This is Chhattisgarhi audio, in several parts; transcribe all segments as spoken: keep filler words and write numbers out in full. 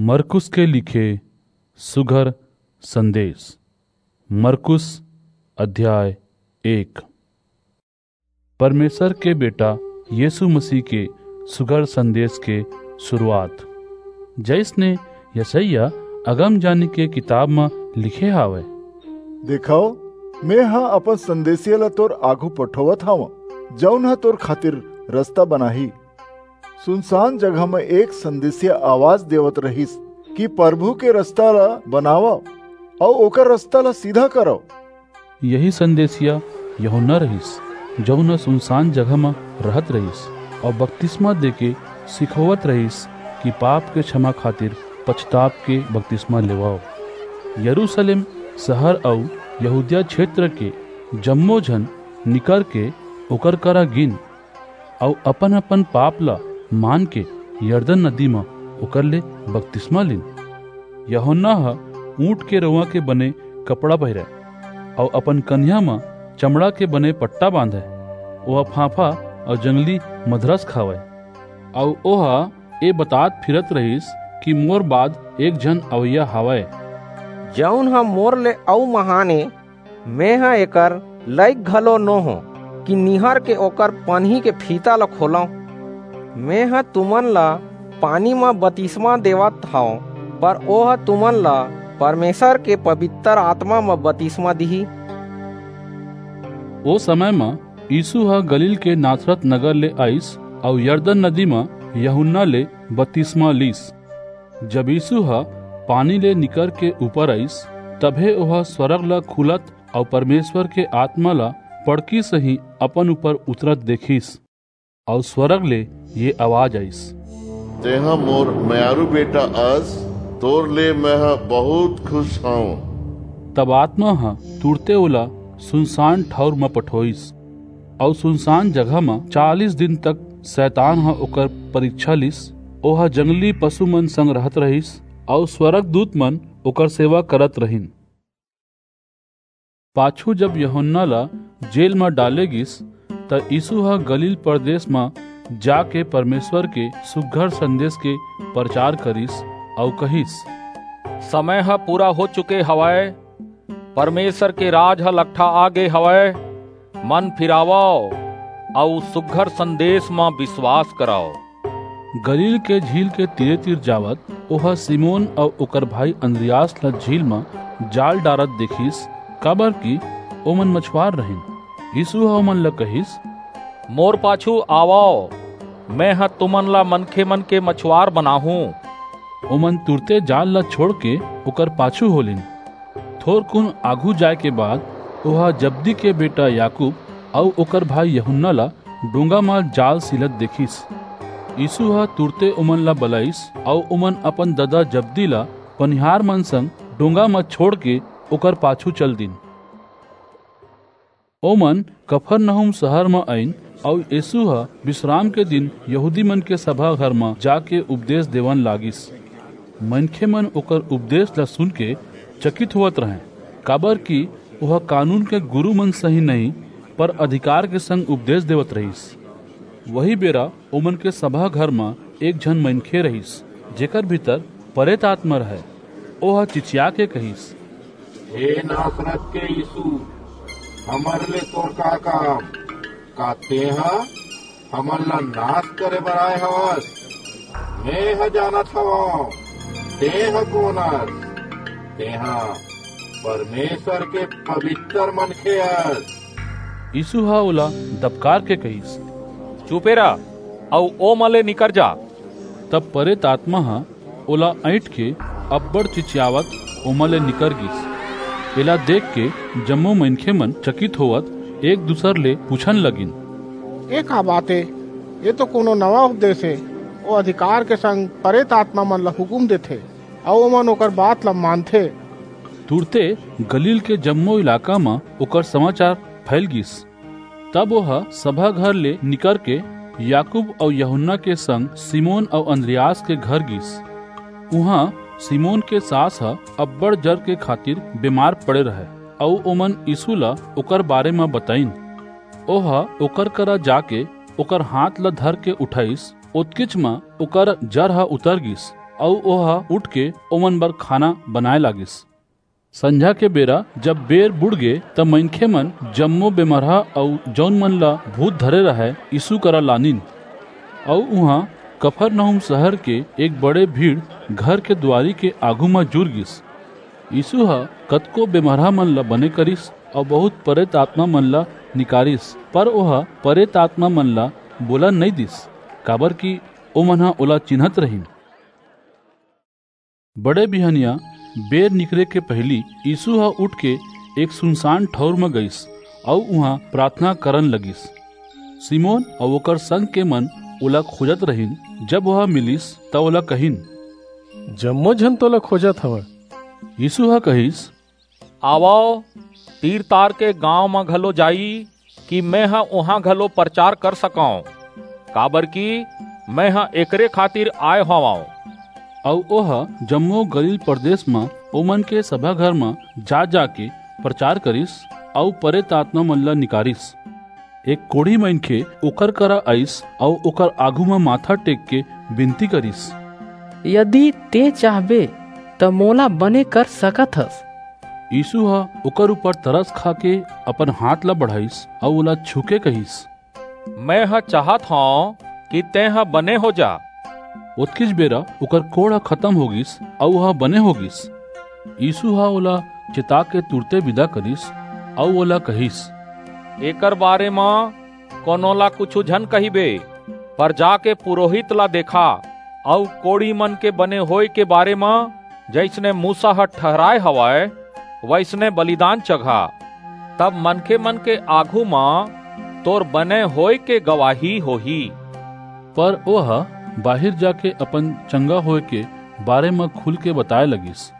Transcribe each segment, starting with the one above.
मरकुस के लिखे सुघर संदेश। मरकुस अध्याय एक। परमेसर के बेटा यीसू मसीह के सुघर संदेश के सुरूवात। जइसने यशैया अगमजानी के किताब म लिखे हावय, "देखव, मेंह अपन संदेसिया ला तोर आघू पठोवत हवंव, जऊन ह तोर खातिर रसता बनाही।" सुनसान जगह म एक संदेसिया आवाज देवत रहिस कि परभू के रसता ला बनावव अऊ ओकर रसता ला सीधा करव। यही संदेसिया यूहन्ना रहिस, जऊन ह सुनसान जगह म रहत रहिस अऊ बतिसमा देके सिखोवत रहिस कि पाप के छमा खातिर पछताप के बतिसमा लेवव। यरूसलेम सहर अऊ यहूदिया छेत्र के जम्मो झन निकरके ओकर करा गीन अऊ अपन-अपन पाप ला मानके यरदन नदी म ओकर ले बतिसमा लीन। यूहन्ना ह ऊंट के रोंवा के बने कपड़ा पहिरय अऊ अपन कनिहा म चमड़ा के बने पट्टा बांधय। ओह फांफा अऊ जंगली मधरस खावय, अऊ ओह ए बतात फिरत रहिस कि मोर बाद एक झन अवइया हावय, जऊन ह मोर ले अऊ महान ए, मेंह एकर लइक घलो नो हों कि निहरके ओकर पनही के फीता ला खोलंव। मेंह तुमन ला पानी म बतिसमा देवत हंव, पर ओह तुमन ला परमेसर के पबितर आतमा म बतिसमा दिही।" ओ समय म यीसू ह गलील के नासरत नगर ले आईस अऊ यरदन नदी म यूहन्ना ले बतिसमा लीस। जब यीसू ह पानी ले निकरके ऊपर आईस, तभे ओह स्वरग ला खुलत अऊ परमेसर के आतमा ला पड़की सहीं अपन ऊपर उतरत देखिस, अऊ स्वरग ले ये आवाज आईस, "तेंह मोर मयारू बेटा अस, तोर ले मेंह बहुंत खुस हंव।" तब आतमा ह तुरते ओला सुनसान ठऊर म पठोईस, अऊ सुनसान जगह म चालीस दिन तक सैतान ह ओकर परीछा लीस। ओह जंगली पसुमन संग रहत रहिस, अऊ स्वरगदूतमन ओकर सेवा करत रहिन। पाछू जब यूहन्ना ला जेल म डाले गीस, त यीसू ह गलील परदेस म जाके परमेसर के सुघर संदेस के परचार करिस अऊ कहिस, "समय ह पूरा हो चुके हवय, परमेसर के राज ह लकठा आगे हवय। मन फिरावव अऊ सुघर संदेस म बिसवास करव।" गलील के झील के तीरे-तीर जावत, ओह सिमोन अऊ ओकर भाई अंद्रियास ला झील म जाल डारत देखिस, काबरकि ओमन मछुआर रहिन। यीसू ह ओमन ला कहिस, "मोर पाछू आवव, मेंह तुमन ला मनखेमन के मछुआर बनाहूं।" ओमन तुरते जाल ला छोंड़के ओकर पाछू हो लीन। थोरकुन आघू जाय के बाद ओह जब्दी के बेटा याकूब अऊ ओकर भाई यूहन्ना ला डोंगा म जाल सिलत देखिस। यीसू ह तुरते ओमन ला बलाईस अऊ ओमन अपन ददा जब्दी ला पनिहारमन संग डोंगा म छोंड़के ओकर पाछू चल दीन। ओमन कफरनहूम सहर म आईन, अऊ यीसू ह बिसराम के दिन यहूदीमन के सभा घर म जाके उपदेस देवन लागिस। मनखेमन ओकर उपदेस ला सुनके चकित होवत रहंय, काबरकि ओह कानून के गुरूमन सहीं नहीं, पर अधिकार के संग उपदेस देवत रहिस। वही बेरा ओमन के सभा घर म एक झन मनखे रहिस, जेकर भीतर परेत आतमा रहय। ओह चिचियाके कहिस, "हे नासरत के यीसू, हमर ले तोर का काम? का तेंह हमन ला नास करे बर आय हवस? मेंह जानत हवंव, तेंह कोन अस। तेंह परमेसर के पबितर मनखे अस।" यीसू ह ओला दबकार के कहिस, "चुपे रह, अऊ ओमा ले निकर जा।" तब परेत आतमा ह ओला अंइठ के अब्बड़ चिचियावत ओमा ले निकर गीस। एला देख के जम्मो मनखेमन चकित होवत एक-दूसर ले पूछन लगिन, "ए का बात ए? ए तो कोनो नवा उपदेस ए। ओ अधिकार के संग परेत आतमा मन ला हुकूम देथे, अऊ ओमन ओकर बात ला मानथे।" तुरते गलील के जम्मो इलाका म ओकर समाचार फैल गीस। तब ओह सभा घर ले निकरके याकूब अऊ यूहन्ना के संग सिमोन अऊ अंद्रियास के घर गीस। उहां सिमोन के सास ह अब्बड़ जर के खातिर बेमार पड़े रहय, अऊ ओमन यीसू ला ओकर बारे म बताईन। ओह ओकर करा जाके ओकर हांथ ला धरके उठाईस, ओतकेच म ओकर जर ह उतर गीस। अऊ ओह उठ के ओमन बर खाना बनाए लागिस। संझा के बेरा जब बेर बुड़ गे, त मनखे मन जम्मो बेमरहा अऊ जऊन मन ला भूत धरे रहय, यीसू करा लानिन। अऊ उहां कफरनहूम सहर के एक बड़े भीड़ घर के दुवारी के आघू म जुर गीस। यीसू ह कतको बेमरहा मन ला बने करिस अऊ बहुत परेत आतमा मन ला निकारिस, पर ओह परेत आतमा मन ला बोलन नइं दीस, काबरकि ओमन ह ओला चिन्हत रहिन। बड़े बिहनिया बेर निकरे के पहिली यीसू ह उठ के एक सुनसान ठऊर म गईस अऊ उहां पराथना करन लगिस। सिमोन अऊ ओकर संग के मन ओला खोजत रहिन। जब ओह मिलिस, त ओला कहिन, "जम्मो झन तोला खोजत हवंय।" यीसू ह कहिस, "आवव, तीर-तार के गांव म घलो जाई, कि मेंह उहां घलो परचार कर सकंव, काबरकि मेंह एकरे खातिर आय हवंव।" अऊ ओह जम्मो गलील परदेस म ओमन के सभा घर म जा-जाके परचार करिस अऊ परेत आतमा मन ला निकारिस। एक कोढ़ी मनखे ओकर करा आईस अऊ ओकर आघू म माथा टेक के बिनती करिस, "यदि तें चाहबे, त मोला बने कर सकत हस।" यीसू ह ओकर ऊपर तरस खाके अपन हांथ ला बढ़ाईस अऊ ओला छूके कहिस, "मेंह चाहत हंव कि तेंह बने हो जा।" ओतकीच बेरा ओकर कोढ़ ह खतम हो गीस अऊ ओह बने हो गीस। यीसू ह ओला चेताके तुरते बिदा करिस अऊ ओला कहिस, "एकर बारे म कोनो ला कुछू झन कहिबे, पर जाके पुरोहित ला देखा अऊ कोढ़ी मन के बने होय के बारे म जइसने मूसा ह ठहराय हवय, वइसने बलिदान चघा। तब मनखे मन के आघू म तोर बने होय के गवाही होही।" पर ओह बाहिर जाके अपन चंगा होय के बारे म खुल के बताय लगिस,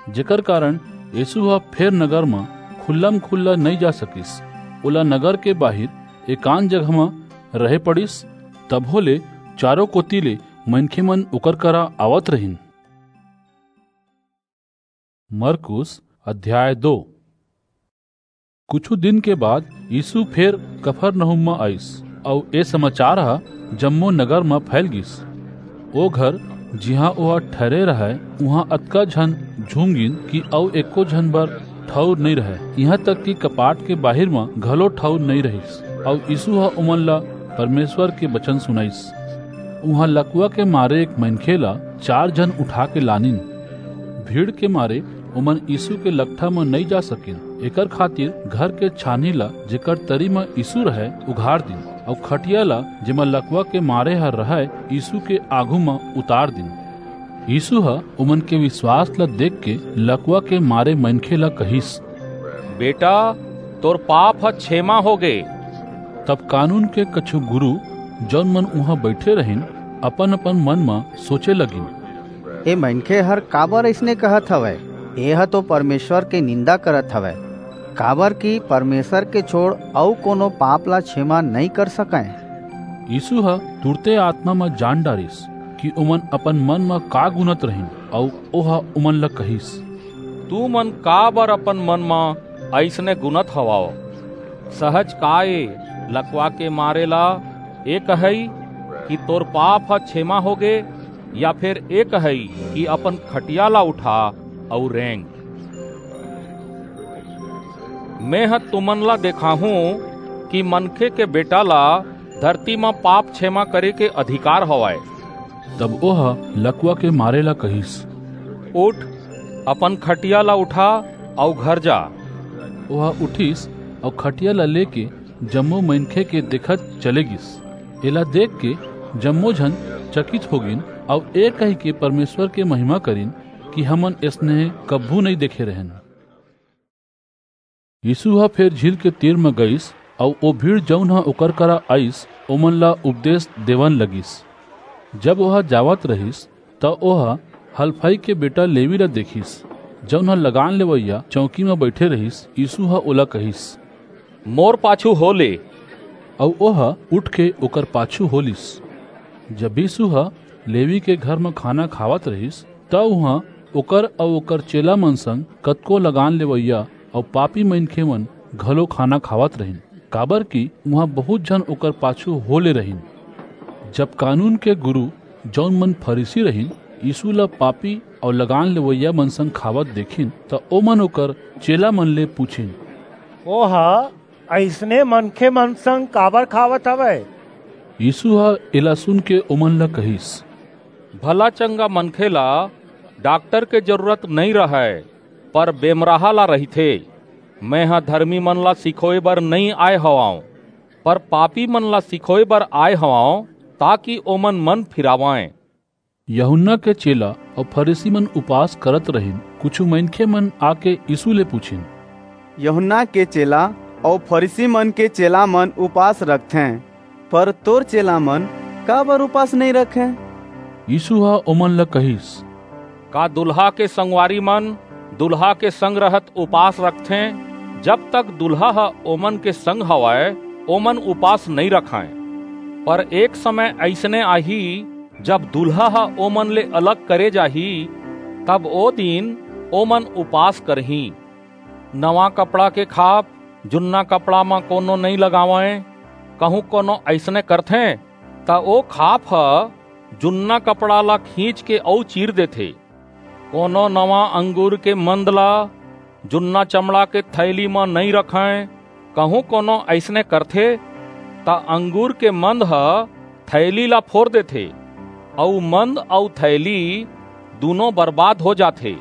जेकर कारन यीसू ह फेर नगर म खुल्लम-खुल्ला नइं जा सकिस। ओला नगर के बाहिर एकांत जगह म रहे पड़िस। तभो ले चारों कोति ले मनखे मन ओकर करा आवत रहिन। मरकुस अध्याय दो। कुछू दिन के बाद यीसू फेर कफरनहूम म आईस, अऊ ए समाचार ह जम्मो नगर म फैल गीस। ओ घर, जिहां ओह ठहरे रहय, उहां अतका झन झूम गीन कि अऊ एको झन बर ठऊर नइं रहय, इहां तक कि कपाट के बाहिर म घलो ठऊर नइं रहिस। अऊ यीसू ह ओमन ला परमेसर के बचन सुनाईस। उहां लकवा के मारे एक मनखे ला चार झन उठाके लानिन। भीड़ के मारे ओमन यीसू के लकठा म नइं जा सकिन, एकर खातिर घर के छानही ला, जेकर तरी म यीसू रहय, उघार दीन, अऊ खटिया ला, जेमा लकवा के मारे ह रहय, यीसू के आघू म उतार दीन। यीसू ह ओमन के बिसवास ला देखके लकवा के मारे मनखे ला कहिस, "बेटा, तोर पाप ह छेमा होगे।" तब कानून के कुछू गुरू, जऊन मन उहां बईठे रहिन, अपन-अपन मन म सोचे लगिन, "ए मनखे हर काबर अइसने कहत हवय? एह तो परमेसर के निंदा करत हवय, काबरकि परमेसर के छोंड़ अऊ कोनो पाप ला छेमा नइं कर सकंय।" यीसू ह तुरते आतमा म जान डारिस कि ओमन अपन मन म का गुनत रहिन, अऊ ओह ओमन ला कहिस, "तुमन काबर अपन मन म अइसने गुनत हवव? सहज काय ए, लकवा के मारे ला ए कहई कि तोर पाप ह छेमा होगे, या फेर ए कहई कि अपन खटिया ला उठा अऊ रेंग? मेंह तुमन ला देखाहूं कि मनखे के बेटा ला धरती म पाप छेमा करे के अधिकार हवय।" तब ओह लकवा के मारे ला कहिस, "उठ, अपन खटिया ला उठा अऊ घर जा।" ओह उठिस अऊ खटिया ला लेके जम्मो मनखे के देखत चले गीस। एला देखके जम्मो झन चकित हो गीन अऊ ए कहिके परमेसर के महिमा करिन कि हमन अइसने कभू नइं देखे रहेन। यीसू ह फेर झील के तीर म गईस, अऊ ओ भीड़, जऊन ह ओकर करा आईस, ओमन ला उपदेस देवन लगिस। जब ओह जावत रहिस, त ओह हलफई के बेटा लेवी ला देखिस, जऊन ह लगान लेवइया चौकी म बईठे रहिस। यीसू ह ओला कहिस, "मोर पाछू हो ले।" अऊ ओह उठके ओकर पाछू हो लीस। जब यीसू ह लेवी के घर म खाना खावत रहिस, त उहां ओकर अऊ ओकर चेला मन संग कतको लगान लेवइया अऊ पापी मनखे मन घलो खाना खावत रहिन, काबरकि उहां बहुंत झन ओकर पाछू हो ले रहिन। जब कानून के गुरू, जऊन मन फरीसी रहिन, यीशु ला पापी अऊ लगान लेवइया मन संग खावत देखिन, त ओमन ओकर चेला मन ले पूछिन, "ओह अइसने मनखे मन संग काबर खावत हवय?" यीशु ह एला सुन के ओमन ला कहिस, "भला चंगा मनखे ला डॉक्टर के जरूरत नइं रहय, पर बेमराहा ला रहिथे। मेंह धरमी मन ला सिखोय बर नइं आय हवंव, पर पापी मन ला सिखोय बर आय हवंव, ताकि ओमन मन फिरावंय।" यूहन्ना के चेला अऊ फरीसी मन उपास करत रहिन। कुछू मनखे मन आके यीशु ले पूछिन, "यूहन्ना के चेला अऊ फरीसी मन के चेला मन उपास रखथें, पर तोर चेला मन काबर उपास नइं रखें?" यीशु ह ओमन ला कहिस, "का दुल्हा के संगवारी मन दुल्हा के संग रहत उपास रखथें? जब तक दुल्हा ह ओमन के संग हवय, ओमन उपास नइं रखंय। पर एक समय अइसने आही, जब दुल्हा ह ओमन ले अलग करे जाही, तब ओ दिन ओमन उपास करहीं। नवा कपड़ा के खाप जुन्ना कपड़ा म कोनो नइं लगावंय, कहूं कोनो अइसने करथे, त ओ खाप ह जुन्ना कपड़ा ला खींच के अऊ चीर देथे। कोनो नवा अंगूर के मंद ला जुन्ना चमड़ा के थैली म नइं रखंय, कहूं कोनो अइसने करथे, त अंगूर के मंद ह थैली ला फोर देथे, अऊ मंद अऊ थैली दूनों बरबाद हो जाथे।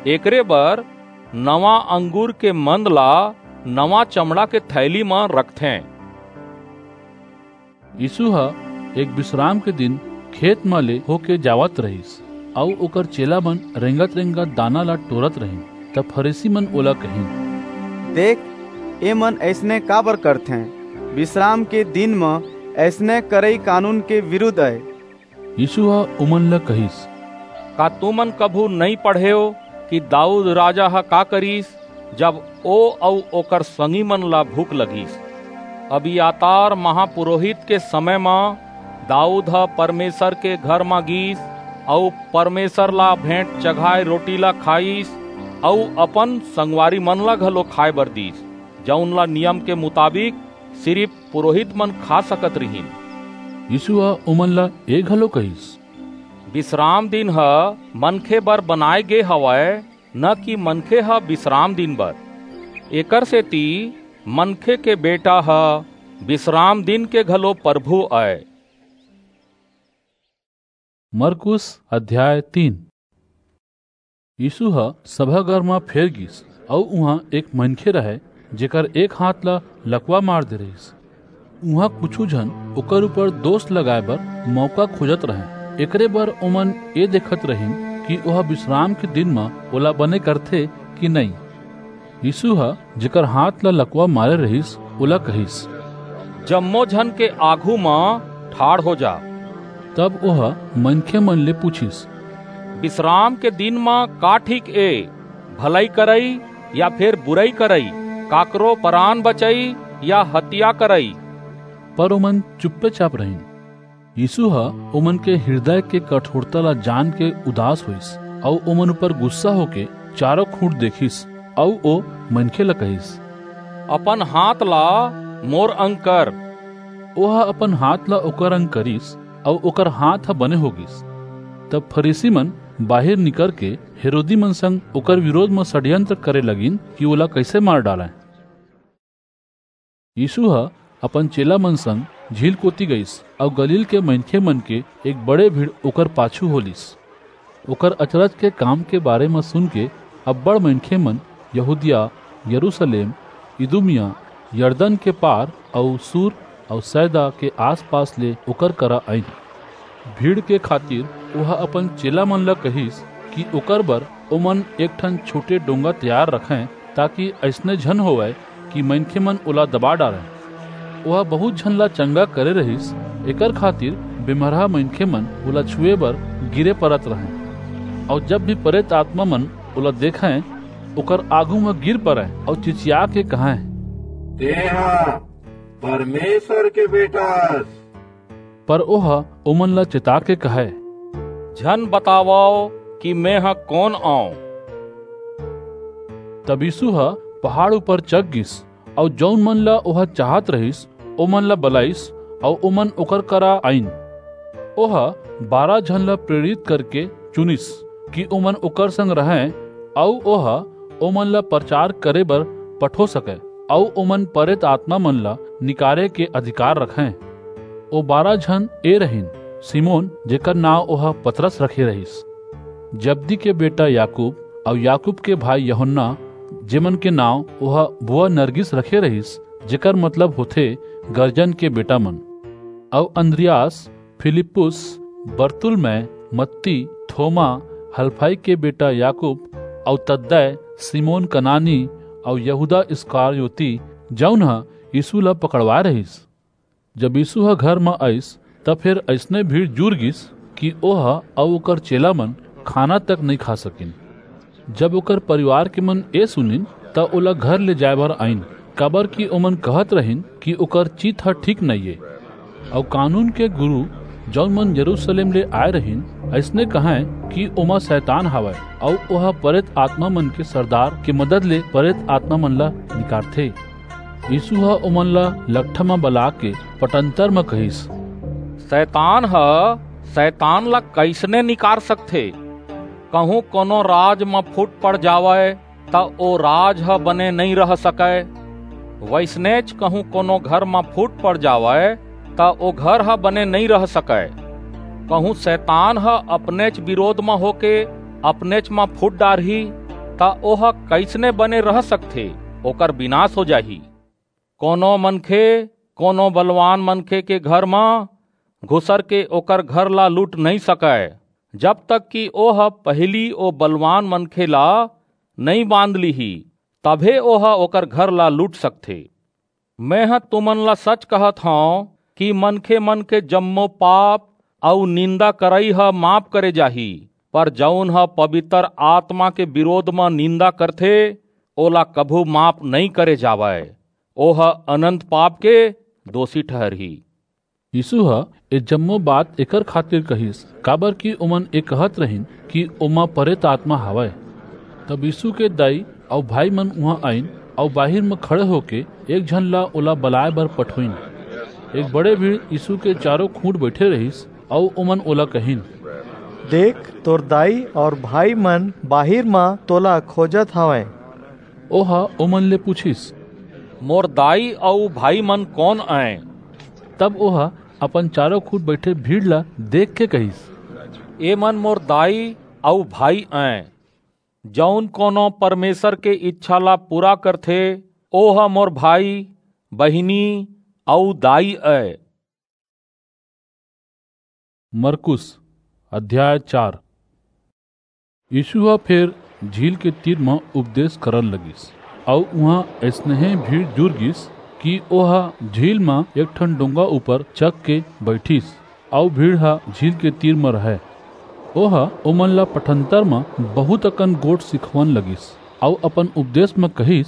एकरे बर नवा अंगूर के मंद ला नवा चमड़ा के थैली म रखथें।" यीशु ह एक बिसराम के दिन खेत म ले होके जावत रहिस, अऊ ओकर चेला मन रेंगत-रेंगत दाना ला टोरत रहिन। तब फरीसी मन ओला कहिन, "देख, ए मन अइसने काबर करथें? बिसराम के दिन म अइसने करई कानून के बिरुद्ध अय।" यीशु ह ओमन ला कहिस, "का तुमन कभू नइं पढ़ेव कि दाऊद राजा ह का करिस, जब ओ अऊ ओकर संगी मन ला भूख लगिस? अबियातार महापुरोहित के समय म दाऊद ह परमेसर के घर म गीस अऊ परमेसर ला भेंट चघाय रोटी ला खाईस अऊ अपन संगवारी मन ला घलो खाय बर दीस, जऊन ला नियम के मुताबिक सिरिप पुरोहित मन खा सकत रिहिन।" यीशु ह ओमन ला ए घलो कहिस, "बिसराम दिन ह मनखे बर बनाय गे हवय, न कि मनखे ह बिसराम दिन बर। एकरसेति मनखे के बेटा ह बिसराम दिन के घलो परभू अय।" मरकुस अध्याय तीन। यीशु ह सभाघर म फेर गीस, अऊ उहां एक मनखे रहय, जेकर एक हांथ ला लकवा मार दे रहिस। उहां कुछू झन ओकर ऊपर दोस लगाय बर मऊका खोजत रहंय। एकरे बर ओमन ए देखत रहिन कि ओह बिसराम के दिन म ओला बने करथे कि नइं। यीशु ह जेकर हांथ ला लकवा मारे रहिस, ओला कहिस, "जम्मो झन के आघू म ठाढ़ हो जा।" तब ओह मनखे मन ले पूछिस, "बिसराम के दिन म का ठीक ए, भलई करई या फेर बुरई करई, काकरो परान बचई या हतिया करई?" पर ओमन चुप्पेचाप रहिन। यीशु ह ओमन के हिरदय के कठोरता ला जान के उदास होईस, अऊ ओमन ऊपर गुस्सा होके चारों खूंट देखिस, अऊ ओ मनखे ला कहिस, "अपन हांथ ला मोर अंग कर।" ओह अपन हांथ ला ओकर अंग करिस, अऊ ओकर हांथ ह बने हो गीस। तब फरीसी मन बाहिर निकर के हेरोदी मन संग ओकर विरोध म षड्यंत्र करे लगिन कि ओला कइसे मार डालंय। यीशु ह अपन चेला मन संग झील कोति गईस, अऊ गलील के मनखे मन के एक बड़े भीड़ ओकर पाछू हो लीस। ओकर अचरज के काम के बारे म सुन के अब्बड़ मनखे मन यहूदिया, यरूशलेम, इदुमिया, यरदन के पार अऊ सूर अऊ सैदा के आसपास ले ओकर करा आईन। भीड़ के खातिर ओह अपन चेला मन ला कहिस कि ओकर बर ओमन एक ठन छोटे डोंगा तैयार रखें, ताकि अइसने झन होवय कि मनखे मन ओला दबा डारें। ओह बहुत झन ला चंगा करे रहिस, एकर खातिर बेमरहा मनखे मन ओला छुए बर गिरे परत रहें। अऊ जब भी प्रेत आत्मा मन ओला देखें, ओकर आगू म गिर परें अऊ चिचिया के कहें, "तेहा परमेश्वर के बेटा अस।" पर ओह ओमन ला चेता के कहय, "झन बतावव कि मेंह कोन अंव।" तब यीशु ह पहाड़ ऊपर चघ गिस, अऊ जऊन मन ला ओह चाहत रहिस, ओमन ला बलाईस, अऊ ओमन ओकर करा आईन। ओह बारह झन ला प्रेरित करके चुनिस कि ओमन ओकर संग रहंय, अऊ ओह ओमन ला परचार करे बर पठो सकय, अऊ ओमन परेत आतमा मन ला निकारे के अधिकार रखंय। ओ बारह झन ए रहिन, सिमोन, जेकर नांव ओह पतरस रखे रहिस, जब्दी के बेटा याकूब, अऊ याकूब के भाई यूहन्ना, जेमन के नांव ओह बोअनर्गिस रखे रहिस, जेकर मतलब होथे गरजन के बेटा मन, अऊ अंद्रियास, फिलिप्पुस, बरतुल्मै, मत्ती, थोमा, हलफई के बेटा याकूब, अऊ तद्दै, सिमोन कनानी, अऊ यहूदा इस्करियोती, जऊन ह यीसू ला पकड़वाय रहिस। जब यीसू ह घर म आईस, त फेर अइसने भीड़ जुर गीस कि ओह अऊ ओकर चेला मन खाना तक नइं खा सकिन। जब ओकर परिवार के मन ए सुनिन, त ओला घर ले जाय बर आईन, काबरकि ओमन कहत रहिन कि ओकर चित ह ठीक नइं ए। अऊ कानून के गुरू, जऊन मन यरूसलेम ले आय रहिन, अइसने कहंय कि ओमा सैतान हावय, अऊ ओह परेत आतमा मन के सरदार के मदद ले परेत आतमा मन ला निकारथे। यीसू ह ओमन ला लकठा म बलाके पटंतर म कहिस, सैतान ह सैतान ला कइसने निकार सकथे? कहूं कोनो राज म फूट पड़ जावय, त ओ राज ह बने नइं रह सकय। वइसनेच कहूं कोनो घर म फूट पड़ जावय, त ओ घर ह बने नइं रह सकय। कहूं सैतान ह अपनेच बिरोध म होके अपनेच म फूट डारही, त ओह कइसने बने रह सकथे? ओकर बिनास हो जाही। कोनो मनखे कोनो बलवान मनखे के घर म घुसर के ओकर घर ला लूट नइं सकय, जब तक कि ओह पहिली ओ बलवान मनखे ला नइं बांध लिही, तभे ओह ओकर घर ला लूट सकथे। मेंह तुमन ला सच कहत हंव कि मनखे मन के जम्मो पाप अऊ निंदा करई ह माफ करे जाही, पर जऊन ह पबितर आतमा के बिरोध म निंदा करथे, ओला कभू माफ नइं करे जावय। ओह अनंत पाप के दोसी ठहरही। यीसू ह ए जम्मो बात एकर खातिर कहिस, काबरकि ओमन ए कहत रहिन कि ओमा परेत आतमा हावय। तब यीसू के दाई अऊ भाई मन उहां आईन, अऊ बाहिर म खड़े होके एक झन ला ओला बलाय बर पठोईन। एक बड़े भीड़ यीसू के चारों खूंट बईठे रहिस, अऊ ओमन ओला कहिन, देख, तोर दाई अऊ भाई मन बाहिर म तोला खोजत हवंय। ओह ओमन ले पुछिस, मोर दाई अऊ भाई मन कोन अंय? तब ओह अपन चारों खूंट बईठे भीड़ ला देखके कहिस, ए मन मोर दाई अऊ भाई अंय। जऊन कोनो परमेसर के ईछा ला पूरा करथे, ओह मोर भाई, बहिनी अऊ दाई अंय। मरकुस, अध्याय चार। यीसू ह फेर झील के तीर म उपदेस करन लगिस, अऊ उहां अइसनहे भीड़ जुर गीस कि ओह झील म एक ठन डोंगा ऊपर चघ के बईठिस, अऊ भीड़ ह झील के तीर म रहय। ओह ओमन ला पटंतर म बहुंत अकन गोठ सिखवन लगिस, अऊ अपन उपदेस म कहिस,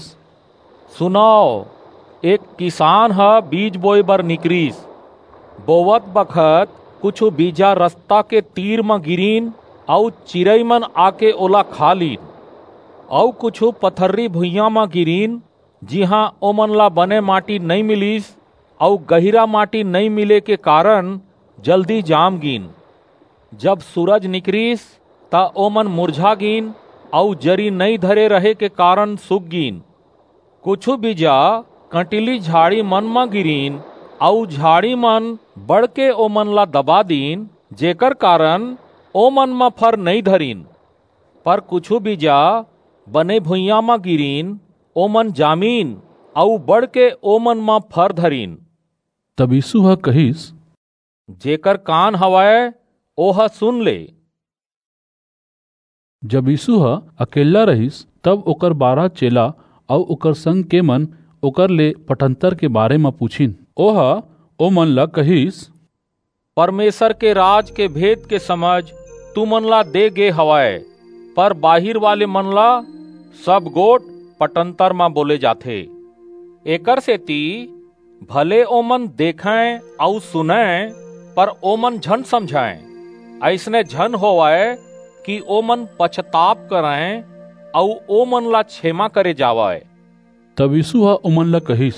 सुनव, एक किसान ह बीज बोय बर निकरिस। बोवत बखत कुछू बीजा रसता के तीर म गिरिन, अऊ चिरई मन आके ओला खा लीन। अऊ कुछू पथर्री भुइयां म गिरिन, जिहां ओमन ला बने माटी नइं मिलिस, अऊ गहिरा माटी नइं मिले के कारन जल्दी जाम गीन। जब सूरज निकरिस, त ओमन मुरझा गीन, अऊ जरी नइं धरे रहे के कारन सूख गीन। कुछू बीजा कंटीली झाड़ी मन म गिरिन, अऊ झाड़ी मन बड़के ओमन ला दबा दीन, जेकर कारन ओमन म फर नइं धरिन। पर कुछू बीजा बने भुइयां म गिरिन, ओमन जामिन, अऊ बड़के ओमन म फर धरिन। तब यीसू ह कहिस, जेकर कान हवय, ओह सुन ले। जब यीसू ह अकेल्ला रहिस, तब ओकर बारह चेला अऊ ओकर संग के मन ओकर ले पटंतर के बारे म पुछिन। ओह ओमन ला कहिस, परमेसर के राज के भेद के समझ तुमन ला दे गे हवय, पर बाहिर वाले मन ला सब गोठ पटंतर म बोले जाथे। एकरसेति भले ओमन देखंय अऊ सुनंय, पर ओमन झन समझंय। अइसने झन होवय कि ओमन पछताप करंय अऊ ओमन ला छेमा करे जावय। तब यीसू ह ओमन ला कहिस,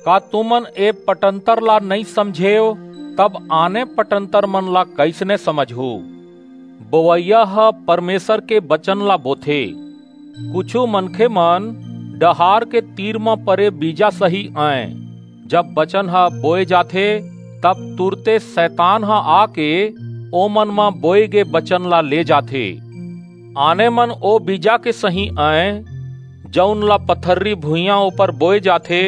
का तुमन ए पटंतर ला नइं समझेव, तब आने पटंतर मन ला कइसने समझहू? बोवइया ह परमेसर के बचन ला बोथे। कुछू मनखे मन डहार के तीर म परे बीजा सही अंय। जब बचन ह बोए जाथे, तब तुरते सैतान ह आके ओमन म बोए गे बचन ला ले जाथे। आने मन ओ बीजा के सही अंय, जऊन ला पथर्री भुइयां ऊपर बोए जाथे।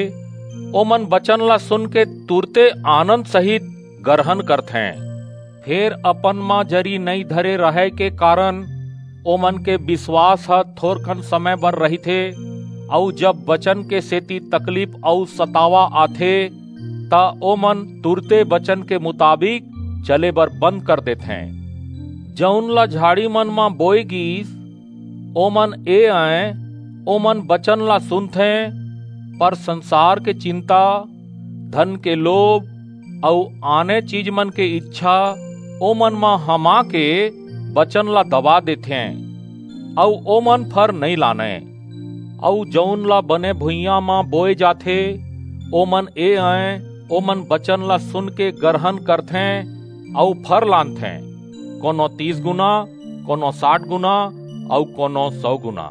ओमन बचन ला सुन के तुरते आनंद सहित गरहन करथें। फेर अपन म जरी नइं धरे रहय के कारन ओमन के बिसवास ह थोरकन समय बर रहिथे, अऊ जब बचन के सेती तकलीफ अऊ सतावा आथे, त ओमन तुरते बचन के मुताबिक चले बर बंद कर देथें। जऊन ला झाड़ी मन म बोए गीस, ओमन ए अंय, ओमन बचन ला सुनथें, पर संसार के चिंता, धन के लोभ अऊ आने चीज मन के इच्छा ओमन म हमा के बचन ला दबा देथें, अऊ ओमन फर नइं लानय। अऊ जऊन ला बने भुइयां म बोए जाथे, ओमन ए अंय, ओमन बचन ला सुन के गरहन करथें अऊ फर लानथें, कोनो तीस गुना, कोनो साठ गुना, अऊ कोनो सौ गुना।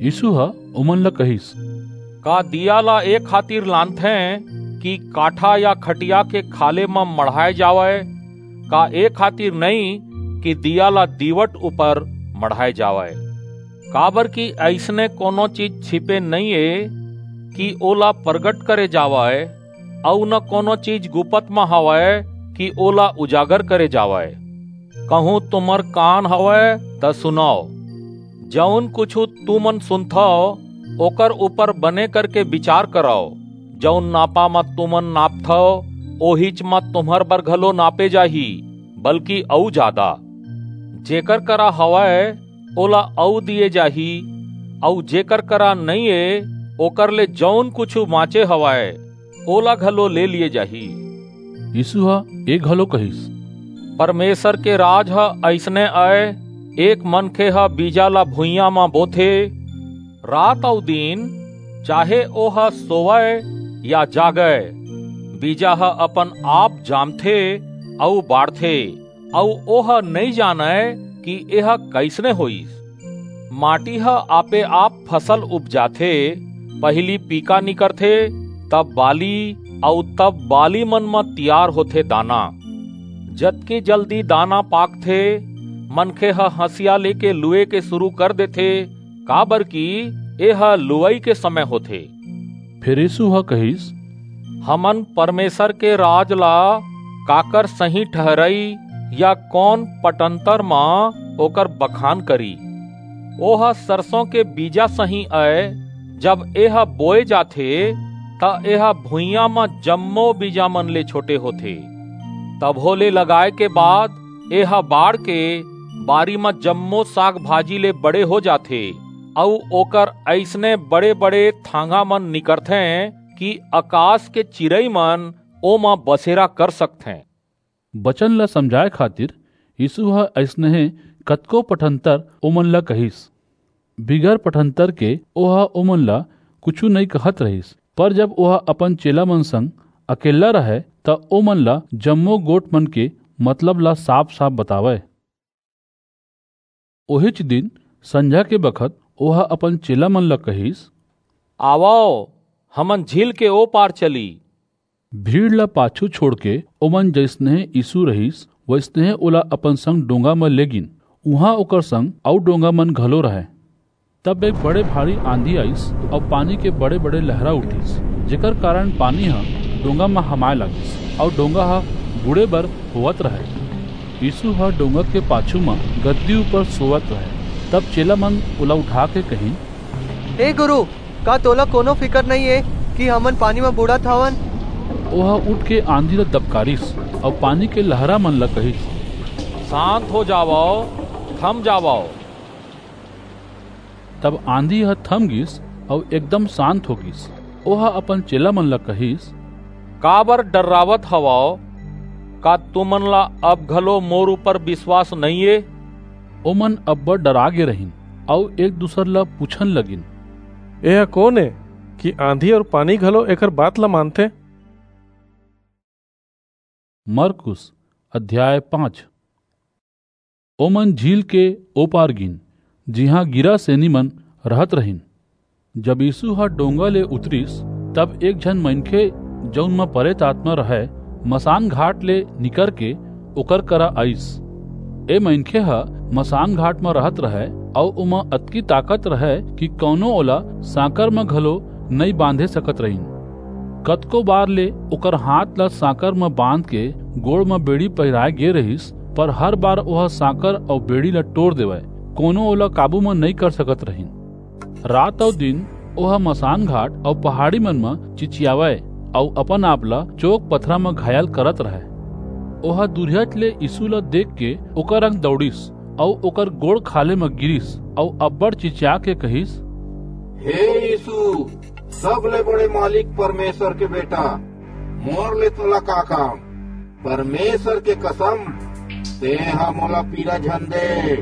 यीसू ह ओमन ला कहिस, का दीया ला ए खातिर लानथें कि काठा या खटिया के खाले म मढ़ाय जावय? का ए खातिर नइं कि दीया ला दीवट ऊपर मढ़ाय जावय? काबरकि अइसने कोनो चीज छिपे नइं ए कि ओला परगट करे जावय, अऊ न कोनो चीज गुपत म हवय कि ओला उजागर करे जावय। कहूं तुम्हर कान हवय, त सुनव। जऊन कुछू तुमन सुनथव, ओकर ऊपर बने करके बिचार करव। जऊन नापा म तुमन नापथव, ओहीच म तुम्हर बर घलो नापे जाही, बल्कि अऊ जादा। जेकर करा हवय, ओला अऊ दिये जाही, अऊ जेकर करा नइं ए, ओकर ले जऊन कुछू बांचे हवय, ओला घलो ले लिये जाही। यीसू ह ए घलो कहिस, परमेसर के राज ह अइसने अय, एक मनखे ह बीजा ला भुइयां म बोथे। रात अऊ दिन, चाहे ओह सोवय या जागय, बीजा ह अपन आप जामथे अऊ बाढ़थे, अऊ ओह नइं जानय कि एह कइसने होईस। माटी ह आपे आप फसल उपजाथे, पहिली पीका निकरथे, तब बाली, अऊ तब बाली मन म तियार होथे दाना। जतकी जल्दी दाना पाकथे, मनखे ह हंसिया लेके लुए के सुरू कर देथे, काबरकि एह लुवई के समय होथे। फेर यीसू ह कहिस, हमन परमेसर के राज ला काकर सहीं ठहरई या कोन पटंतर म ओकर बखान करी? ओह सरसों के बीजा सहीं अय, जब एह बोए जाथे, त एह भुइयां म जम्मो बीजा मन ले छोटे होथे। तभो ले लगाय के बाद एह बाढ़ के बारी म जम्मो साग-भाजी ले बड़े हो जाथे, अऊ ओकर अइसने बड़े-बड़े थांगा मन निकरथें कि अकास के चिरई मन ओमा बसेरा कर सकथें। बचन ला समझाय खातिर यीसू ह अइसनहे कतको पटंतर ओमन ला कहिस। बिगर पटंतर के ओह ओमन ला कुछू नइं कहत रहिस, पर जब ओह अपन चेला मन संग अकेल्ला रहय, त ओमन ला जम्मो गोठ मन के मतलब ला साफ-साफ बतावय। ओहीच दिन संझा के बखत ओह अपन चेला मन ला कहिस, आवव, हमन झील के ओ पार चली। भीड़ ला पाछू छोड़के ओमन जइसनहे यीसू रहिस, वइसनहे ओला अपन संग डोंगा म लेगिन। उहां ओकर संग अऊ डोंगा मन घलो रहय। तब एक बड़े भारी आंधी आईस अऊ पानी के बड़े-बड़े लहरा उठिस, जेकर कारन पानी ह डोंगा म हमाय लागिस अऊ डोंगा ह बूड़े बर होवत रहय। यीसू ह डोंगा के पाछू म गददी ऊपर सोवत रहय। तब चेला मन ओला उठाके कहिन, हे गुरु, का तोला कोनो फिकर नइं ए कि हमन पानी म बूड़त हवन? ओह उठके आंधी ला दबकारिस अऊ पानी के लहरा मन ला कहिस, सांत हो जावव, थम जावव। तब आंधी ह थम गीस अऊ एकदम सांत हो गीस। ओह अपन चेला मन ला कहिस, काबर डर्रावत हवव? का तुमन ला अब घलो मोर ऊपर बिसवास नइं ए? ओमन अब्बड़ डर्रा गे रहिन अऊ एक-दूसर ला पूछन लगिन, एह कोन ए कि आंधी अऊ पानी घलो एकर बात ला मानथे? मरकुस अध्याय पाँच। ओमन झील के ओ पार गीन, जिहां गिरासेनी मन रहत रहिन। जब यीसू ह डोंगा ले उतरिस, तब एक झन मनखे, जऊन म परेत आतमा रहय, मसान घाट ले निकरके ओकर करा आईस। ए मनखे ह मसान घाट म रहत रहय, अऊ ओमा अतकी ताकत रहय कि कऊनो ओला सांकर म घलो नइं बांधे सकत रहिन। कतको बार ले ओकर हांथ ला सांकर म बांधके गोड़ म बेड़ी पहिराय गे रहिस, पर हर बार ओह सांकर अऊ बेड़ी ला टोर देवय। कोनो ओला काबू म नइं कर सकत रहिन। रात अऊ दिन ओह मसान घाट अऊ पहाड़ी मन म चिचियावय अऊ अपन आप ला चोक पथरा म घायल करत रहय। ओह दूरिहाच ले यीसू ला देखके ओकर अंग दऊड़िस अऊ ओकर गोड़ खाल्हे म गिरिस अऊ अब्बड़ चिचियाके कहिस, "हे यीसू, सबले बड़े मालिक परमेसर के बेटा, मोर ले तोला का काम? परमेसर के कसम, तेंह मोला पीरा झन दे।"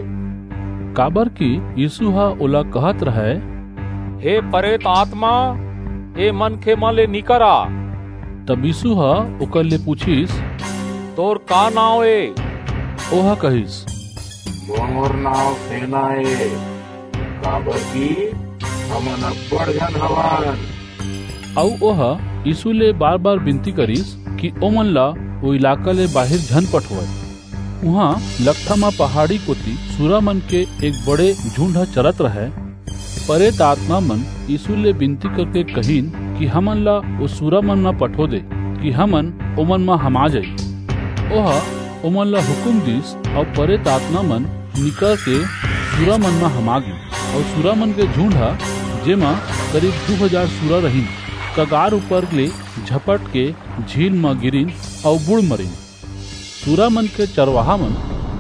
काबरकि यीसू ह ओला कहत रहय, "हे परेत आतमा, ए मनखेमन ले निकर आ।" तब यीसू ह ओकर ले पुछिस, "तोर का नांव ए?" ओह कहिस, "मोर नांव सेना ए, काबरकि हमन अब्बड़ झन हवन।" अऊ ओह यीसू ले बार-बार बिनती करिस कि ओमन ला ओ इलाका ले बाहिर झन पठोवय। उहां लकठा म पहाड़ी कोति सुरामन के एक बड़े झुंड ह चरत रहय। परेत आतमामन यीसू ले बिनती करके कहिन कि हमन ला ओ सुरामन म पठो दे, कि हमन ओमन म हमा जाई। ओह ओमन ला हुकूम दीस, अऊ परेत आतमामन निकरके सुरामन म हमा गीन। अऊ सुरामन के झुंड ह, जेमा करीब दू हजार सुरा रहिन, कगार ऊपर ले झपटके झील म गिरिन अऊ बूड़ मरिन। सुरामन के चरवाहामन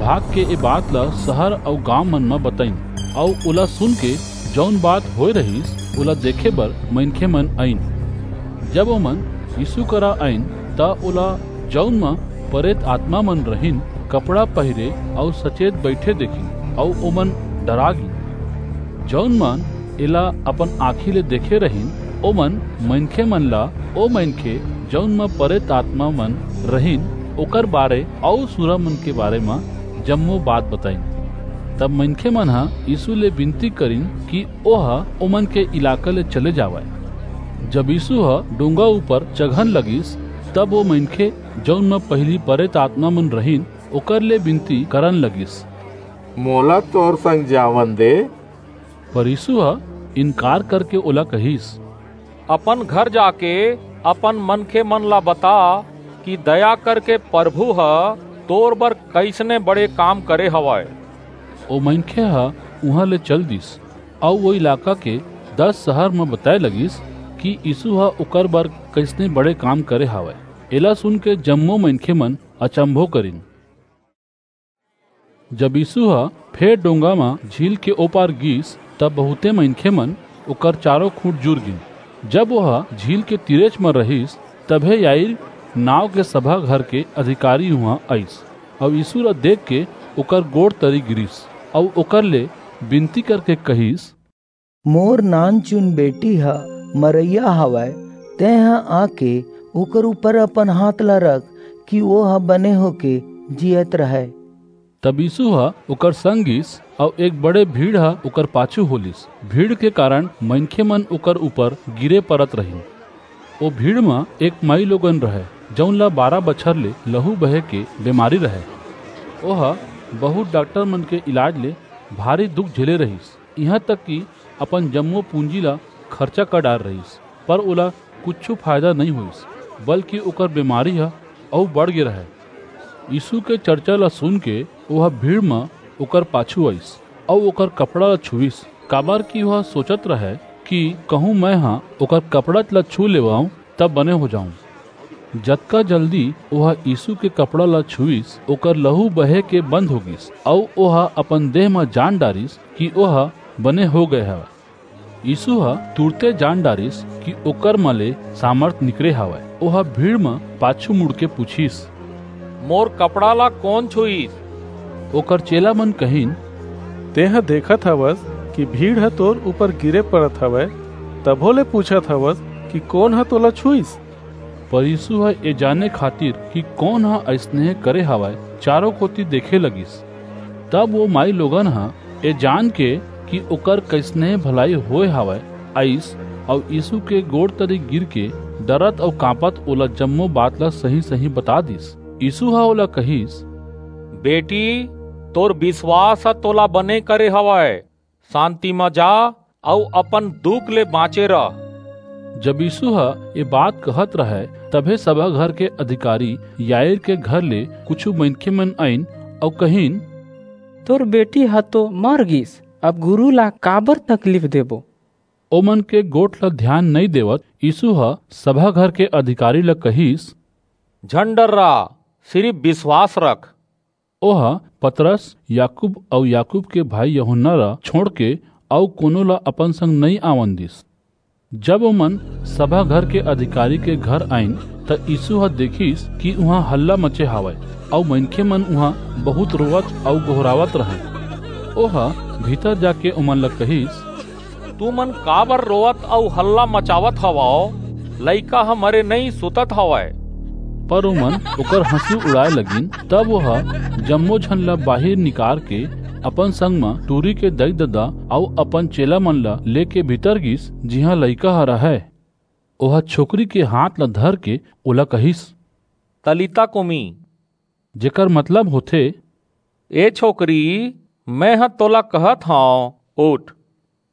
भागके ए बात ला सहर अऊ गांवमन म बताईन, अऊ ओला सुनके जऊन बात होय रहिस, ओला देखे बर मनखेमन आईन। जब ओमन यीसू करा आईन, त ओला, जऊन म परेत आतमामन रहिन, कपड़ा पहिरे अऊ सचेत बईठे देखिन, अऊ ओमन डरा गीन। जऊन मन एला अपन आंखी ले देखे रहिन, ओमन मनखेमन ला ओ मनखे, जऊन म परेत आतमामन रहिन, ओकर बारे अऊ सुरामन के बारे म जम्मो बात बताईन। तब मनखेमन ह यीसू ले बिनती करिन कि ओह ओमन के इलाका ले चले जावय। जब यीसू ह डोंगा ऊपर चघन लगिस, तब ओ मनखे, जऊन म पहिली परेत आतमामन रहिन, ओकर ले बिनती करन लगिस, "मोला तोर संग जावन दे।" पर यीसू ह इनकार करके ओला कहिस, "अपन घर जाके अपन मनखेमन ला बता कि दया करके परभू ह तोर बर कइसने बड़े काम करे हवय।" ओ मनखे ह उहां ले चल दिस, अऊ ओ इलाका के दस सहर म बताय लगिस कि यीसू ह ओकर बर कइसने बड़े काम करे हवय। एला सुनके जम्मो मनखेमन अचंभो करिन। जब यीसू ह फेर डोंगा म झील के ओ पार गीस, तब बहुते मनखेमन ओकर चारों खूंट जुर गीन। जब ओह झील के तीरेच म रहिस, तभे याईर नांव के सभा घर के अधिकारी उहां आईस, अऊ यीसू ला देखके ओकर गोड़ तरी गिरिस, अऊ ओकर ले बिनती करके कहिस, "मोर नानचुन बेटी ह मरइया हवय, तेंह आके ओकर ऊपर अपन हांथ ला रख, कि ओह बने होके जीयत रहय।" तब यीसू ह ओकर संग गीस, अऊ एक बड़े भीड़ ह ओकर पाछू हो लीस। भीड़ के कारन मनखेमन ओकर ऊपर गिरे परत रहिन। ओ भीड़ म एक माईलोगन रहय, जऊन ला बारह बछर ले लहू बहे के बेमारी रहय। ओह बहुंत डाक्टरमन के इलाज ले भारी दुख झेले रहिस, इहां तक कि अपन जम्मो पूंजी ला खरचा कर डारे रहिस, पर ओला कुछू फायदा नइं होईस, बल्कि ओकर बेमारी ह अऊ बढ़ गे रहय। यीसू के चरचा ला सुनके ओह भीड़ म ओकर पाछू आईस, अऊ ओकर कपड़ा ला छुईस, काबरकि ओह सोचत रहय कि कहूं मेंह ओकर कपड़ा ला छू लेवंव, त बने हो जांव। जतका जल्दी ओह यीसू के कपड़ा ला छुईस, ओकर लहू बहे के बंद हो गीस, अऊ ओह अपन देह म जान डारिस कि ओह बने हो गय हवय। यीसू ह तुरते जान डारिस कि ओकर म ले सामरथ निकरे हवय। ओह भीड़ म पाछू मुड़के पुछिस, "मोर कपड़ा ला कोन छुईस?" ओकर चेलामन कहिन, "तेंह देखत हवस कि भीड़ ह तोर ऊपर गिरे परत हवय, तभो ले पूछत हवस कि कोन ह तोला छुईस?" पर यीसू ह ए जाने खातिर कि कोन ह अइसने करे हवय, चारों कोति देखे लगिस। तब वो माईलोगन ह, ए जान के कि ओकर कइसने भलाई होय हवय, आईस अऊ यीसू के गोड़ तरी गिरके, डरत अऊ कांपत ओला जम्मो बात ला सही-सही बता दीस। यीसू ह ओला कहिस, बेटी, तोर बिसवास ह तोला बने करे हवय। सांति म जा अऊ अपन दुख ले बांचे रह। जब यीसू ह ए बात कहत रहय, तभे सभा घर के अधिकारी याईर के घर ले कुछू मनखेमन आईन अऊ कहिन, तोर बेटी ह तो मर गीस, अब गुरू ला काबर तकलीफ देबो? ओमन के गोठ ला धियान नइं देवत यीसू ह सभा घर के अधिकारी ला कहिस, झन डर्रा, सिरिप बिसवास रख। ओह पतरस, याकूब अऊ याकूब के भाई यूहन्ना ला छोंड़के अऊ कोनो ला अपन संग नइं आवन दीस। जब ओमन सभा घर के अधिकारी के घर आईन, त यीसू ह देखिस कि उहां हल्ला मचे हवय, अऊ मनखेमन उहां बहुंत रोवत अऊ गोहरावत रहंय। ओह भीतर जाके ओमन ला कहिस, तुमन काबर रोवत अऊ हल्ला मचावत हवव? लइका ह मरे नइं, सुतत हवय। पर ओमन ओकर हंसी उड़ाय लगिन। तब ओह जम्मो झन ला बाहिर निकारके अपन संग म टूरी के दई-ददा अऊ अपन चेलामन ला लेके भीतर गीस, जिहां लइका ह रहय। ओह छोकरी के हांथ ला धरके ओला कहिस, तलीता कूमी, जेकर मतलब होथे, ए छोकरी, मेंह तोला कहत हंव, उठ।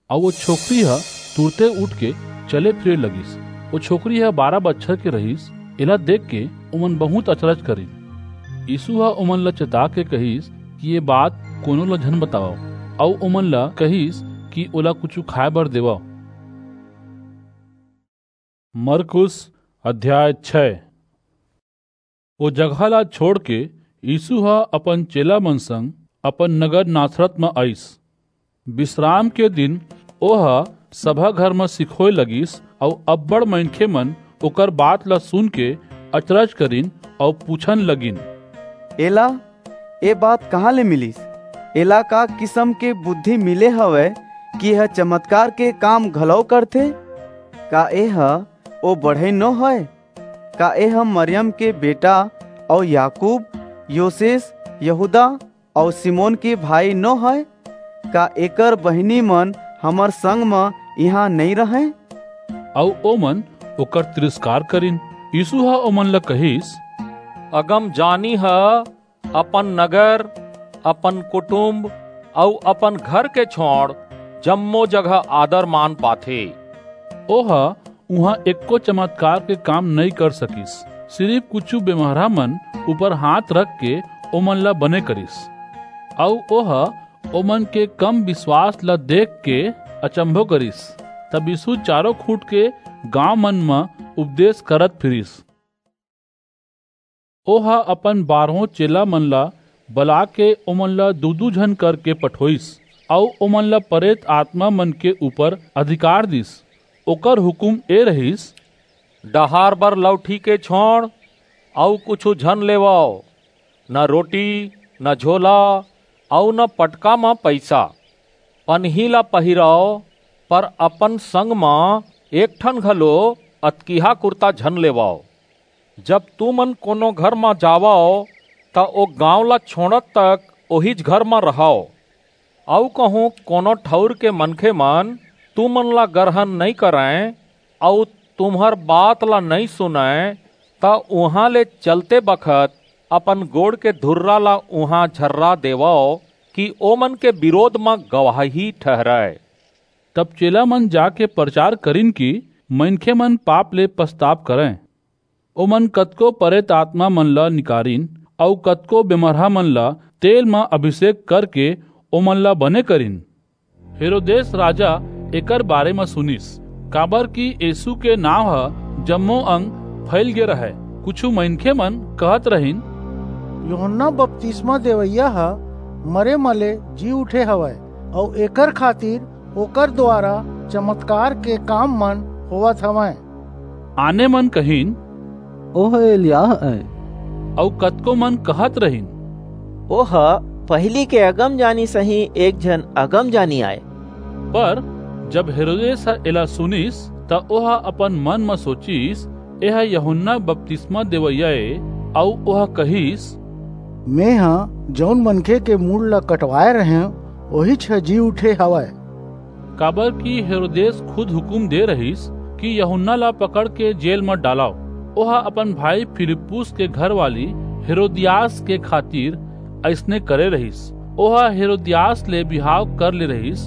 अऊ ओ छोकरी ह तुरते उठके चले-फिरे लगिस। ओ छोकरी ह बारह बछर के रहिस। एला देखके ओमन बहुंत अचरज करिन। यीसू ह ओमन ला चेताके कहिस कि ए बात कोनो ला झन बतावव, अऊ ओमन ला कहिस कि ओला कुछू खाय बर देवव। मरकुस अध्याय छै। ओ जगह ला छोंड़के यीसू ह अपन चेलामन संग अपन नगर नासरत म आईस। बिसराम के दिन ओह सभा घर म सिखोय लगिस, अऊ अब्बड़ मनखेमन ओकर बात ला सुनके अचरज करिन अऊ पुछन लगिन, एला ए बात कहां ले मिलिस? एला का किसम के बुद्धि मिले हवय कि एह चमतकार के काम घलव करथे? का एह ओ बढ़ई नो हय? का एह मरियम के बेटा अऊ याकूब, योसेस, यहूदा अऊ सिमोन के भाई नो हय? का एकर बहिनीमन हमर संग म इहां नइं रहंय? अऊ ओमन ओकर तिरस्कार करिन। यीसू ह ओमन ला कहिस, अगमजानी ह अपन नगर, अपन कुटुंब अऊ अपन घर के छोंड़ जम्मो जगह आदर-मान पाथे। ओह उहां एक्को चमतकार के काम नइं कर सकिस, सिरिप कुछू बेमरहामन ऊपर हांथ रखके ओमन ला बने करिस। अऊ ओह ओमन के कम बिसवास ला देखके अचंभो करिस। तब यीसू चारों खूंट के गांवमन म उपदेस करत फिरिस। ओह अपन बारहों चेलामन ला बलाके ओमन ला दू-दू झन करके पठोईस, अऊ ओमन ला परेत आतमामन के ऊपर अधिकार दीस। ओकर हुकूम ए रहिस, डहार बर लौठी के छोंड़ अऊ कुछू झन लेवव, न रोटी, न झोला, अऊ न पटका म पईसा। पनही ला पहिरव, पर अपन संग म एक ठन घलो अतकिहा कुरता झन लेवव। जब तुमन कोनो घर म जावव, त ओ गांव ला छोंड़त तक ओहीच घर म रहव। अऊ कहूं कोनो ठऊर के मनखेमन तुमन ला गरहन नइं करंय अऊ तुम्हर बात ला नइं सुनंय, त उहां ले चलते बखत अपन गोड़ के धुर्रा ला उहां झर्रा देवव, कि ओमन के बिरोध म गवाही ठहरय। तब चेलामन जाके परचार करिन कि मनखेमन पाप ले पछताप करंय। ओमन कतको परेत आतमामन ला निकारिन अऊ कतको बेमरहामन ला तेल म अभिसेक करके ओमन ला बने करिन। हेरोदेस राजा एकर बारे म सुनिस, काबरकि यीसू के नांव ह जम्मो अंग फईलगे रहय। कुछू मनखेमन कहत रहिन, यूहन्ना बतिसमा देवइया ह मरे म ले जी उठे हवय, अऊ एकर खातिर ओकर दुवारा चमतकार के काममन होवत हवंय। आनेमन कहिन, ओह एलियाह अंय। अऊ कतकोमन कहत रहिन, ओह पहिली के अगमजानी सहीं एक झन अगमजानी अंय। पर जब हेरोदेस ह एला सुनिस, त ओह अपन मन म सोचिस, एह यूहन्ना बतिसमा देवइया ए। अऊ ओह कहिस, मेंह जऊन मनखे के मूड़ ला कटवाय रहेंव, ओहीच ह जी उठे हवय। काबर कि हेरोदेस खुद हुकूम दे रहिस कि यूहन्ना ला पकड़ के जेल म डालव। ओह अपन भाई फिलिप्पुस के घरवाली हेरोदियास के खातिर अइसने करे रहिस। ओह हेरोदियास ले बिहाव कर ले रहिस,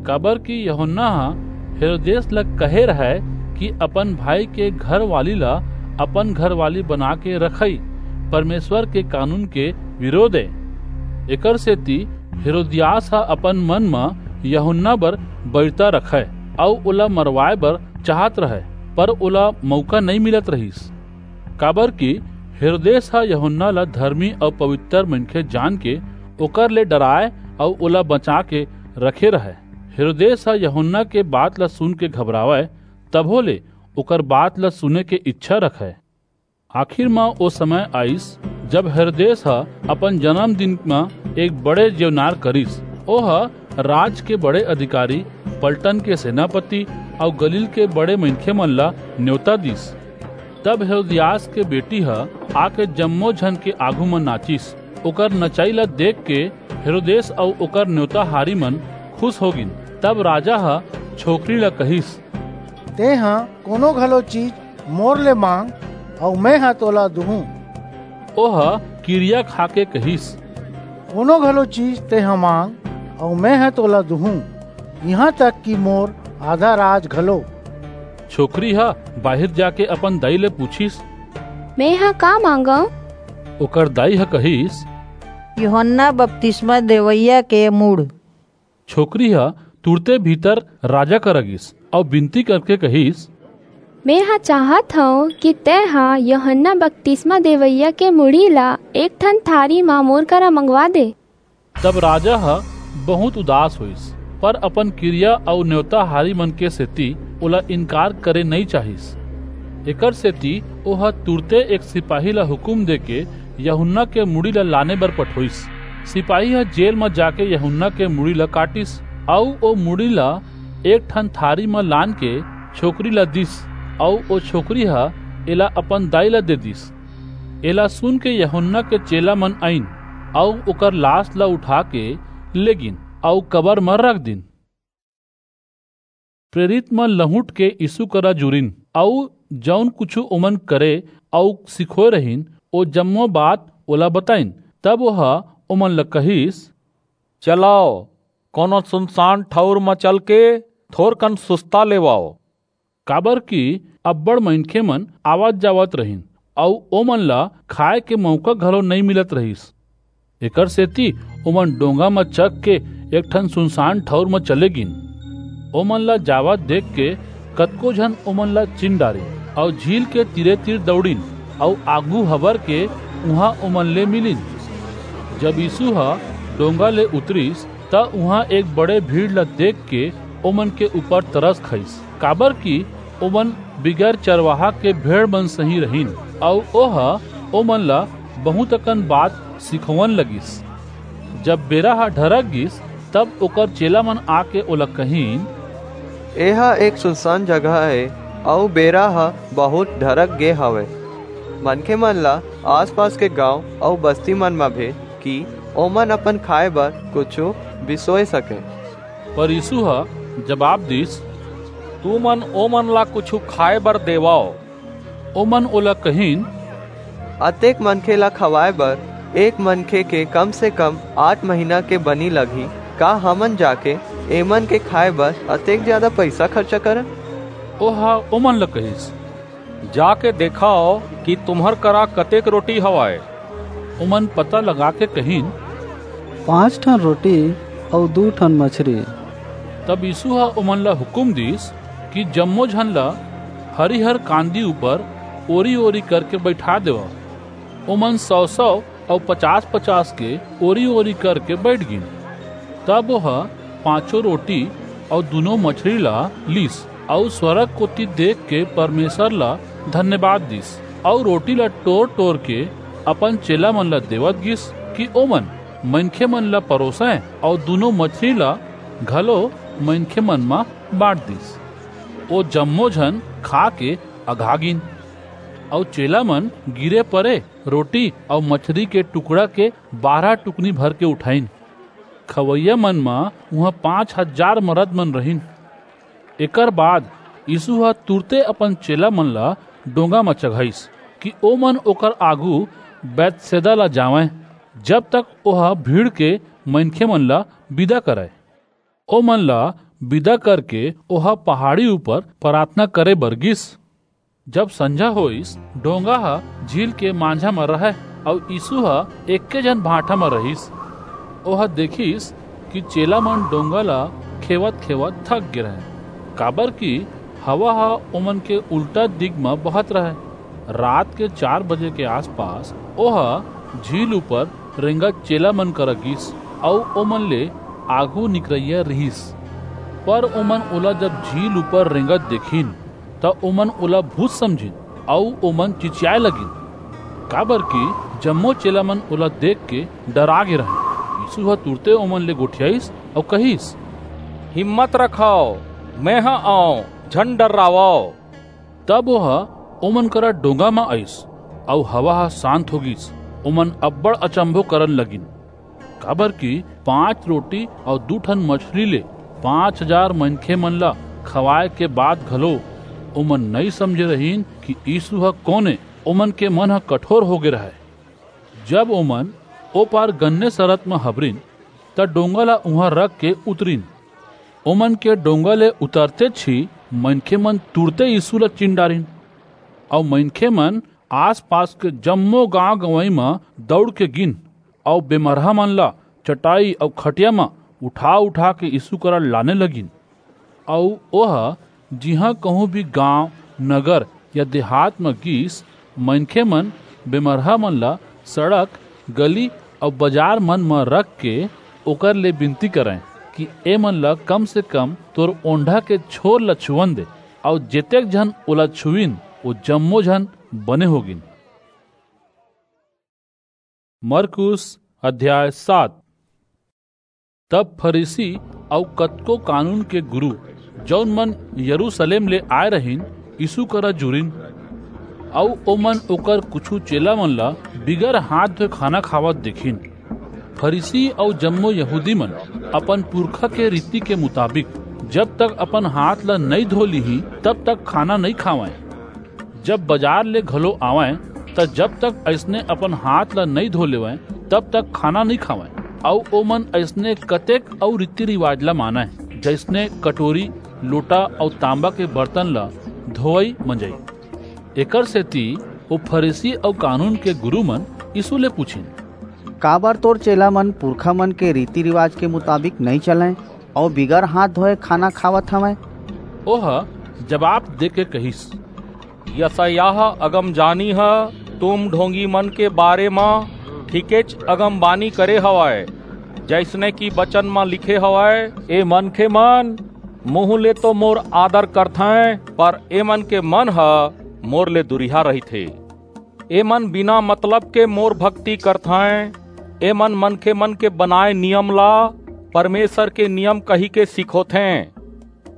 काबर कि यूहन्ना ह हेरोदेस ल कहे रहय कि अपन भाई के घरवाली ल अपन घरवाली बना के रखई परमेश्वर के कानून के विरोध ए। एकर सेती हेरोदियास ह अपन मन म यूहन्ना बर बैरता रखय अऊ ओला मरवाए बर चाहत रहय, पर ओला मौका नइं मिलत रहिस। काबर कि हेरोदेस ह यूहन्ना ला धर्मी अऊ पवित्र मनखे जान के ओकर ले डराय अऊ ओला बचा के रखे रहय। हेरोदेस ह यूहन्ना के बात ला सुन के घबरावय, तभो ले ओकर बात ला सुने के इच्छा रखय। आखिर म ओ समय आइस, जब हेरोदेस ह अपन जन्मदिन म एक बड़े जेवनार करिस। ओह राज के बड़े अधिकारी, पलटन के सेनापति अऊ गलील के बड़े मनखे मन ला न्योता दिस। तब हेरोदियास के बेटी ह आके जम्मो झन के आघू म नाचिस। ओकर नचई ला देख के हेरोदेस अऊ ओकर न्योताहारी मन खुश हो गिन। तब राजा ह छोकरी ला कहिस, "तेंह कोनो घलो चीज मोर ले मांग, अऊ मेंह तोला दुहूं।" ओह किरिया खा के कहिस, "कोनो घलो चीज तेंह मांग, अऊ मेंह तोला दुहूं, इहां तक कि मोर आधा राज घलो।" छोकरी ह बाहिर जाके अपन दाई ले पूछिस, "मेंह का मांगंव?" ओकर दाई ह कहिस, "यूहन्ना बपतिस्मा देवइया के मूड़।" छोकरी ह तुरते भीतर राजा करा गिस अऊ बिनती करके कहिस, "मेंह चाहत हंव कि तेंह यूहन्ना बपतिस्मा देवइया के मुड़ी ला एक ठन थारी म मोर करा मंगवा दे।" तब राजा ह बहुंत उदास होईस, पर अपन किरिया अऊ न्योताहारी मन के सेती ओला इनकार करे नइं चाहिस। एकर सेती ओह तुरते एक सिपाही ला हुकूम देके यूहन्ना के मुड़ी ला लाने बर पठोईस। सिपाही ह जेल म जाके यूहन्ना के मुड़ी ला काटिस, अऊ ओ मुड़ी ला एक ठन थारी म लान के छोकरी ला दिस, अऊ ओ छोकरी ह एला अपन दाई ला दे दिस। एला सुन के यूहन्ना के चेला मन आईन, अऊ ओकर लास ला उठा के लेगिन, अऊ कबर म रख दिन। प्रेरित मन लहुट के यीसू करा जुरिन, अऊ जऊन कुछू ओमन करे अऊ सिखोय रहिन, ओ जम्मो बात ओला बताईन। तब ओह ओमन ला कहिस, "चलव, कोनो सुनसान ठऊर म चलके थोरकन सुस्ता लेवव।" काबर कि अब्बड़ मनखे मन आवत-जावत रहिन, अऊ ओमन ला खाय के मऊका घलो नइं मिलत रहिस। एकर सेती ओमन डोंगा म चघ के एक ठन सुनसान ठऊर म चले गिन। ओमन ला जावत देख के कतको झन ओमन ला चिन डारिन, अऊ झील के तीरे-तीर दऊड़िन, अऊ आघू हबर के उहां ओमन ले मिलिन। जब यीसू ह डोंगा ले उतरिस, त उहां एक बड़े भीड़ ला देख के ओमन के ऊपर तरस खाईस, काबर कि ओमन बिगर चरवाहा के भेड़ मन सहीं रहिन, अऊ ओह ओमन ला बहुंत अकन बात सिखोवन लगिस। जब बेरा ह ढरक गिस, तब ओकर चेला मन आके ओला कहिन, "एह एक सुनसान जगह ए, अऊ बेरा ह बहुंत ढरक गे हवय। मनखे मन ला आस-पास के गांव अऊ बस्ती मन म भेज, कि ओमन अपन खाय बर कुछू बिसोय सकें।" पर यीसू ह जबाब दीस, "तुमन ओमन ला कुछू खाय बर देवव।" ओमन ओला कहिन, "अतेक मनखे ला खवाय बर एक मनखे के कम से कम आठ महीना के बनी लगही। का हमन जाके एमन के खाय बर अतेक जादा पईसा खरचा करन?" ओह ओमन ला कहिस, "जाके देखव कि तुम्हर करा कतेक रोटी हवय।" ओमन पता लगा के कहिन, "पांच ठन रोटी अऊ दू ठन मछरी।" तब यीसू ह ओमन ला हुकूम दीस कि जम्मो झन ला हरिहर कांदी ऊपर ओरी-ओरी करके बईठा देवव। ओमन सौ-सौ अऊ पचास-पचास के ओरी-ओरी करके बईठ गिन। तब ओह पांचों रोटी अऊ दूनों मछरी ला लीस, अऊ स्वरग कोति देख के परमेसर ला धन्यवाद दीस, अऊ रोटी ला टोर-टोर के अपन चेला मन ला देवत गिस कि ओमन मनखे मन ला परोसंय, अऊ दूनों मछरी ला घलो मनखे मन म बांट दीस। ओ जम्मो झन खा के अघा गिन। अऊ चेला मन गिरे परे रोटी अऊ मछरी के टुकड़ा के बारह टुकनी भर के उठाइन। खवइया मन म उहां पांच हजार मरद मन रहिन। एकर बाद यीसू ह तुरते अपन चेला मन ला डोंगा म चघाईस कि ओमन ओकर आगू बैतसैदा ला जावंय, जब तक ओह भीड़ के मनखे मन ला बिदा करय। ओमन ला बिदा करके ओह पहाड़ी ऊपर पराथना करे बर गीस। जब संझा होईस, डोंगा ह झील के मांझा म रहय, अऊ यीसू ह एक्के झन भांठा म रहिस। ओह देखिस कि चेला मन डोंगा ला खेवत-खेवत थक गे रहंय, काबरकि हवा ह ओमन के उल्टा दिग म बहत रहय। रात के चार बजे के आसपास ओह झील ऊपर रेंगत चेला मन करा गीस, अऊ ओमन ले आघू निकरइया रिहिस। पर ओमन ओला जब झील ऊपर रेंगत देखिन, त ओमन ओला भूत समझिन, अऊ ओमन चिचियाय लगिन, काबरकि जम्मो चेला मन ओला देख के डरा गे रहंय। यीसू ह तुरते ओमन ले गोठियाईस अऊ कहिस, "हिम्मत रखव, मेंह अंव, झन डर्रावव।" तब ओह ओमन करा डोंगा म आईस, अऊ हवा ह सांत हो गीस। ओमन अब्बड़ अचम्भो करन लगिन, काबरकि पांच रोटी अऊ दू ठन मछरी ले पांच हजार मनखे मन ला खवाय के बाद घलो ओमन नइं समझे रहिन कि यीसू ह कोन ए। ओमन के मन ह कठोर हो गे रहय। जब ओमन ओ पार गन्नेसरत म हबरिन, त डोंगा ला उहां रख के उतरिन। ओमन के डोंगा ले उतरतेच ही मनखे मन तुरते यीसू ला चिन डारिन, अऊ मनखे मन आस-पास के जम्मो गांव-गंवई म दऊड़ के गीन, अऊ बेमरहा मन ला चटाई अऊ खटिया म उठा-उठा के यीसू करा लाने लगिन। अऊ ओह जिहां कहूं भी गांव, नगर या देहात म गीस, मनखे मन बेमरहा मन ला सड़क, गली अऊ बजार मन म रख के ओकर ले बिनती करंय कि ए मन ला कम से कम तोर ओंढा के छोर ला छुवन दे। अऊ जेतेक झन ओला छुइन, ओ जम्मो झन बने हो गीन। मरकुस अध्याय सात। तब फरीसी अऊ कतको कानून के गुरू, जऊन मन यरूसलेम ले आय रहिन, यीसू करा जुरिन, अऊ ओमन ओकर कुछू चेला मन ला बिगर हांथ धोय खाना खावत देखिन। फरीसी अऊ जम्मो यहूदी मन अपन पुरखा के रीति के मुताबिक जब तक अपन हांथ ला नइं धो लीहीं, तब तक खाना नइं खावंय। जब बजार ले घलो आवंय, त जब तक अइसने अपन हांथ ला नइं धो लेवंय, तब तक खाना नइं खावंय। अऊ ओमन अइसने कतेक अऊ रीति-रिवाज ला मानंय, जइसने कटोरी, लोटा अऊ तांबा के बरतन ला धोवई-मंजई। एकर सेती ओ फरीसी अऊ कानून के गुरू मन यीसू ले पुछिन, "काबर तोर चेला मन पुरखा मन के रीति-रिवाज के मुताबिक नइं चलंय अऊ बिगर हांथ धोय खाना खावत हवंय?" ओह जबाब देके कहिस, "यसायाह अगमजानी ह तुम ढोंगी मन के बारे म ठीकेच अगमबानी करे हवय, जइसने कि बचन म लिखे हवय, 'ए मनखे मन मुंह ले तो मोर आदर करथंय, पर ए मन के मन ह मोर ले दुरिहा रहिथे। ए मन बिना मतलब के मोर भक्ति करथंय। ए मन मनखे मन के बनाए नियम ला परमेसर के नियम कहिके सिखोथें।'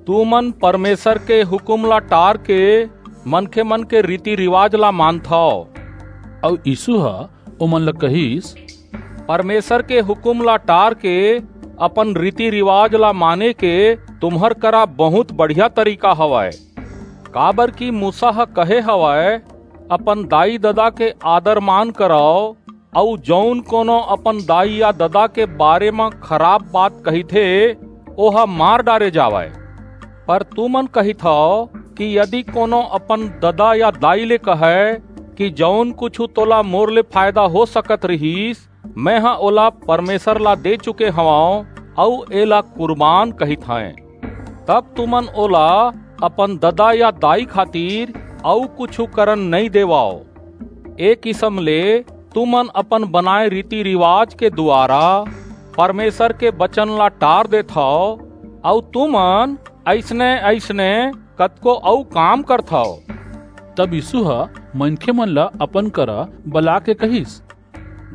तुमन परमेसर के हुकूम ला टारके मनखे मन के रीति-रिवाज ला मानथव।" अऊ यीसू ह ओमन ला कहिस, "परमेसर के हुकूम ला टारके अपन रीति-रिवाज ला माने के तुम्हर करा बहुंत बढ़िया तरीका हवय, काबरकि मूसा ह कहे हवय, 'अपन दाई-ददा के आदर-मान करव,' अऊ जऊन कोनो अपन दाई या ददा के बारे म खराप बात कहिथे, ओह मार डारे जावय। पर तुमन कहिथव कि यदि कोनो अपन ददा या दाई ले कहय कि 'जऊन कुछू तोला मोर ले फायदा हो सकत रिहिस, मेंह ओला परमेसर ला दे चुके हवंव अऊ एला कुरबान कहिथंय,' तब तुमन ओला अपन ददा या दाई खातिर अऊ कुछू करन नइं देवव। ए किसम ले तुमन अपन बनाए रीति-रिवाज के दुवारा परमेसर के बचन ला टार देथव, अऊ तुमन अइसने-अइसने कतको अऊ काम करथव।" तब यीसू ह मनखे मन ला अपन करा बलाके कहिस,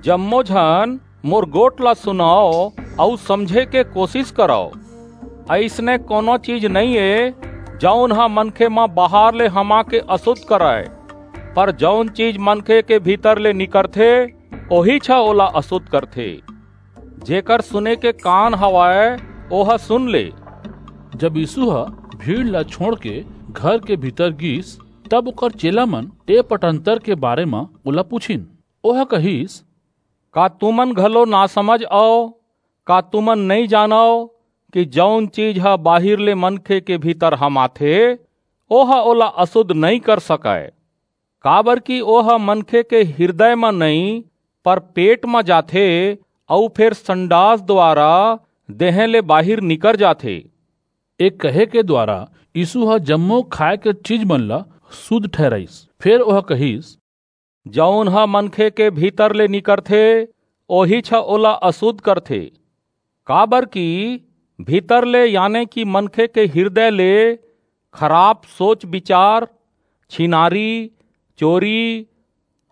"जम्मो झन मोर गोठ ला सुनव अऊ समझे के कोसिस करव। अइसने कोनो चीज नइं ए, जऊन ह मनखे म बाहर ले हमा के असुध करय, पर जऊन चीज मनखे के भीतर ले निकरथे, ओहीच ह ओला असुद्ध करथे। जेकर सुने के कान हवय, ओह सुन ले।" जब यीसू ह भीड़ ला छोंड़ के घर के भीतर गीस, तब ओकर चेला मन ए पटंतर के बारे म ओला पुछिन। ओह कहिस, "का तुमन घलो नासमझ अव? का तुमन नइं जानव कि जऊन चीज ह बाहिर ले मनखे के भीतर हमाथे, ओह ओला असुद्ध नइं कर सकय? काबरकि ओह मनखे के हिरदय म नइं, पर पेट म जाथे अऊ फेर संडास दुवारा देहें ले बाहिर निकर जाथे।" ए कहे के दुवारा यीसू ह जम्मो खाय के चीज मन ला सुद्ध ठहिराईस। फेर ओह कहिस, "जऊन ह मनखे के भीतर ले निकरथे, ओहीच ह ओला असुद्ध करथे। काबरकि भीतर ले, याने कि मनखे के हिरदय ले, खराप सोच बिचार, छिनारी, चोरी,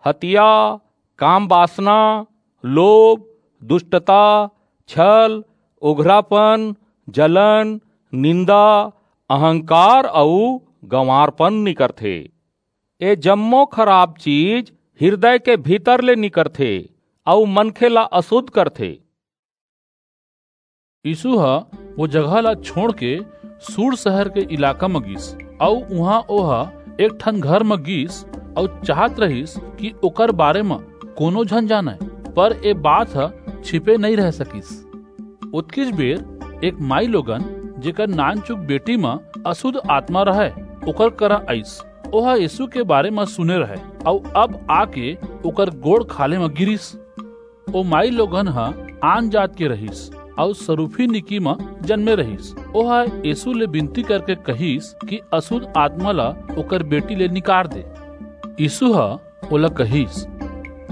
हतिया, काम बासना, लोभ, दुस्टता, छल, उघरापन, जलन, निंदा, अहंकार अऊ गंवारपन निकरथे। ए जम्मो खराप चीज हिरदय के भीतर ले निकरथे अऊ मनखे ला असुद्ध करथे।" यीसू ह ओ जगह ला छोंड़ के सूर सहर के इलाका म गीस, अऊ उहां ओह एक ठन घर म गीस, अऊ चाहत रहिस कि ओकर बारे म कोनो झन जानय, पर ए बात ह छिपे नइं रह सकिस। ओतकीच बेर एक माईलोगन, जेकर नानचुक बेटी म असुद्ध आतमा रहय, ओकर करा आईस। ओह यीसू के बारे म सुने रहय, अऊ अब आके ओकर गोड़ खाल्हे म गिरिस। ओ माईलोगन ह आन जात के रहिस, अऊ सरूफीनिकी म जनमे रहिस। ओह यीसू ले बिनती करके कहिस कि असुद्ध आतमा ला ओकर बेटी ले निकार दे। यीसू ह ओला कहिस,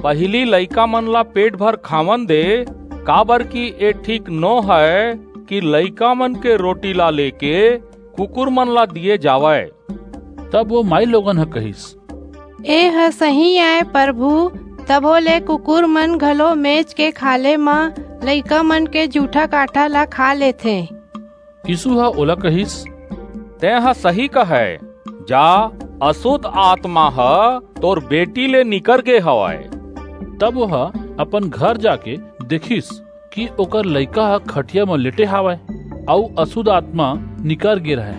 "पहिली लइकामन ला पेट भर खावन दे, काबरकि ए ठीक नो हय कि लइकामन के रोटी ला लेके कुकुरमन ला दिये जावय।" तब ओ माईलोगन ह कहिस, "एह सही अय परभू, तभो ले कुकुरमन घलो मेज के खाल्हे म लइकामन के जूठा कांटा ला खा लेथें।" यीसू ह ओला कहिस, "तेंह सही कहय, जा, असुद्ध आतमा ह तोर बेटी ले निकर गे हवय।" तब ओह अपन घर जाके देखिस कि ओकर लइका ह खटिया म लेटे हवय, अऊ असुद्ध आतमा निकर गे रहय।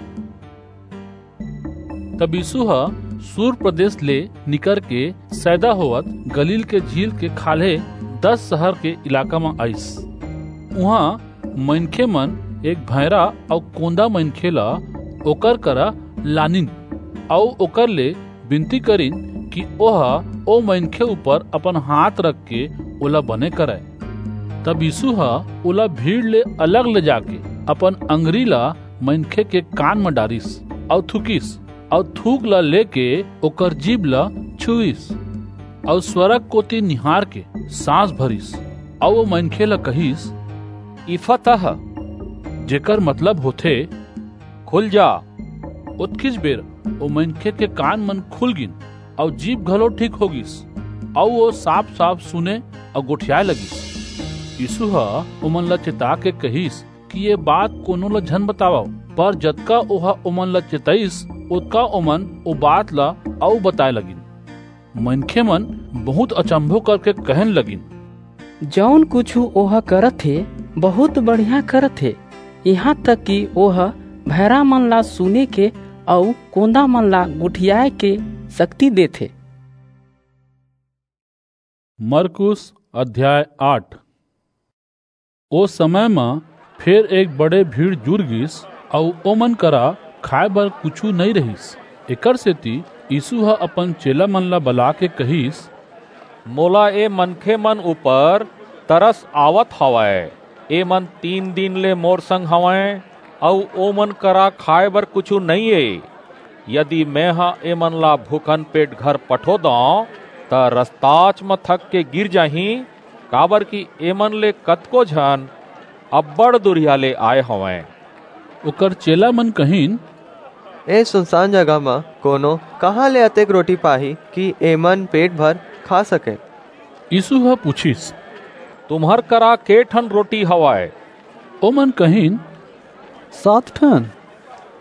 तब यीसू ह सूर प्रदेस ले निकरके सैदा होवत गलील के झील के खाल्हे दस सहर के इलाका म आईस। उहां मनखेमन एक भैंरा अऊ कोंदा मनखे ला ओकर करा लानिन, अऊ ओकर ले बिनती करिन कि ओह ओ मनखे ऊपर अपन हांथ रखके ओला बने करय। तब यीसू ह ओला भीड़ ले अलग ले जाके अपन अंगरी ला मनखे के कान म डारिस, अऊ थूकिस, अऊ थूक ला लेके ओकर जीभ ला छुईस, अऊ स्वरग कोति निहारके सांस भरिस, अऊ ओ मनखे ला कहिस, "इफतह," जेकर मतलब होथे, "खुल जा।" ओतकीच बेर ओ मनखे के कान मन खुल गीन, अऊ जीभ घलो ठीक हो गीस, अऊ ओ साफ-साफ सुने अऊ गोठियाय लगिस। यीसू ह ओमन ला चेताके कहिस कि ये बात कोनो ला झन बतावव, पर जतका ओह ओमन ला चेतइस, ओतका ओमन ओ बात ला अऊ बताय लगिन। मनखेमन बहुंत अचंभो करके कहन लगिन, "जऊन कुछू ओह करत हे, बहुंत बढ़िया करत हे, इहां तक कि ओह भैंरामन ला सुने के अऊ कोंदामन ला गोठियाय के सक्ति देथे।" मरकुस अध्याय आठ। ओ समय म फेर एक बड़े भीड़ जुर गीस, अऊ ओमन करा खाय बर कुछू नइं रहिस। एकरसेति यीसू ह अपन चेलामन ला बलाके कहिस, "मोला ए मनखेमन ऊपर तरस आवत हवय। एमन तीन दिन ले मोर संग हवंय, अऊ ओमन करा खाय बर कुछू नइं ए। यदि मेंह एमन ला भूखन पेट घर पठो दंव, त रस्ताच म थक के गिर जाहीं, काबरकि एमन ले कतको झन अब्बड़ दूरिहा ले आय हवंय।" ओकर चेलामन कहिन, "ए सुनसान जगह म कोनो कहां ले अतेक रोटी पाही कि एमन पेट भर खा सकंय?" यीसू ह पुछिस, "तुम्हर करा के ठन रोटी हवय?" ओमन कहिन, "सात ठन।"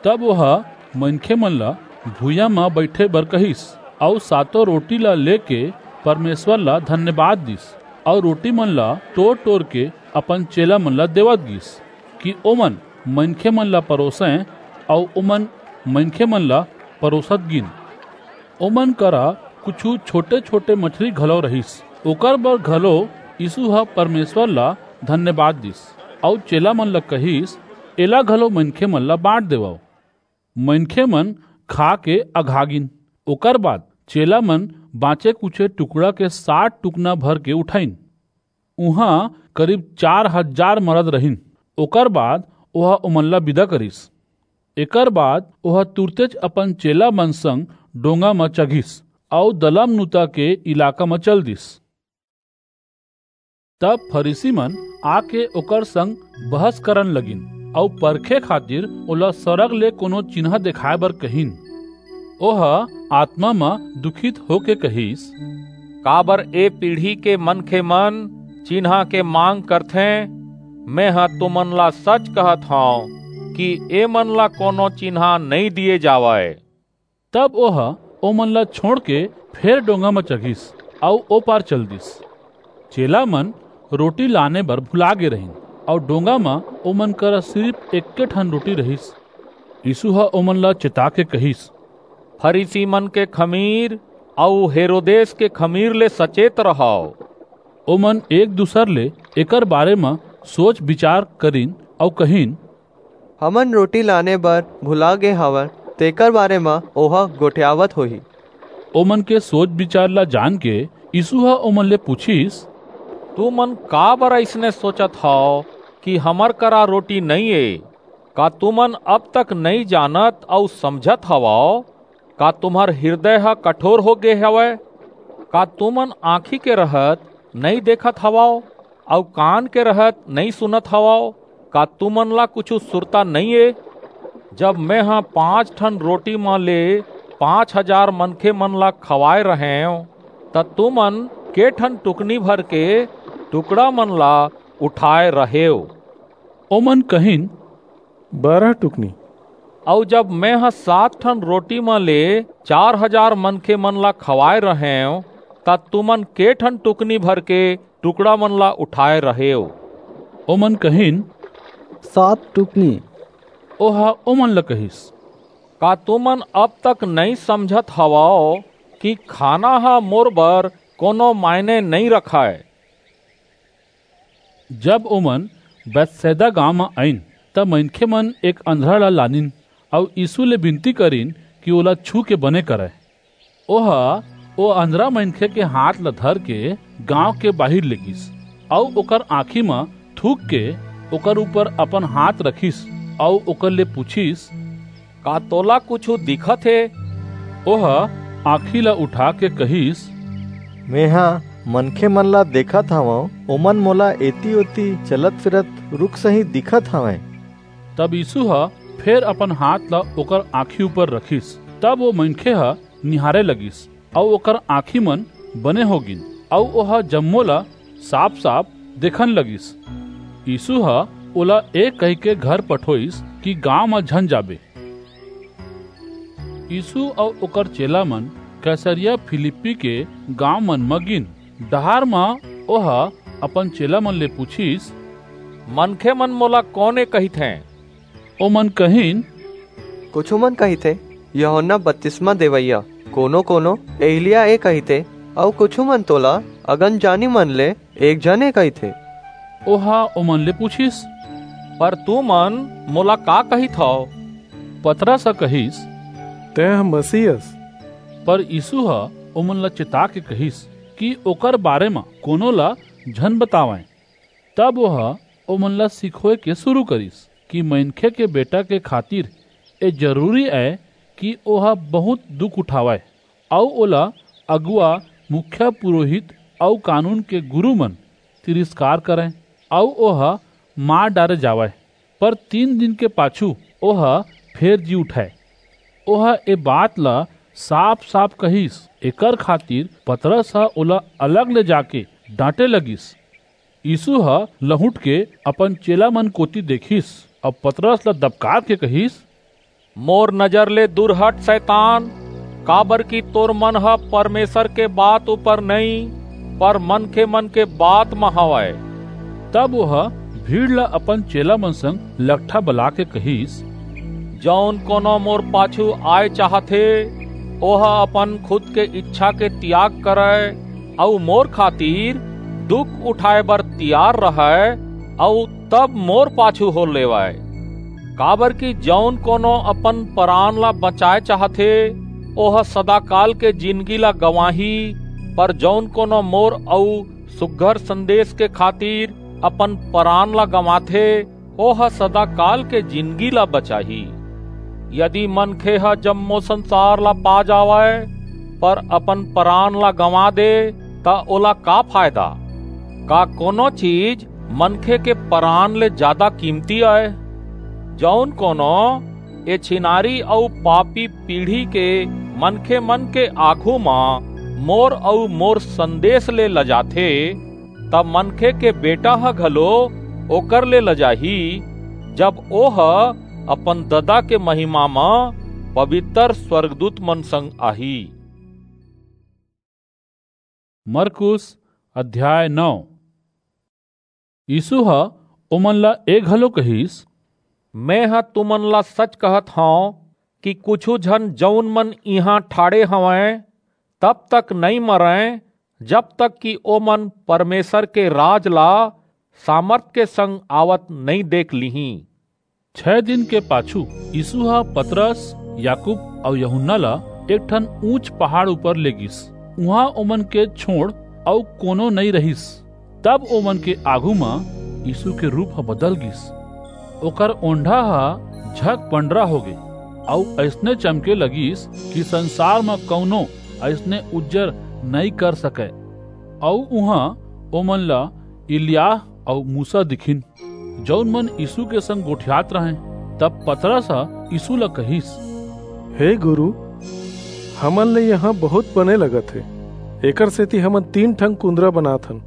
तब ओह मनखेमन ला भुइयां म बईठे बर कहिस, अऊ सातों रोटी ला लेके परमेश्वर ला धन्यवाद दिस, अऊ रोटी मन ला टोर-टोर के अपन चेला मन ला देवत गिस, कि ओमन मनखे मन ला परोसंय, अऊ ओमन मनखे मन ला परोसत गिन। ओमन करा कुछू छोटे-छोटे मछली घलो रहिस। ओकर बर घलो यीशु ह परमेश्वर ला धन्यवाद दिस, अऊ चेला मन ला कहिस, "एला घलो मनखे मन ला बांट देवव।" मनखे मन खा के अघा गिन। ओकर बाद चेला मन बांचे कुछे टुकड़ा के सात टुकना भर के उठाइन। उहां करीब चार हजार मरद रहिन। ओकर बाद ओह ओमन ला विदा करिस। एकर बाद ओह तुरतेच अपन चेला मन संग डोंगा म चघिस अऊ दलमनूता के इलाका म चल दिस। तब फरीसी मन आके ओकर संग बहस करन लगिन अऊ परखे खातिर ओला सरग ले कोनो चिन्हा देखाय बर कहिन। ओह आत्मा म दुखित होके कहिस, "काबर ए पीढ़ी के मनखे मन चिन्हा के मांग करथें? मेंह तुमन ला सच कहत हंव कि ए मन ला कोनो चिन्हा नइं दिये जावय।" तब ओह ओमन ला छोंड़ के फेर डोंगा म चघिस अऊ ओ पार चल दिस। चेला मन रोटी लाने बर भुला गे रहिन, अऊ डोंगा म ओमन करा सिरिफ एक्के ठन रोटी रहिस। यीसू ह ओमन ला चेता के कहिस, "फरीसी मन के खमीर अऊ हेरोदेस के खमीर ले सचेत रहव।" ओमन एक दूसर ले एकर बारे म सोच बिचार करिन अऊ कहिन, "हमन रोटी लाने बर भुला गे हवन, तेकर बारे म ओह गोठियावत होही।" ओमन के सोच बिचार ला जान के यीसू ह ओमन ले पूछिस, "तुमन काबर अइसने सोचत हव कि हमर करा रोटी नइं ए? का तुमन अब तक नइं जानत अऊ समझत हवव? का तुम्हर हिरदय ह कठोर हो गे हवय? का तुमन आंखी के रहत नइं देखत हवव, अऊ कान के रहत नइं सुनत हवव? का तुमन ला कुछू सुरता नइं ए? जब मेंह पांच ठन रोटी म ले पांच हजार मनखे मन ला खवाय रहेंव, त तुमन के ठन टुकनी भर के टुकड़ा मन ला उठाय रहेव?" ओमन कहिन, "बारह टुकनी।" "अऊ जब मेंह सात ठन रोटी म ले चार हजार मनखे मन ला खवाय रहेंव, त तुमन के ठन टुकनी भर के टुकड़ा मन ला उठाय रहेव?" ओमन कहिन, "सात टुकनी।" ओह ओमन ला कहिस, "का तुमन अब तक नइं समझत हवव कि खाना ह मोर बर कोनो मायने नइं रखय?" जब ओमन बैतसैदा गांव म आइन, त मनखे मन एक अंधरा ला लानिन अऊ यीसू ले बिनती करिन कि ओला छू के बने करय। ओह ओ अंधरा मनखे के हाथ ला धर के गांव के बाहिर लेगिस अऊ ओकर आंखी म थूक के ओकर ऊपर अपन हाथ रखिस अऊ ओकर ले पूछिस, "का तोला कुछू दिखत हे?" ओह आंखी ला उठा के कहिस, "मेंह मनखे मन ला देखत हवंव, ओमन मोला एती-ओती चलत-फिरत रुख सहीं दिखत हवंय।" तब यीसू ह फेर अपन हाथ ला ओकर आंखी ऊपर रखिस। तब ओ मनखे ह निहारे लगिस, अऊ ओकर आंखी मन बने हो गिन, अऊ ओह जम्मो ला साफ-साफ देखन लगिस। यीसू ह ओला ए कहिके घर पठोइस कि गांव म झन जाबे। यीसू अऊ ओकर चेला मन कैसरिया फिलिप्पी के गांव मन म गिन। डहार म ओह अपन चेला मन ले पूछिस, "मनखे मन मोला कोन ए कहिथें?" ओमन कहिन, "कुछू मन कहिथें, यूहन्ना बतिसमा देवइया, कोनो-कोनो एलिय्याह ए कहिथे, अऊ कुछू मन तोला अगमजानी मन ले एक झन ए कहिथे।" ओह ओमन ले पूछिस, "पर तुमन मोला का कहिथव?" पतरस ह कहिस, "तेंह मसीह अस।" पर यीसू ह ओमन ला चेता के कहिस कि ओकर बारे म कोनो ला झन बतावंय। तब ओह ओमन ला सिखोय के सुरू करिस कि मनखे के बेटा के खातिर ए जरूरी अय कि ओह बहुंत दुख उठावय, अऊ ओला अगुवा, मुखिया पुरोहित अऊ कानून के गुरू मन तिरस्कार करंय, अऊ ओह मार डारे जावय, पर तीन दिन के पाछू ओह फेर जी उठय। ओह ए बात ला साफ-साफ कहिस, एकर खातिर पतरस ह ओला अलग ले जाके डांटे लगिस। यीसू ह लहुंट के अपन चेला मन कोति देखिस अऊ पतरस ला दबकार के कहिस, "मोर नजर ले दूर हट, सैतान, काबर कि तोर मन ह परमेसर के बात ऊपर नइं, पर मनखेमन के बात म हवय। तब ओह भीड़ ला अपन चेलामन संग लकठा बलाके कहिस, जऊन कोनो मोर पाछू आय चाहत हे, ओह अपन खुद के ईछा के तियाग करय, अऊ मोर खातिर दुख उठाय बर तियार रहय, अऊ तब मोर पाछू हो लेवय। काबर कि जऊन कोनो अपन परान ला बचाय चाहत हे, ओह सदाकाल के जिनगी ला गंवाही, पर जऊन कोनो मोर अऊ सुघर संदेस के खातिर अपन परान ला गंवाथे, ओह सदाकाल के जिनगी ला बचाही। यदि मनखे ह जम्मो संसार ला पा जावय, पर अपन परान ला गंवा दे, त ओला का फायदा? का कोनो चीज मनखे के परान ले जादा कीमती अय? जऊन कोनो ए छिनारी अऊ पापी पीढ़ी के मनखेमन के आघू म मोर अऊ मोर संदेस ले लजाथे, त मनखे के बेटा ह घलो ओकर ले लजाही, जब ओह अपन ददा के महिमा म पबितर स्वरगदूतमन संग आही। मरकुस अध्याय नौ। यीसू ह ओमन ला ए घलो कहिस, मेंह तुमन ला सच कहत हंव कि कुछू झन जऊन मन इहां ठाढ़े हवंय, तब तक नइं मरंय, जब तक कि ओमन परमेसर के राज ला सामरथ के संग आवत नइं देख लीहीं। छै दिन के पाछू यीसू ह पतरस, याकूब अऊ यूहन्ना ला एक ठन ऊंच पहाड़ ऊपर ले गीस। उहां ओमन के छोंड़ अऊ कोनो नइं रहिस। तब ओमन के आघू म यीसू के रूप ह बदल गीस। ओकर ओंढ़ा ह झक पंडरा होगे अऊ अइसने चमके लगिस कि संसार म कऊनो अइसने उज्जर नइं कर सकय। अऊ उहां ओमन ला इलियाह अऊ मूसा दिखिन, जऊन मन यीसू के संग गोठियात रहंय। तब पतरस ह यीसू ला कहिस, हे गुरू, हमन ले इहां बहुंत बने लगत हे। एकरसेति हमन तीन ठन कुंदरा बनात हन,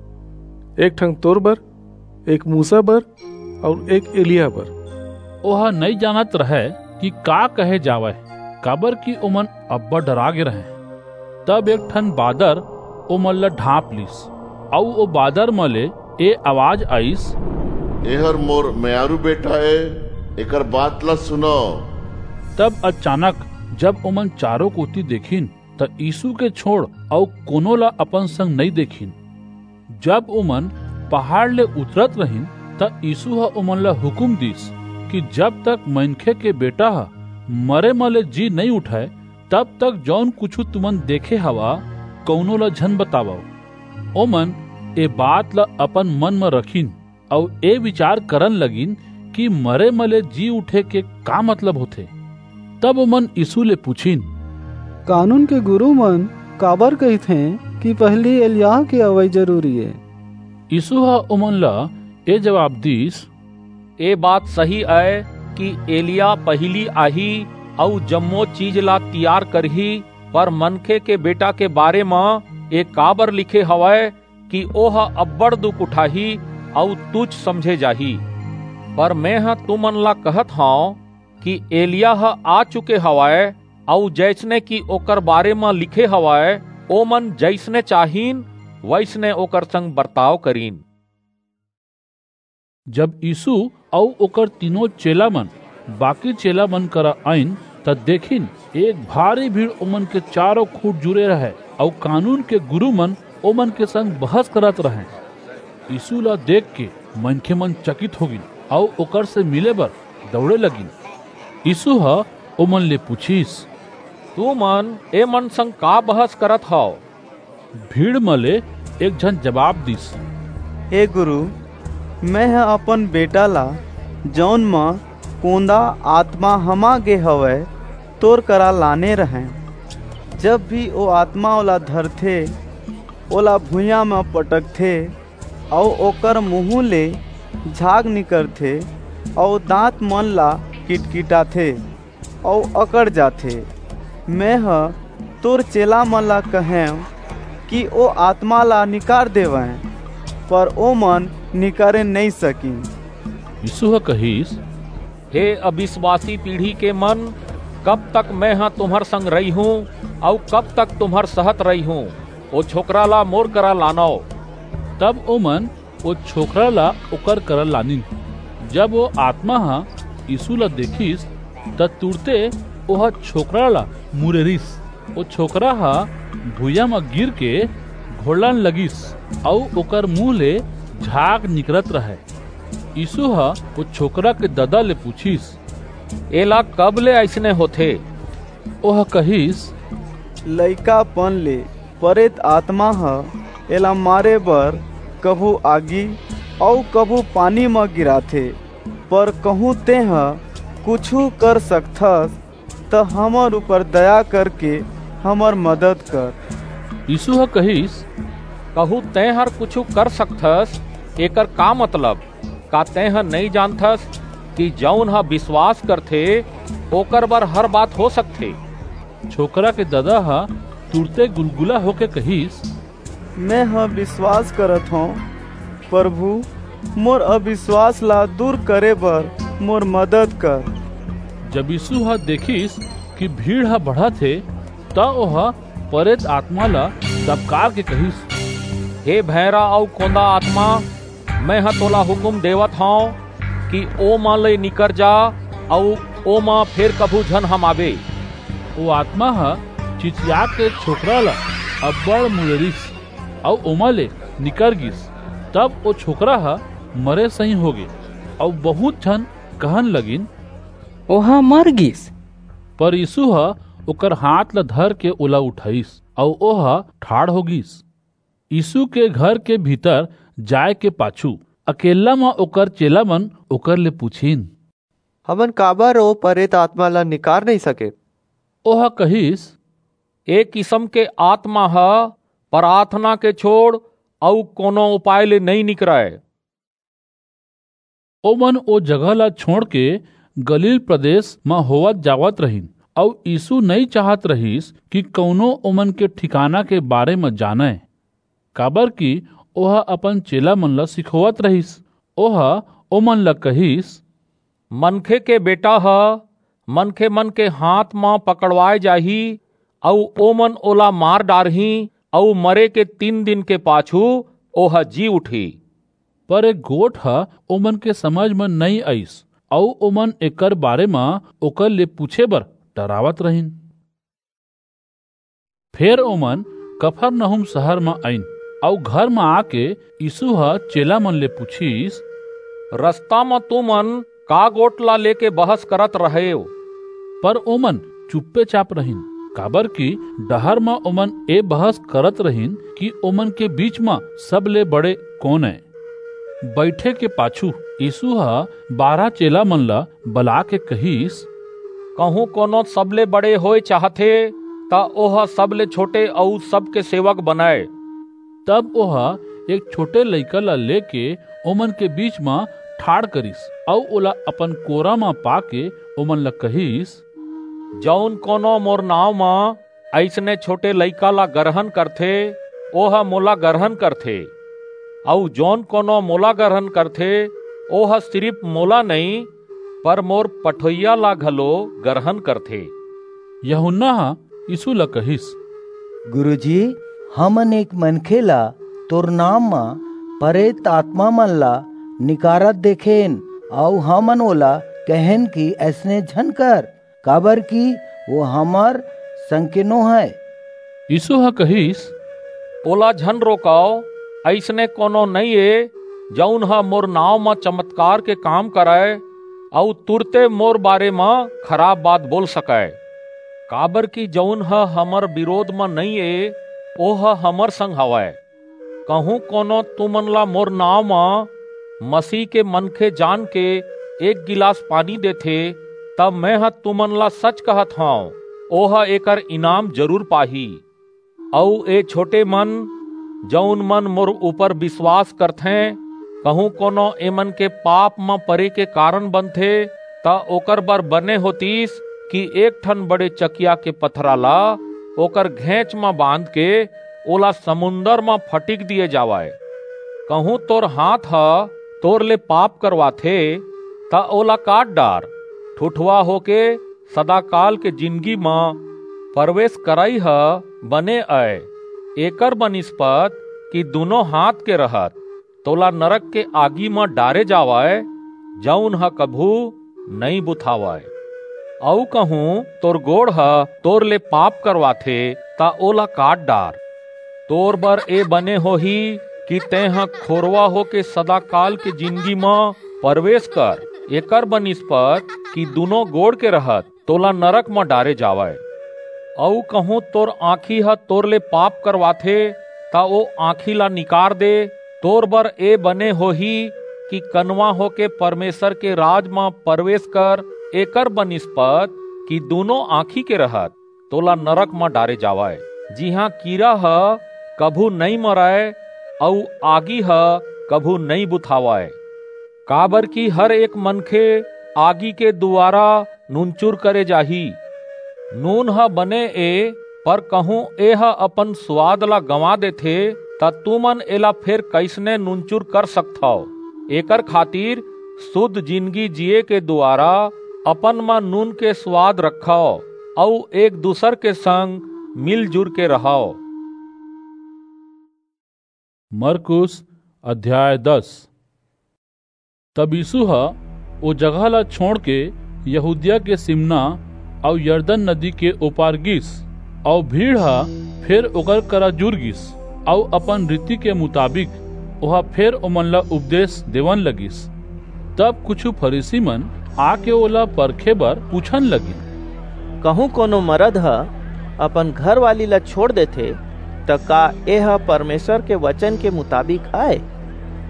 एक ठन तोर बर, एक मूसा बर अऊ एक एलिय्याह बर। ओह नइं जानत रहय कि का कहे जावय, काबरकि ओमन अब्बड़ डरा गे रहंय। तब एक ठन बादर ओमन ला ढांप लीस, अऊ ओ बादर म ले ए अवाज आईस, एहर मोर मयारू बेटा ए, एकर बात ला सुनव। तब अचानक जब ओमन चारों कोति देखिन, त यीसू के छोंड़ अऊ कोनो ला अपन संग नइं देखिन। जब ओमन पहाड़ ले उतरत रहिन, त यीसू ह ओमन ला हुकूम दीस कि जब तक मनखे के बेटा ह मरे म ले जी नइं उठय, तब तक जऊन कुछू तुमन देखे हवा, कऊनो ला झन बतावव। ओमन ए बात ला अपन मन म रखिन अऊ ए बिचार करन लगिन कि मरे म ले जी उठे के का मतलब होथे। तब ओमन यीसू ले पुछिन, कानून के गुरूमन काबर कहिथें कि पहिली एलिय्याह के अवई जरूरी ए? यीसू ह ओमन ला ए जबाब दीस, ए बात सही अय कि एलिय्याह पहिली आही अऊ जम्मो चीज ला तियार करही, पर मनखे के बेटा के बारे म ए काबर लिखे हवय कि ओह अब्बड़ दुख उठाही अऊ तुछ समझे जाही। पर मेंह तुमन ला कहत हंव कि एलिय्याह आ चुके हवय, अऊ जइसने कि ओकर बारे म लिखे हवय, ओमन जइसने चाहिन, वइसने ओकर संग बरताव करिन। जब यीसू अऊ ओकर तीनों चेलामन बाकी चेलामन करा आईन, त देखिन, एक भारी भीड़ ओमन के चारों खूंट जुरे रहय, अऊ कानून के गुरूमन ओमन के संग बहस करत रहंय। यीसू ला देखके मनखेमन चकित हो गीन अऊ ओकर से मिले बर दऊड़े लगिन। यीसू ह ओमन ले पुछिस, तुमन एमन संग का बहस करत हव? भीड़ म ले एक झन जबाब दीस, हे गुरू, मेंह अपन बेटा ला, जऊन म कोंदा आतमा हमा गे हवय, तोर करा लाने रहंय। जब भी ओ आतमा ओला धरथे, ओला भुइयां म पटकथे, अऊ ओकर मुहूं ले झाग निकरथे, अऊ दांत मन ला किटकिटाथे, अऊ अकड़ जाथे। मेंह तोर चेलामन ला कहेंव कि ओ आतमा ला निकार देवंय, पर ओमन निकारे नइं सकिन। यीसू ह कहिस, हे अबिसवासी पीढ़ी के मन, कब तक मैं ह तुम्हर संग रहिहूं, अऊ कब तक तुम्हर सहत रहिहूं? ओ छोकरा ला मोर करा लानव। तब ओमन ओ छोकरा ला ओकर करा लानिन। जब ओ आतमा ह यीसू ला देखिस, त तुरते ओह छोकरा ला मुरेरिस। ओ छोकरा ह भुइयां म गिरके घोड़न लगिस, अऊ ओकर मुहूं ले झाग निकरत रहय। यीसू ह ओ छोकरा के ददा ले पुछिस, "एला कब ले अइसने होथे?" ओह कहिस, लइकापन ले परेत आतमा ह एला मारे बर कभू आगी अऊ कभू पानी म गिराथे, पर कहूं तेंह कुछू कर सकथस, त हमर ऊपर दया करके हमर मदद कर। यीसू ह कहिस, कहूं तेंहर कुछू कर सकथस, एकर का मतलब? का तेंह नइं जानथस कि जऊन ह बिसवास करथे, ओकर बर हर बात हो सकथे? छोकरा के ददा ह तुरते गुलगुला होके कहिस, मेंह बिसवास करत हंव, परभू, मोर अबिसवास ला दूर करे बर मोर मदद कर। जब यीसू ह देखिस कि भीड़ ह बढ़त हे, त ओह परेत आतमा ला दबकार के कहिस, हे भैंरा अऊ कोंदा आतमा, मेंह तोला हुकूम देवत हंव कि ओमा ले निकर जा, अऊ ओमा फेर कभू झन हमाबे। ओ आतमा ह चिचियाके छोकरा ला अब्बड़ मुरेरिस, अऊ ओमा ले निकर गीस। तब ओ छोकरा ह मरे सहीं होगे, अऊ बहुंत झन कहन लगिन, ओह मर गीस। पर यीसू ह ओकर हांथ ला धरके ओला उठाईस, अऊ ओह ठाढ़ हो गीस। यीसू के घर के भीतर जाय के पाछू अकेल्ला म ओकर चेलामन ओकर ले पुछिन, हमन काबर ओ परेत आतमा ला निकार नइं सकेन? ओह कहिस, ए किसम के आतमा ह पराथना के छोंड़ अऊ कोनो उपाय ले नइं निकरय। ओमन ओ जगह ला छोंड़के गलील प्रदेस म होवत जावत रहिन, अऊ यीसू नइं चाहत रहिस कि कऊनो ओमन के ठिकाना के बारे म जानय, काबरकि ओह अपन चेलामन ला सिखोवत रहिस। ओह ओमन ला कहिस, मनखे के बेटा ह मनखेमन के हांथ म पकड़वाय जाही, अऊ ओमन ओला मार डारहीं, अऊ मरे के तीन दिन के पाछू ओह जी उठही। पर ए गोठ ह ओमन के समझ म नइं आईस, अऊ ओमन एकर बारे म ओकर ले पुछे बर डरावत रहिन। फेर ओमन कफरनहूम सहर म आईन, अऊ घर म आके यीसू ह चेलामन ले पुछिस, रसता म तुमन का गोठ ला लेके बहस करत रहेव? पर ओमन चुप्पेचाप रहिन, काबरकि डहर म ओमन ए बहस करत रहिन कि ओमन के बीच म सबले बड़े कोन ए। बईठे के पाछू यीसू ह बारह चेलामन ला बलाके कहिस, कहूं कोनो सबले बड़े होय चाहथे, त ओह सबले छोटे अऊ सबके सेवक बनय। तब ओह एक छोटे लइका ला लेके ओमन के बीच म ठाढ़ करिस, अऊ ओला अपन कोरा म पाके ओमन ला कहिस, जऊन कोनो मोर नांव म अइसने छोटे लइका ला गरहन करथे, ओह मोला गरहन करथे, अऊ जऊन कोनो मोला गरहन करथे, ओह सिरिप मोला नइं, पर मोर पठोइया ला घलो गरहन करथे। यूहन्ना ह यीसू ला कहिस, गुरुजी, हमन एक मनखे ला तोर नांव म परेत आतमामन ला निकारत देखेन, अऊ हमन ओला कहेन कि अइसने झन कर, काबरकि ओ हमर संग के नोहय। यीसू ह कहिस, ओला झन रोकव, अइसने कोनो नइं ए, जऊन ह मोर नांव म चमतकार के काम करय, अऊ तुरते मोर बारे म खराप बात बोल सकय। काबरकि जऊन ह हमर बिरोध म नइं ए, ओह हमर संग हवय। कहूं कोनो तुमन ला मोर नांव म मसीह के मनखे जानके एक गिलास पानी देथे, त मेंह तुमन ला सच कहत हंव, ओह एकर इनाम जरूर पाही। अऊ ए छोटे मन, जऊन मन मोर ऊपर बिसवास करथें, कहूं कोनो एमन के पाप म परे के कारन बनथे, त ओकर बर बने होतिस कि एक ठन बड़े चकिया के पथरा ला ओकर घेंच म बांधके ओला समुंदर म फटिक दिये जावय। कहूं तोर हांथ ह तोर ले पाप करवाथे, त ओला काट डार। ठुठवा होके सदाकाल के जिनगी म परवेस करई ह बने अय, एकर बनिस्पत कि दूनों हांथ के रहत तोला नरक के आगी म डारे जावय, जऊन ह कभू नइं बुतावय। अऊ कहूं तोर गोड़ ह तोर ले पाप करवाथे, त ओला काट डार। तोर बर ए बने होही कि तेंह खोरवा होके सदाकाल के जिनगी म परवेस कर, एकर बनिस्पत कि दूनों गोड़ के रहत तोला नरक म डारे जावय। अऊ कहूं तोर आंखी ह तोर ले पाप करवाथे, त ओ आंखी ला निकार दे। तोर बर ए बने होही कि कनवा होके परमेसर के राज म परवेस कर, एकर बनिस्पत कि दूनों आंखी के रहत तोला नरक म डारे जावय, जिहां कीरा ह कभू नइं मरय अऊ आगी ह कभू नइं बुतावय। काबरकि हर एक मनखे आगी के दुवारा नूनचुर करे जाही। नून ह बने ए, पर कहूं एह अपन सुवाद ला गंवा देथे, त तुमन एला फेर कइसने नूनचुर कर सकथव? एकर खातिर सुध जिनगी जिये के दुवारा अपन म नून के सुवाद रखव अऊ एक-दूसर के संग मिलजुर के रहव। मरकुस अध्याय दस। तब यीसू ह ओ जगह ला छोंड़के यहूदिया के सिमना अऊ यरदन नदी के ओ पार गीस, अऊ भीड़ ह फेर ओकर करा जुर गीस, अऊ अपन रीति के मुताबिक ओह फेर ओमन ला उपदेस देवन लगिस। तब कुछू फरीसीमन आके ओला परखे बर पुछन लगिन, कहूं कोनो मरद ह अपन घरवाली ला छोंड़ देथे, त का एह परमेसर के बचन के मुताबिक अय?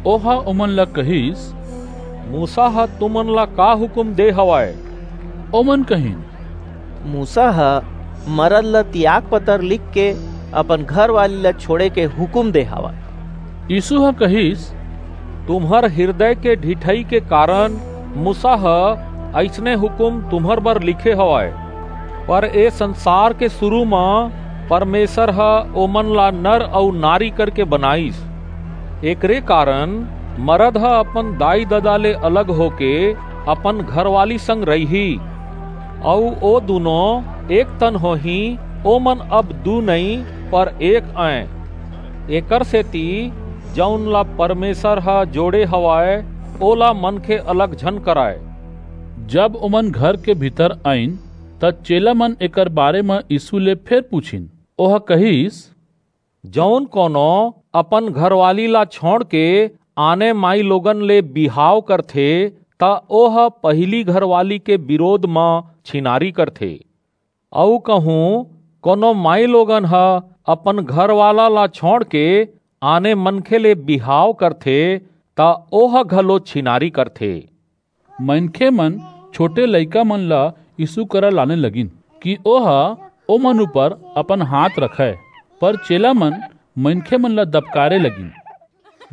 ओह ओमन ला कहिस, मूसा ह तुमन ला का हुकूम दे हवय? ओमन कहिन, मूसा ह मरद ला तियाग पतर लिखके अपन घरवाली ला छोंड़े के हुकूम दे हवय। यीसू ह कहिस, तुम्हर हिरदय के ढिठई के कारन मूसा ह अइसने हुकूम तुम्हर बर लिखे हवय, पर ए संसार के सुरू म परमेसर ह ओमन ला नर अऊ नारी करके बनाईस। एकरे कारन मरद ह अपन दाई-ददा ले अलग होके अपन घरवाली संग रहिही, अऊ ओ दूनों एक तन होहीं। ओमन अब दू नइं, पर एक अंय। एकरसेति जऊन ला परमेसर ह जोड़े हवय, ओला मनखे अलग झन करय। जब ओमन घर के भीतर आईन, त चेलामन एकर बारे म यीसू ले फेर पुछिन। ओह कहिस, जऊन कोनो अपन घरवाली ला छोंड़के आने माईलोगन ले बिहाव करथे, त ओह पहिली घरवाली के बिरोध म छिनारी करथे। अऊ कहूं कोनो माईलोगन ह अपन घरवाला ला छोंड़के आने मनखे ले बिहाव करथे, त ओह घलो छिनारी करथे। मनखेमन छोटे लइकामन ला यीसू करा लाने लगिन, कि ओह ओमन ऊपर अपन हांथ रखय, पर चेलामन मनखेमन ला दबकारे लगिन।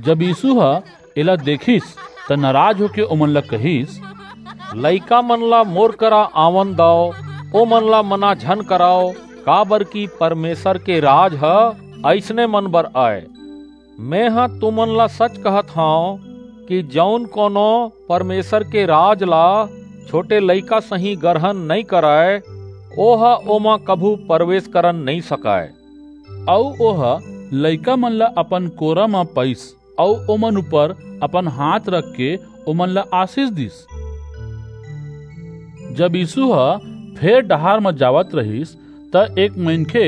जब यीसू ह एला देखिस, त नराज होके ओमन ला कहिस, लइकामन ला मोर करा आवन दव, ओमन ला मना झन करव, काबरकि परमेसर के राज ह अइसने मन बर अय। मेंह तुमन ला सच कहत हंव कि जऊन कोनो परमेसर के राज ला छोटे लइका सहीं गरहन नइं करय, ओह ओमा कभू परवेस करन नइं सकय। अऊ ओह लइकामन ला अपन कोरा म पईस, अऊ ओमन ऊपर अपन हांथ रखके ओमन ला आसीस दीस। जब यीसू ह फेर डहार म जावत रिहिस, त एक मनखे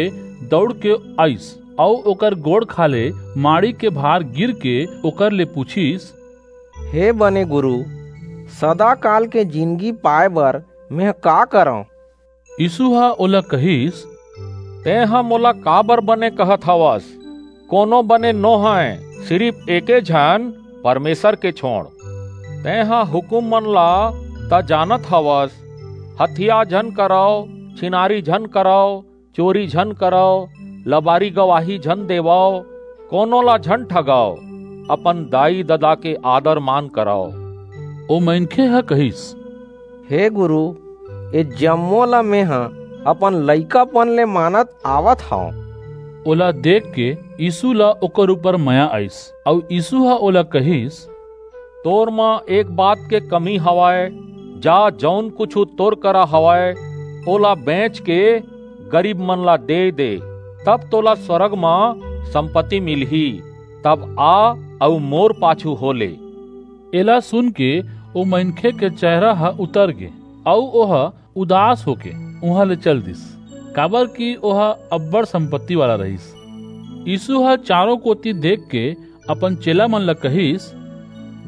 दऊड़के आईस अऊ ओकर गोड़ खाल्हे माड़ी के भार गिरके ओकर ले पुछिस, हे बने गुरू, सदाकाल के जिनगी पाय बर मेंह का करंव? यीसू ह ओला कहिस, तेंह मोला काबर बने कहत हवस? कोनो बने नोहय, सिरिप एके झन, परमेसर के छोंड़। तेंह हुकूममन ला त जानत हवस, हतिया झन करव, छिनारी झन करव, चोरी झन करव, लबारी गवाही झन देवव, कोनो ला झन ठगव, अपन दाई-ददा के आदर-मान करव। ओ मनखे ह कहिस, हे गुरू, ए जम्मो ला मेंह अपन लइकापन ले मानत आवत हंव। ओला देखके यीसू ला ओकर ऊपर मया आईस, अऊ यीसू ह ओला कहिस, तोर म एक बात के कमी हवय, जा, जऊन कुछू तोर करा हवय, ओला बेंच के गरीब मन ला दे दे, तब तोला स्वर्ग म संपत्ति मिलही। तब आ अऊ मोर पाछू हो ले।" एला सुन के ओ मनखे के चेहरा ह उतर गे, अऊ ओह उदास होके उहां ले चल दिस, काबर कि ओह अब्बड़ संपत्ति वाला रहिस। यीसू ह चारों कोति देख के अपन चेला मन ला कहिस,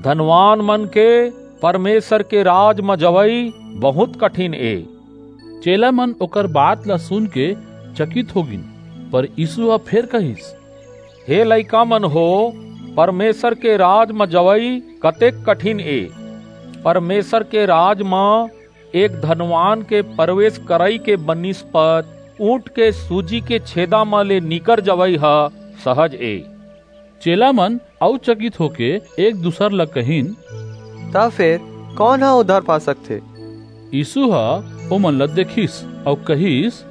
"धनवान मन के परमेसर के राज म जवई बहुंत कठिन ए।" चेला मन ओकर बात ला सुन के चकित हो गिन, पर यीसू ह फेर कहिस, "हे लइका मन हो, परमेसर के राज म जवई कतेक कठिन ए। परमेसर के राज म एक धनवान के परवेस करई के बनिस्पत ऊंट के सूजी के छेदा म ले निकर जवई ह सहज ए।" चेला मन अऊ चकित होके एक दूसर ला कहिन, "त फेर कोन ह उद्धार पा सकथे?" यीसू ह ओमन ला देखिस अऊ कहिस,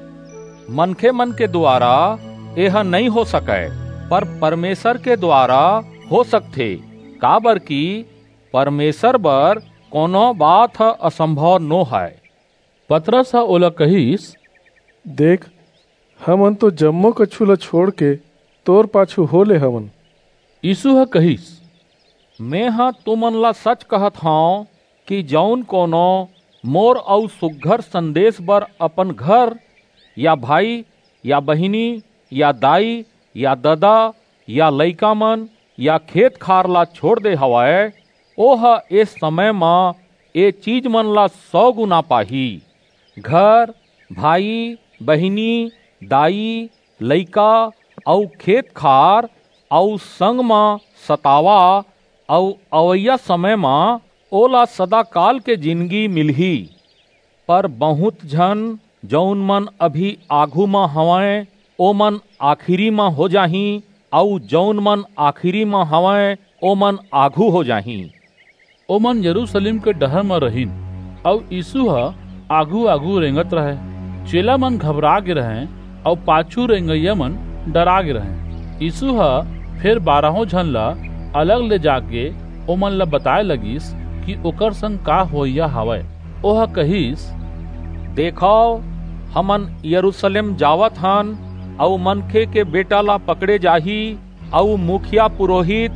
"मनखे मन के दुवारा एह नइं हो सकय, पर परमेसर के दुवारा हो सकथे, काबर कि परमेसर बर कोनो बात ह असंभव नो हय।" पतरस ह ओला कहिस, "देख, हमन तो जम्मो कछु ल छोंड़ के तोर पाछू हो ले हवन।" यीसू ह कहिस, "मेंह तुमन ला सच कहत हंव कि जऊन कोनो मोर अऊ सुघर संदेस बर अपन घर, या भाई, या बहिनी, या दाई, या ददा, या लइकामन, या खेत-खार ला छोंड़ दे हवय, ओह ए समय म ए चीजमन ला सौ गुना पाही। घर, भाई, बहिनी, दाई, लइका अऊ खेत-खार अऊ संग म सतावा अऊ अवइया समय म ओला सदाकाल के जिनगी मिलही। पर बहुंत झन, जऊन मन अभी आघू म हवंय, ओमन आखिरी म हो जाहीं, अऊ जऊन मन आखिरी म हवंय, ओमन आघू हो जाहीं।" ओमन यरूसलेम के डहर म रहिन, अऊ यीसू ह आघू-आघू रेंगत रहय। चेला मन घबरा गे रहंय, अऊ पाछू रेंगइया मन डरा गे रहंय। यीसू ह फेर बारहों झन ला अलग ले जाके ओमन ला बताय लगिस कि ओकर संग का होवइया हवय। ओह कहिस, "देखव, हमन यरूसलेम जावत हन, अऊ मनखे के बेटा ला पकड़े जाही, अऊ मुखिया पुरोहित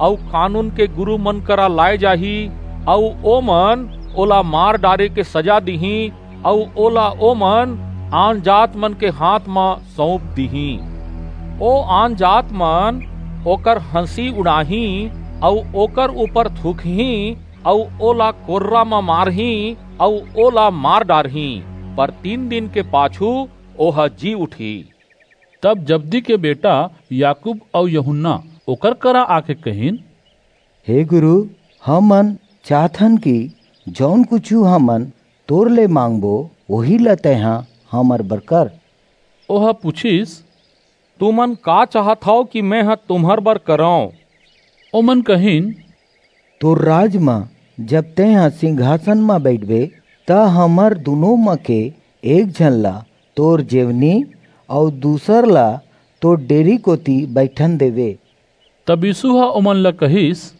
अऊ कानून के गुरू मन करा लाय जाही, अऊ ओमन ओला मार डारे के सजा दिहीं, अऊ ओला ओमन आनजात मन के हाथ म सऊंप दिहीं। ओ आनजात मन ओकर हंसी उड़ाहीं, अऊ ओकर ऊपर थूकहीं, अऊ ओला कोर्रा म मारहीं, अऊ ओला मार डारहीं, पर तीन दिन के पाछू ओह जी उठही।" तब जब्दी के बेटा याकूब अऊ यूहन्ना ओकर करा आके कहिन, "हे गुरू, हमन चाहथन कि जऊन कुछू हमन तोर ले मांगबो, ओही ला तैंहा हमर बर कर।" ओह पुछिस, "तुमन का चाहत हव कि मेंह तुम्हर बर करंव?" ओमन कहिन, "तोर राज म जब तैंहा सिंघासन म बइठबे, त हमर दूनों म के एक झन ला तोर जेवनी अऊ दूसर ला तोर डेरी कोति बइठन देबे।" तब यीसू ह ओमन ला कहिस,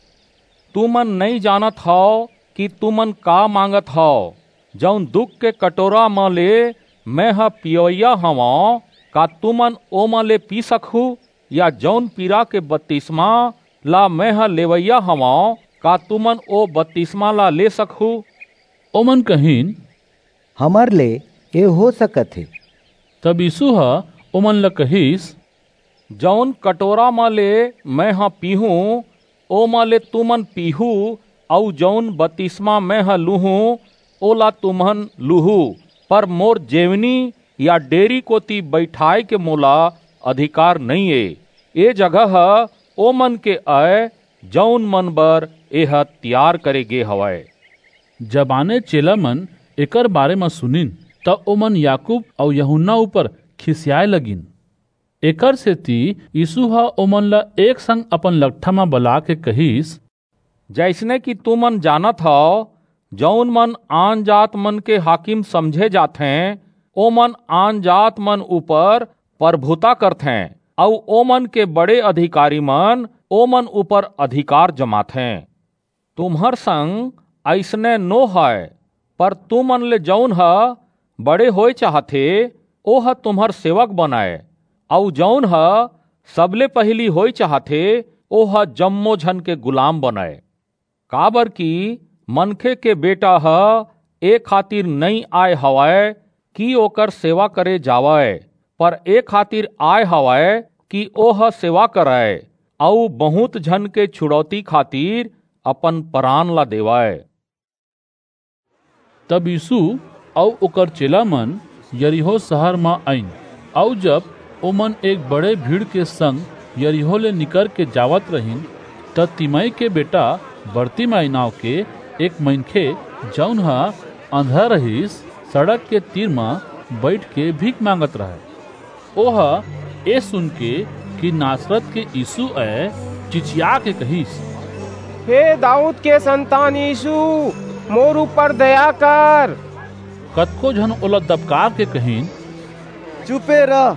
"तुमन नइं जानत हव कि तुमन का मांगत हव। जऊन दुख के कटोरा म ले मेंह पियवइया हवंव, का तुमन ओमा ले पी सकहू? या जऊन पीरा के बतिसमा ला मेंह लेवइया हवंव, का तुमन ओ बतिसमा ला ले सकहू?" ओमन कहिन, "हमर ले ए हो सकत हे।" तब यीसू ह ओमन ला कहिस, "जऊन कटोरा म ले मेंह पीहूं, ओमा ले तुमन पीहू, अऊ जऊन बतिसमा मेंह लूहूं, ओला तुमन लूहू, पर मोर जेवनी या डेरी कोति बइठाय के मोला अधिकार नइं ए। ए जगह ह ओमन के अय, जऊन मन बर एह तियार करे गे हवय।" जबाने चेला मन एकर बारे म सुनिन, त ओमन याकूब अऊ यूहन्ना ऊपर खिसियाय लगिन। एकर सेति यीसू ह ओमन ला एक संग अपन लकठा म बलाके कहिस, "जइसने कि तुमन जानत हव, जऊन मन आनजात मन के हाकिम समझे जाथें, ओमन आनजात मन ऊपर परभुता करथें, अऊ ओमन के बड़े अधिकारी मन ओमन ऊपर अधिकार जमाथें। तुम्हर संग अइसने नो हय, पर तुमन ले जऊन ह बड़े होय चाहथे, ओह तुम्हर सेवक बनय, अऊ जऊन ह सबले पहिली होय चाहथे, ओह जम्मो झन के गुलाम बनय। काबरकि मनखे के बेटा ह ए खातिर नइं आय हवय कि ओकर सेवा करे जावय, पर ए खातिर आय हवय कि ओह सेवा करय, अऊ बहुंत झन के छुड़ौती खातिर अपन परान ला देवय। तब यीसू अऊ ओकर चेलामन यरीहो सहर म आईन, अऊ जब ओमन एक बड़े भीड़ के संग यरीहो ले निकरके जावत रहिन, त तिमई के बेटा बरतिमई नांव के एक मनखे, जऊन ह अंधरा रहिस, सड़क के तीर म बईठके भीख मांगत रहय। ओह ए सुनके कि नासरत के यीसू अय, चिचियाके कहिस, "हे दाऊद के संतान यीसू, मोर ऊपर दया कर।" कतको झन ओला दबकारके कहिन, "चुपे रह।"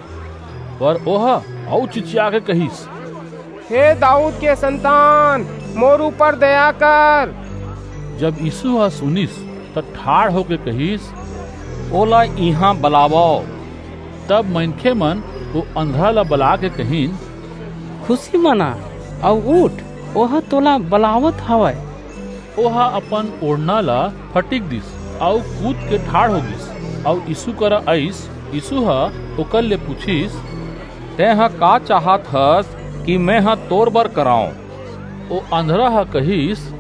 पर ओह अऊ चिचियाके कहिस, "हे दाऊद के संतान, मोर ऊपर दया कर।" जब यीसू ह सुनिस, त ठाढ़ होके कहिस, "ओला इहां बलावव।" तब मनखेमन ओ अंधरा ला बलाके कहिन, "खुसी मना अऊ उठ, ओह तोला बलावत हवय।" ओह अपन ओढ़ना ला फटिक दिस, अऊ कूदके ठाढ़ हो गीस, अऊ यीसू करा आईस। यीसू ह ओकर ले पुछिस, "तेंह का चाहत हस कि मेंह तोर बर करंव?" ओ अंधरा ह कहिस,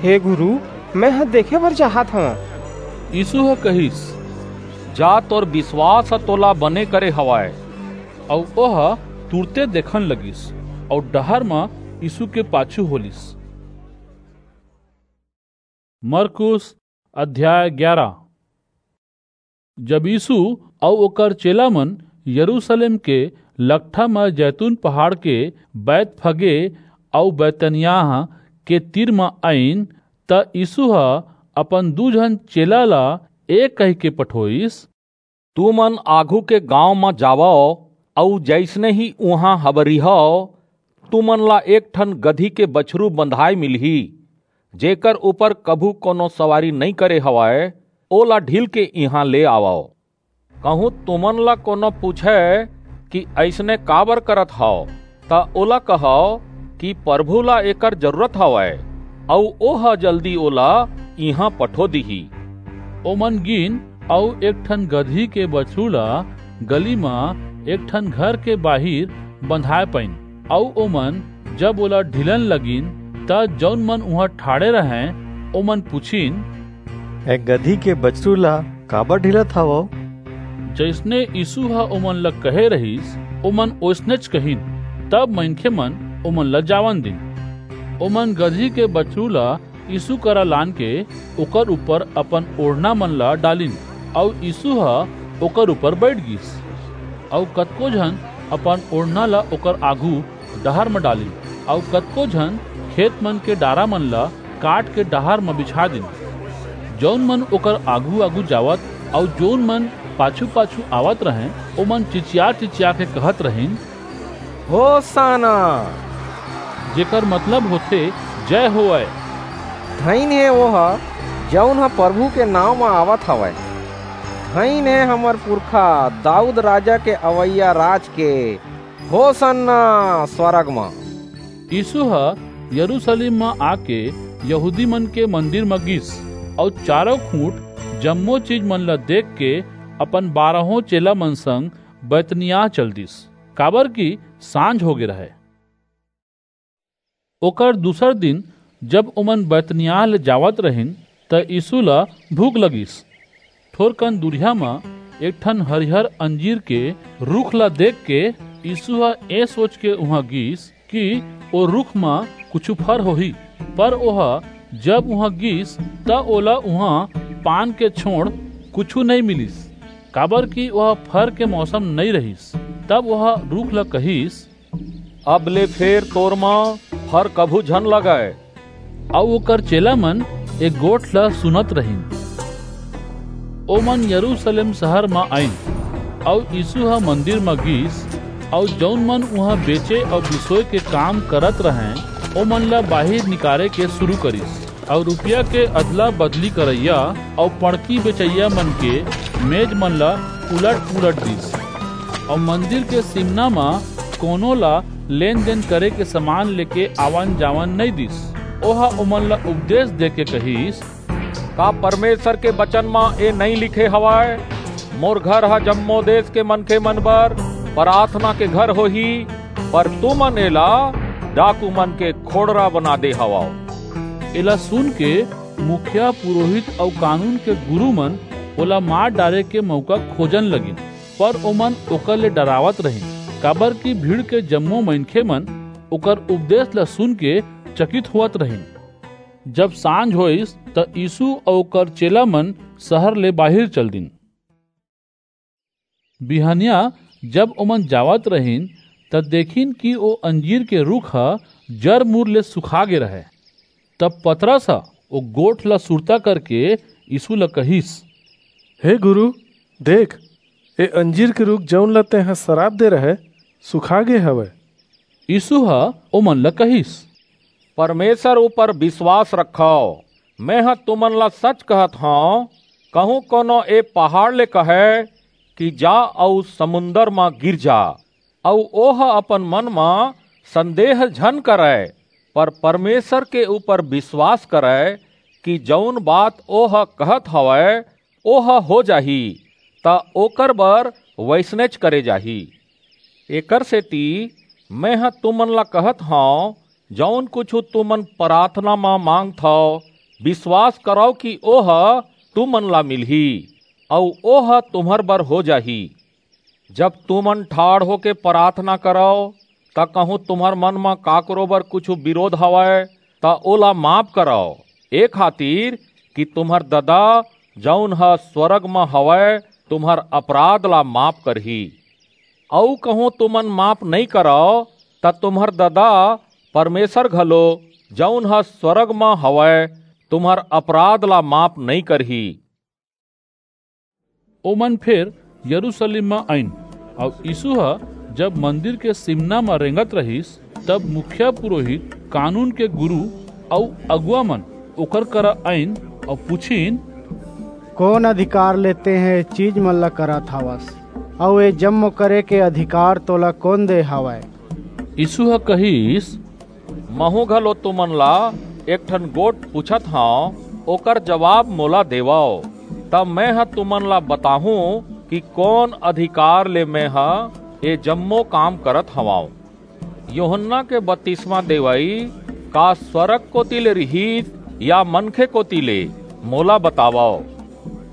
"हे गुरू, मेंह देखे बर चाहत हंव।" यीसू ह कहिस, "जा, तोर बिसवास ह तोला बने करे हवय।" अऊ ओह तुरते देखन लगिस, अऊ डहर म यीसू के पाछू हो लीस। मरकुस अध्याय ग्यारा। जब यीसू अऊ ओकर चेलामन यरूसलेम के लकठा म जैतून पहाड़ के बैतफगे अऊ बैतनियाह के तीर म आईन, त यीसू ह अपन दू झन चेला ला ए कहिके पठोईस, "तुमन आघू के गांव म जावव, अऊ जइसने ही उहां हबरिहव, तुमन ला एक ठन गदही के बछरू बंधाय मिलही, जेकर ऊपर कभू कोनो सवारी नइं करे हवय, ओला ढील के इहां ले आवव। कहूं तुमन ला कोनो पूछय कि अइसने काबर करत हव, त ओला कहव कि परभू ला एकर जरूरत हवय, अऊ ओह जल्दी ओला इहां पठो दिही।" ओमन गीन अऊ एक ठन गदही के बछरू ला गली म एक ठन घर के बाहिर बंधाय पाईन, अऊ ओमन जब ओला ढीलन लगिन, त जऊन मन उहां ठाढ़े रहंय, ओमन पुछिन, "ए गदही के बछरू ला काबर ढीलत हवव?" जइसने यीसू ह ओमन ला कहे रहिस, ओमन ओइसनेच कहिन। तब मनखेमन ओमन ला जावन दीन। ओमन गदही के बछरू ला यीसू करा लानके ओकर ऊपर अपन ओढ़नामन ला डालिन, अऊ यीसू ह ओकर ऊपर बईठ गीस। अऊ कतको झन अपन ओढ़ना ला ओकर आघू डहर म डालिन, अऊ कतको झन खेतमन के डारामन ला काटके डहर म बिछा दीन। जऊन मन ओकर आघू-आघू जावत अऊ जऊन मन पाछू-पाछू आवत रहंय, ओमन चिचिया-चिचियाके कहत रहिन, "होसाना!" जेकर मतलब होथे, "जय होवय।" "धइन हे ओह, जऊन ह परभू के नांव म आवत हवय। धइन हे हमर पुरखा दाऊद राजा के अवइया राज के। होसाना स्वरग म।" यीसू ह यरूसलेम म आके यहूदीमन के मंदिर म गीस, अऊ चारों खूंट जम्मो चीजमन ला देखके अपन बारहों चेलामन संग बैतनियाह चल दीस, काबरकि सांझ होगे रहय। ओकर दूसर दिन, जब ओमन बैतनियाह ले जावत रहिन, त यीसू ला भूख लगिस। थोरकन दूरिहा म एक ठन हरियर अंजीर के रूख ला देखके यीसू ह ए सोचके उहां गीस कि ओ रूख म कुछू फर होही, पर ओह जब उहां गीस, त ओला उहां पान के छोंड़ कुछू नइं मिलिस, काबरकि ओह फर के मौसम नइं रहिस। तब ओह रूख ला कहिस, "अब ले फेर तोर म फर कभू झन लगय।" अऊ ओकर चेलामन ए गोठ ला सुनत रहिन। ओमन यरूसलेम सहर म आईन, अऊ यीसू ह मंदिर म गीस, अऊ जऊन मन उहां बेचे अऊ बिसोय के काम करत रहंय, ओमन ला बाहिर निकारे के सुरू करिस। अउ रुपया के अदला बदली करइया अउ पड़की बेचइया मन के मेज मन ला उलट पुलट दिस, अउ मंदिर के सिमना म कोनो ला लेन देन करे के समान लेके आवन जावन नइ दिस। ओह ओमन ला उपदेश देके कहिस, का परमेसर के बचन म ए नइं लिखे हवय, मोर घर ह जम्मो देस के मनखे मन बर पराथना के घर होही? पर तुमन एला डाकू मन के खोड़रा बना दे हवव। एला सुनके मुखिया, पुरोहित अऊ कानून के गुरू मन ओला मार डारे के मऊका खोजन लगिन, पर ओमन ओकर ले डरावत रहिन, काबरकि भीड़ के जम्मो मनखे मन ओकर उपदेस ला सुनके चकित होवत रहिन। जब सांझ होईस, त यीसू अऊ ओकर चेला मन सहर ले बाहिर चल दीन। बिहनिया जब ओमन जावत रहिन, त देखिन कि ओ अंजीर के रूख ह जर-मूर ले सुखा गे रहय। तब पतरस ह ओ गोठ ला सुरता करके यीसू ला कहिस, "हे गुरू, देख, ए अंजीर के रूख, जऊन ला तेंह सराप दे रहय, सुखा गे हवय।" यीसू ह ओमन ला कहिस, "परमेसर ऊपर बिसवास रखव। मेंह तुमन ला सच कहत हंव, कहूं कोनो ए पहाड़ ले कहय कि जा अऊ समुंदर म गिर जा, अऊ ओह अपन मन म संदेह झन करय, पर परमेसर के ऊपर बिसवास करय कि जऊन बात ओह कहत हवय, ओह हो जाही, त ओकर बर वइसनेच करे जाही। एकरसेति मेंह तुमन ला कहत हंव, जऊन कुछू तुमन पराथना म मांगथव, बिसवास करव कि ओह तुमन ला मिलही, अऊ ओह तुम्हर बर हो जाही। जब तुमन ठाढ़ होके पराथना करव, त कहूं तुम्हर मन म काकरो बर कुछू बिरोध हवय, त ओला माफ करव, ए खातिर कि तुम्हर ददा, जऊन ह स्वरग म हवय, तुम्हर अपराध ला माफ करही। अऊ कहूं तुमन माफ नइं करव, त तुम्हर ददा परमेसर घलो, जऊन ह स्वरग म हवय, तुम्हर अपराध ला माफ नइं करही।" ओमन फेर यरूसलेम म आईन, अऊ यीसू ह जब मंदिर के सिमना म रेंगत रहिस, तब मुखिया पुरोहित, कानून के गुरू अऊ अगुवा मन ओकर करा आईन अऊ पुछिन, "कोन अधिकार ले तेंह ए चीज मन ला करत हवस? अऊ ए जम्मो करे के अधिकार तोला कोन दे हवय?" यीसू ह कहिस, "महूं घलो तुमन ला एक ठन गोठ पूछत हंव, ओकर जबाब मोला देवव, तब मेंह तुमन ला बताहूं कि कोन अधिकार ले मेंह ए जम्मो काम करत हवंव। यूहन्ना के बतिसमा देवई का स्वरग कोति ले रिहिस या मनखे कोति ले? मोला बतावव।"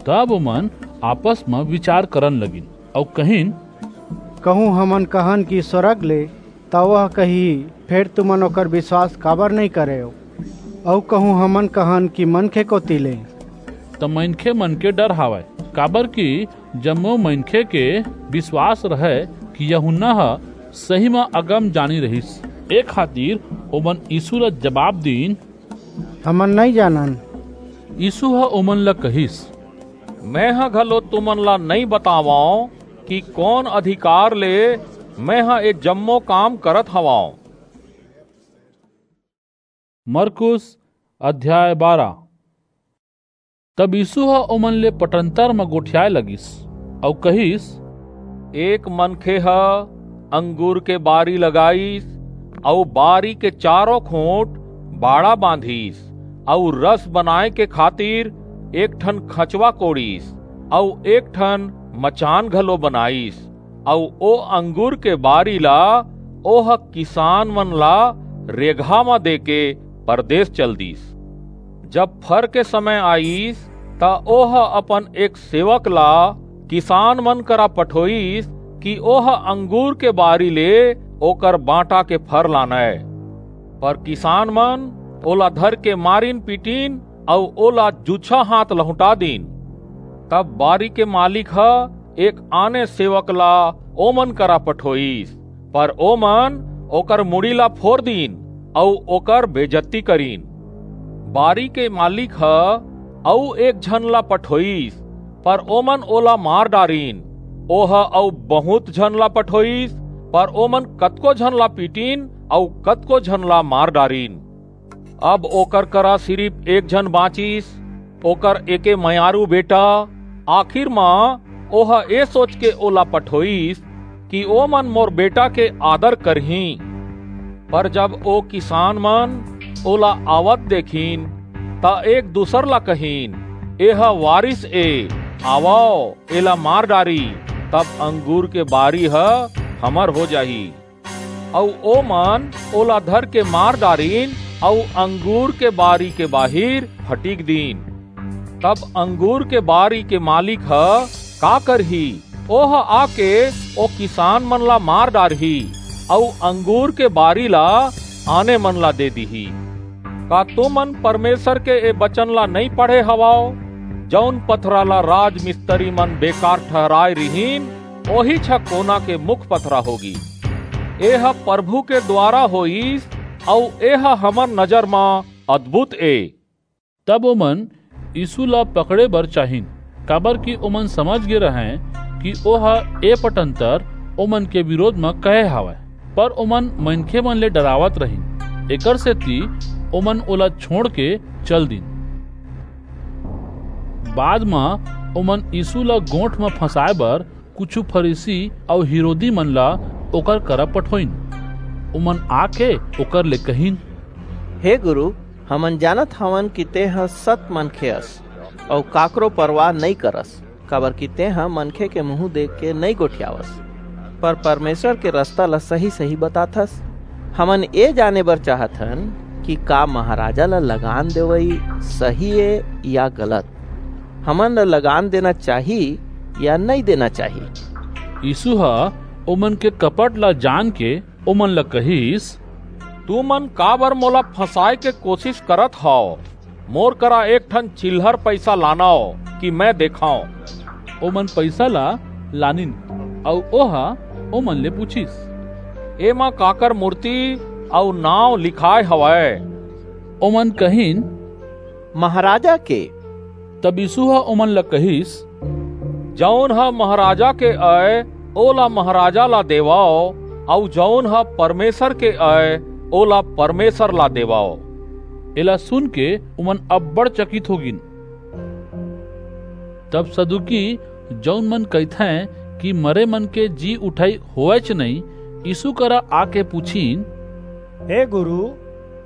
तब ओमन आपस म बिचार करन लगिन अऊ कहिन, "कहूं हमन कहन कि स्वरग ले, त ओह कहिही, 'फेर तुमन ओकर बिसवास काबर नइं करेव?' अऊ कहूं हमन कहन कि मनखे कोति ले, त मनखे मन के डर हावय, काबरकि जम्मो मनखे के बिसवास रहय कि यूहन्ना ह सही म अगमजानी रिहिस। ए खातिर ओमन यीसू ला जबाब दीन, "हमन नइं जानन।" यीसू ह ओमन ला कहिस, "मेंह घलो तुमन ला नइं बतावंव कि कोन अधिकार ले मेंह ए जम्मो काम करत हवंव।" मरकुस अध्याय बारह। तब यीसू ह ओमन ले पटंतर म गोठियाय लगिस अऊ कहिस, एक मनखे ह अंगूर के बारी लगाईस अऊ बारी के चारों खूंट बाड़ा बांधिस अऊ रस बनाय के खातिर एक ठन खंचवा कोड़िस अऊ एक ठन मचान घलो बनाईस अऊ ओ अंगूर के बारी ला ओह किसान मन ला रेगहा म देके परदेस चल दीस। जब फर के समय आईस, त ओह अपन एक सेवक ला किसान मन करा पठोईस कि ओह अंगूर के बारी ले ओकर बांटा के फर लानय। पर किसान मन ओला धरके मारिन पीटिन अऊ ओला जूछा हाथ लहुंटा दीन। तब बारी के मालिक ह एक आने सेवक ला ओमन करा पठोईस, पर ओमन ओकर मुड़ी ला फोर दीन अऊ ओकर बेजत्ती करिन। बारी के मालिक ह अऊ एक झन ला पठोईस, पर ओमन ओला मार डारिन। ओह अऊ बहुंत झन ला पठोईस, पर ओमन कतको झन ला पीटिन अऊ कतको झन ला मार डारिन। अब ओकर करा सिरिफ एक झन बाँचिस, ओकर एके मयारू बेटा। आखिर म ओह ए सोच के ओला पठोइस कि ओमन मोर बेटा के आदर करहीं। पर जब ओ किसान मन ओला आवत देखिन, त एक दूसर ला कहिन, "एह वारिस ए, आवव, एला मार डारी, तब अंगूर के बारी ह हमर हो जाही।" अऊ ओमन ओला धर के मार डारिन, अऊ अंगूर के बारी के बाहिर फटिक दीन। तब अंगूर के बारी के मालिक ह का करही? ओह आके ओ किसान मन ला मार डारही, अऊ अंगूर के बारी ला आने मन ला दे दिही। का तुमन परमेसर के ए बचन ला नइं पढ़े हवव? "जऊन पथरा ला राजमिस्त्री मन बेकार ठहराय रिहिन, ओहीच ह कोना के मुख पथरा होगी। एह परभू के दुवारा होईस, अऊ एह हमर नजर म अदभुत ए।" तब ओमन यीसू ला पकड़े बर चाहिन, काबरकि ओमन समझ गे रहंय कि ओह ए पटंतर ओमन के बिरोध म कहे हवय। पर ओमन मनखेमन ले डरावत रहिन, एकरसेति ओमन ओला छोंड़के चल दीन। बाद म ओमन यीसू ला गोंठ म फंसाय बर कुछू फरीसी अऊ हिरोदीमन ला ओकर करा पठोईन। ओमन आके ओकर ले कहिन, "हे गुरू, हमन जानत हवन कि तेंह सत मनखे अस, अऊ काकरो परवाह नइं करस, काबरकि तेंह मनखे के मुहूं देख के नइं गोठियावस, पर परमेसर के रसता ला सही-सही बताथस। हमन ए जाने बर चाहत हन कि का महाराजा ला लगान देवई सही ए या गलत? हमन ला लगान देना चाही या नइं देना चाही?" यीसू ह ओमन के कपट ला जान के ओमन ला कहिस, "तुमन काबर मोला फंसाय के कोसिस करत हव? मोर करा एक ठन चिल्हर पईसा लानव कि मैं देखंव।" ओमन पईसा ला लानिन, अऊ ओह ओमन ले पुछिस, "एमा काकर मूरती अऊ नांव लिखाय हवय?" ओमन कहिन, "महाराजा के।" तब यीसू ह ओमन ला कहिस, "जऊन ह महाराजा के अय, ओला महाराजा ला देवव, अऊ जऊन ह परमेसर के अय, ओला परमेसर ला देवव।" एला सुन के ओमन अब्बड़ चकित हो गीन। तब सदूकी, जऊन मन कहिथंय कि मरे मन के जी उठई होवयच नइं, यीसू करा आके पुछिन, "हे गुरू,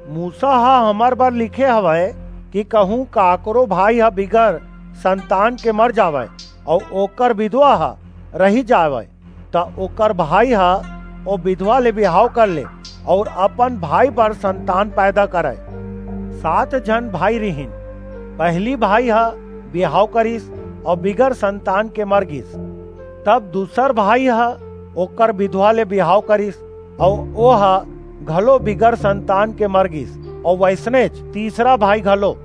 मूसा ह हमर बर लिखे हवय कि कहूं काकरो भाई ह बिगर संतान के मर जावय अऊ ओकर बिधवा ह रहि जावय, त ओकर भाई ह ओ बिधवा ले बिहाव कर ले अऊ अपन भाई बर संतान पैदा करय। सात झन भाई रिहिन। पहिली भाई ह बिहाव करिस अऊ बिगर संतान के मर गीस। तब दूसर भाई ह ओकर बिधवा ले बिहाव करिस, अऊ ओह घलो बिगर संतान के मर गीस, अऊ वइसनेच तीसरा भाई घलो।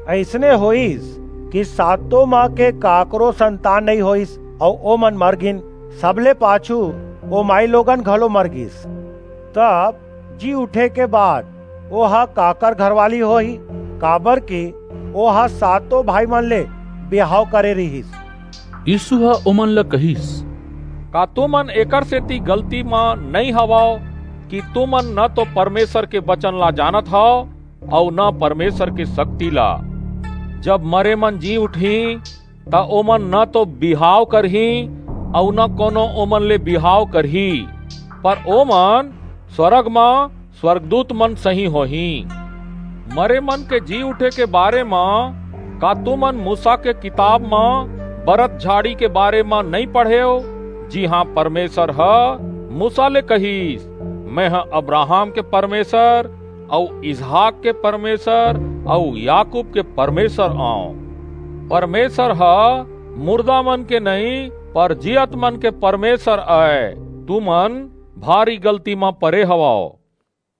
अइसने होईस कि सातों म के काकरो संतान नइं होईस, अऊ ओमन मर गीन। सबले पाछू ओ माईलोगन घलो मर गीस।" तब जी उठे के बाद ओह काकर घरवाली होही, काबरकि ओह सातों भाईमन ले बिहाव करे रिहिस। यीसू ह ओमन ला कहिस, "का तुमन एकरसेति गलती म नइं हवव कि तुमन न तो परमेसर के बचन ला जानत हव अऊ न परमेसर के सक्ति ला? जब मरे मन जी उठहीं, त ओमन न तो बिहाव करहीं अऊ न कोनो ओमन ले बिहाव करही, पर ओमन स्वरग म स्वरगदूत मन सहीं होहीं। मरे मन के जी उठे के बारे म का तुमन मूसा के किताब म बरत झाड़ी के बारे म नइं पढ़ेव? जी हां, परमेसर ह मूसा ले कहिस, 'मेंह अब्राहम के परमेसर अऊ इसहाक के परमेसर अऊ याकूब के परमेसर अंव।' परमेसर ह मुरदा मन के नइं, पर जियत मन के परमेसर अय। तुमन भारी गलती म परे हवव।"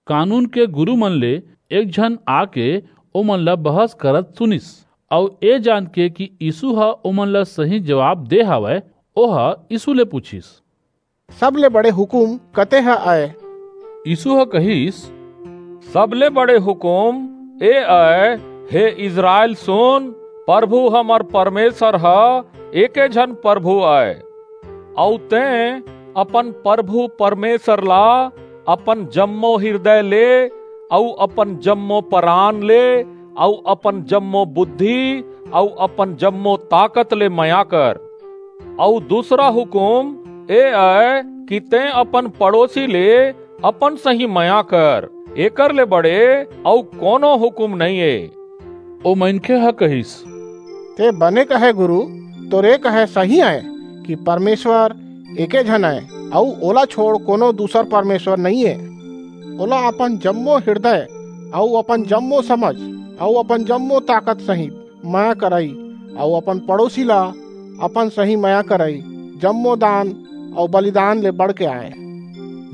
कानून के गुरू मन ले एक झन आके ओमन ला बहस करत सुनिस, अऊ ए जान के कि यीसू ह ओमन ला सही जबाब दे हवय, ओह यीसू ले पुछिस, "सबले बड़े हुकूम कते ह अय?" यीसू ह कहिस, "सबले बड़े हुकूम ए अय, हे इसरायल, सुन, परभू हमर परमेसर ह एके झन परभू अय, अऊ तें अपन परभू परमेसर ला अपन जम्मो हिरदय ले, अऊ अपन जम्मो परान ले, अऊ अपन जम्मो बुद्धि, अऊ अपन जम्मो ताकत ले मया कर। अऊ दूसरा हुकूम ए अय कि तें अपन पड़ोसी ले अपन सहीं मया कर। एकर ले बड़े अऊ कोनो हुकूम नइं ए। ओ मनखे ह कहिस, "तें बने कहे गुरु, तोर ए कहे सही अय कि परमेसर एके झन अय, अऊ ओला छोंड़ कोनो दूसर परमेसर नइं ए। ओला अपन जम्मो हिरदय, अऊ अपन जम्मो समझ, अऊ अपन जम्मो ताकत सहित मया करई, अऊ अपन पड़ोसी ला अपन सहीं मया करई, जम्मो दान अऊ बलिदान ले बढ़के अय।"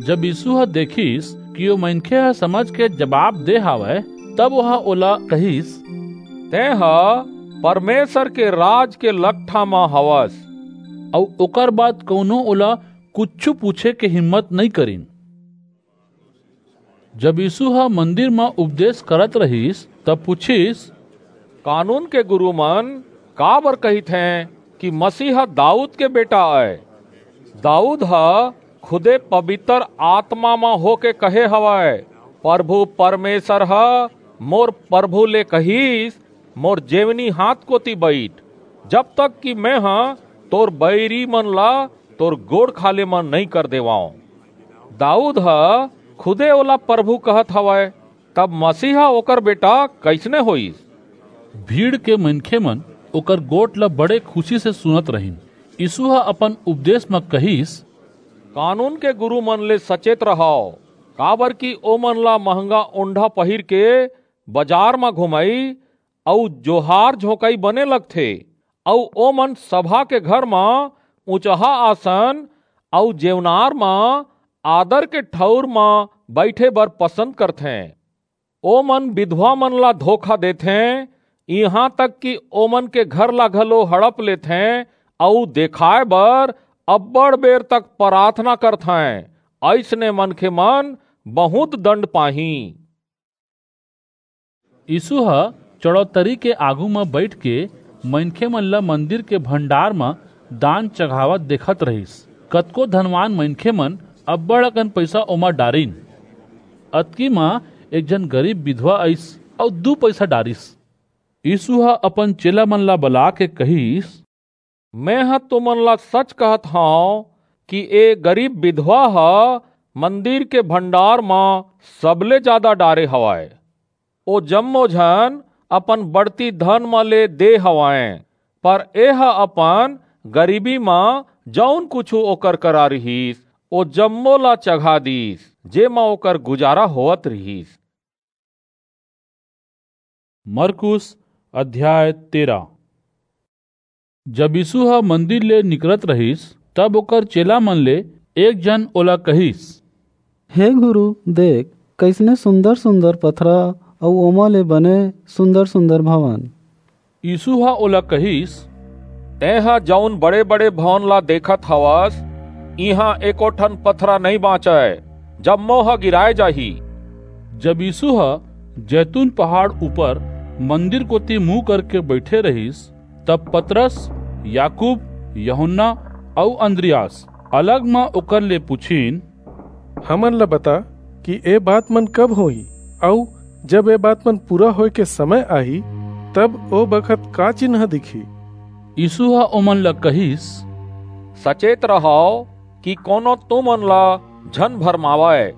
जब यीसू ह देखिस कि ओ मनखे ह समझ के जबाब दे हवय, तब ओह ओला कहिस, "तेंह परमेसर के राज के लकठा म हवस।" अऊ ओकर बाद कऊनो ओला कुछू पूछे के हिम्मत नइं करिन। जब यीसू ह मंदिर म उपदेस करत रिहिस, तब पुछिस, "कानून के गुरू मन काबर कहिथें कि मसीह दाऊद के बेटा अय? दाऊद ह खुदे पबितर आतमा म होके कहे हवय, परभू परमेसर ह मोर परभू ले कहिस, मोर जेवनी हांथ कोति बईठ, जब तक कि मेंह तोर बईरी मन ला तोर गोड़ खाल्हे म नइं कर देवंव।" दाऊद ह खुदे ओला परभू कहत हवय, तब मसीह ओकर बेटा कइसने होईस? भीड़ के मनखे मन ओकर गोठ ला बड़े खुसी से सुनत रहिन। यीसू ह अपन उपदेस म कहिस, "कानून के गुरू मन ले सचेत रहव, काबरकि ओमन ला महंगा ओंढ़ा पहिर के बजार म घुमई अऊ जोहार झोंकई बने लगथे, अऊ ओमन सभा के घर म ऊंचहा आसन अऊ जेवनार म आदर के ठऊर म बईठे बर पसंद करथें। ओमन बिधवा मन ला धोखा देथें, इहां तक कि ओमन के घर ला घलो हड़प लेथें, अऊ देखाय बर अब्बड़ बेर तक पराथना करथें। अइसने मनखे मन बहुंत दंड पाहीं।" यीसू ह चड़ौतरी के आगू म बईठ के मनखे मन ल मंदिर के भंडार म दान चघावत देखत रिहिस। कतको धनवान मनखे मन अब्बड़ अकन पईसा ओमा डारिन। अतकी म एक झन गरीब बिधवा अईस अऊ दू पईसा डारिस। यीसू ह अपन चेला मन ला बलाके कहिस, "मेंह तुमन ला सच कहत हंव कि ए गरीब बिधवा ह मंदिर के भंडार म सबले जादा डारे हवय। ओ जम्मो झन अपन बढ़ती धन म ले दे हवंय, पर एह अपन गरीबी म जऊन कुछू ओकर करा रिहिस, ओ जम्मो ला चघा दीस, जेमा ओकर गुजारा होवत रिहिस।" मरकुस अध्याय तेरा। जब यीसू ह मंदिर ले निकरत रिहिस, तब ओकर चेला मन ले एक झन ओला कहिस, "हे गुरू, देख, कइसने सुंदर-सुंदर पथरा अऊ ओमा ले बने सुंदर-सुंदर भवन।" यीसू ह ओला कहिस, "तेंह जऊन बड़े-बड़े भवन ला देखत हवस, इहां एको ठन पथरा नइं बांचय, जम्मो ह गिराय जाही।" जब यीसू ह जैतून पहाड़ ऊपर मंदिर कोति मुंह करके बईठे रिहिस, तब पतरस, याकूब, यूहन्ना अऊ अंद्रियास अलग म ओकर ले पुछिन, "हमन ला बता कि ए बात मन कब होही, अऊ जब ए बात मन पूरा होय के समय आही, तब ओ बखत का चिन्ह दिखही?" यीसू ह ओमन ला कहिस, "सचेत रहव कि कोनो तुमन ला झन भरमावय।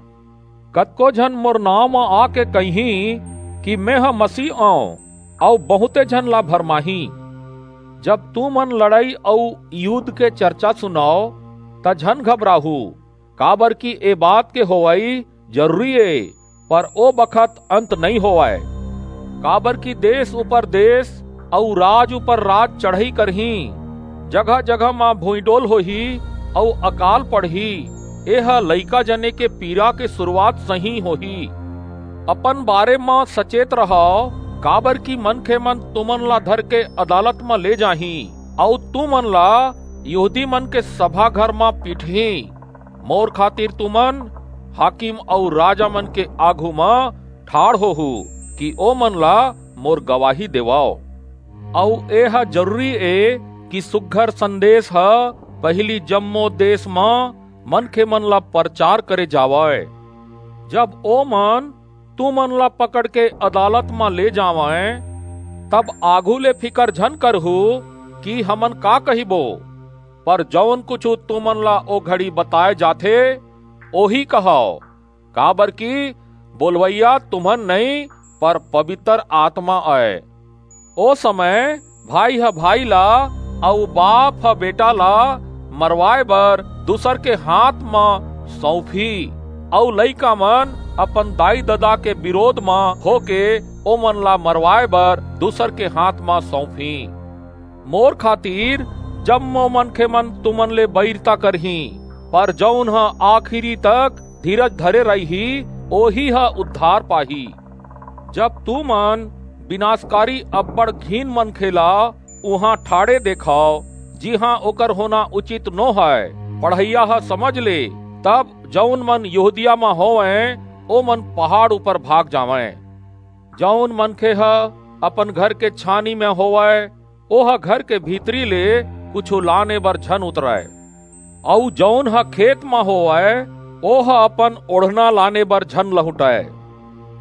कतको झन मोर नांव म आके कहिहीं कि मेंह मसीह अंव, अऊ बहुंते झन ला भरमाहीं। जब तुमन लड़ई अऊ युद्ध के चरचा सुनव, त झन घबराहू, काबरकि ए बात के होवई जरूरी ए, पर ओ बखत अंत नइं होवय। काबरकि देस ऊपर देस अऊ राज ऊपर राज चढ़ई करहीं, जगह-जगह म भुइंडोल होही अऊ अकाल पड़ही। एह लइका जने के पीरा के सुरूवात सहीं होही। अपन बारे म सचेत रहव, काबरकि मनखे मन तुमन ला धरके अदालत म ले जाहीं, अऊ तुमन ला यहूदी मन के सभा घर म पीटहीं। मोर खातिर तुमन हाकिम अऊ राजा मन के आघू म ठाढ़ होहू कि ओमन ला मोर गवाही देवव। अऊ एह जरूरी ए कि सुघर संदेस ह पहिली जम्मो देस म मनखे मन ला परचार करे जावय। जब ओमन तुमन ला पकड़ के अदालत म ले जावंय, तब आघू ले फिकर झन करहू कि हमन का कहिबो, पर जऊन कुछू तुमन ला ओ घड़ी बताय जाथे, ओही कहव, काबरकि बोलवइया तुमन नइं, पर पबितर आतमा अय। ओ समय भाई ह भाई ला अऊ बाप ह बेटा ला मरवाय बर दूसर के हांथ म सऊंपही, अऊ लइकामन अपन दाई-ददा के बिरोध म होके ओमन ला मरवाय बर दूसर के हांथ म सऊंपही। मोर खातिर जम्मो मनखेमन तुमन ले बईरता करहीं, पर जऊन ह आखिरी तक धीरज धरे रहिही, ओही ह उद्धार पाही। जब तुमन बिनासकारी अब्बड़ घिन मनखे ला उहां ठाढ़े देखव, जिहां ओकर होना उचित नो हय, पढ़इया ह समझ ले, तब जऊन मन यहूदिया म होवंय, ओमन पहाड़ ऊपर भाग जावंय। जऊन मनखे ह अपन घर के छानी म होवय, ओह घर के भीतरी ले कुछू लाने बर झन उतरय, अऊ जऊन ह खेत म होवय, ओह अपन ओढ़ना लाने बर झन लहुंटय।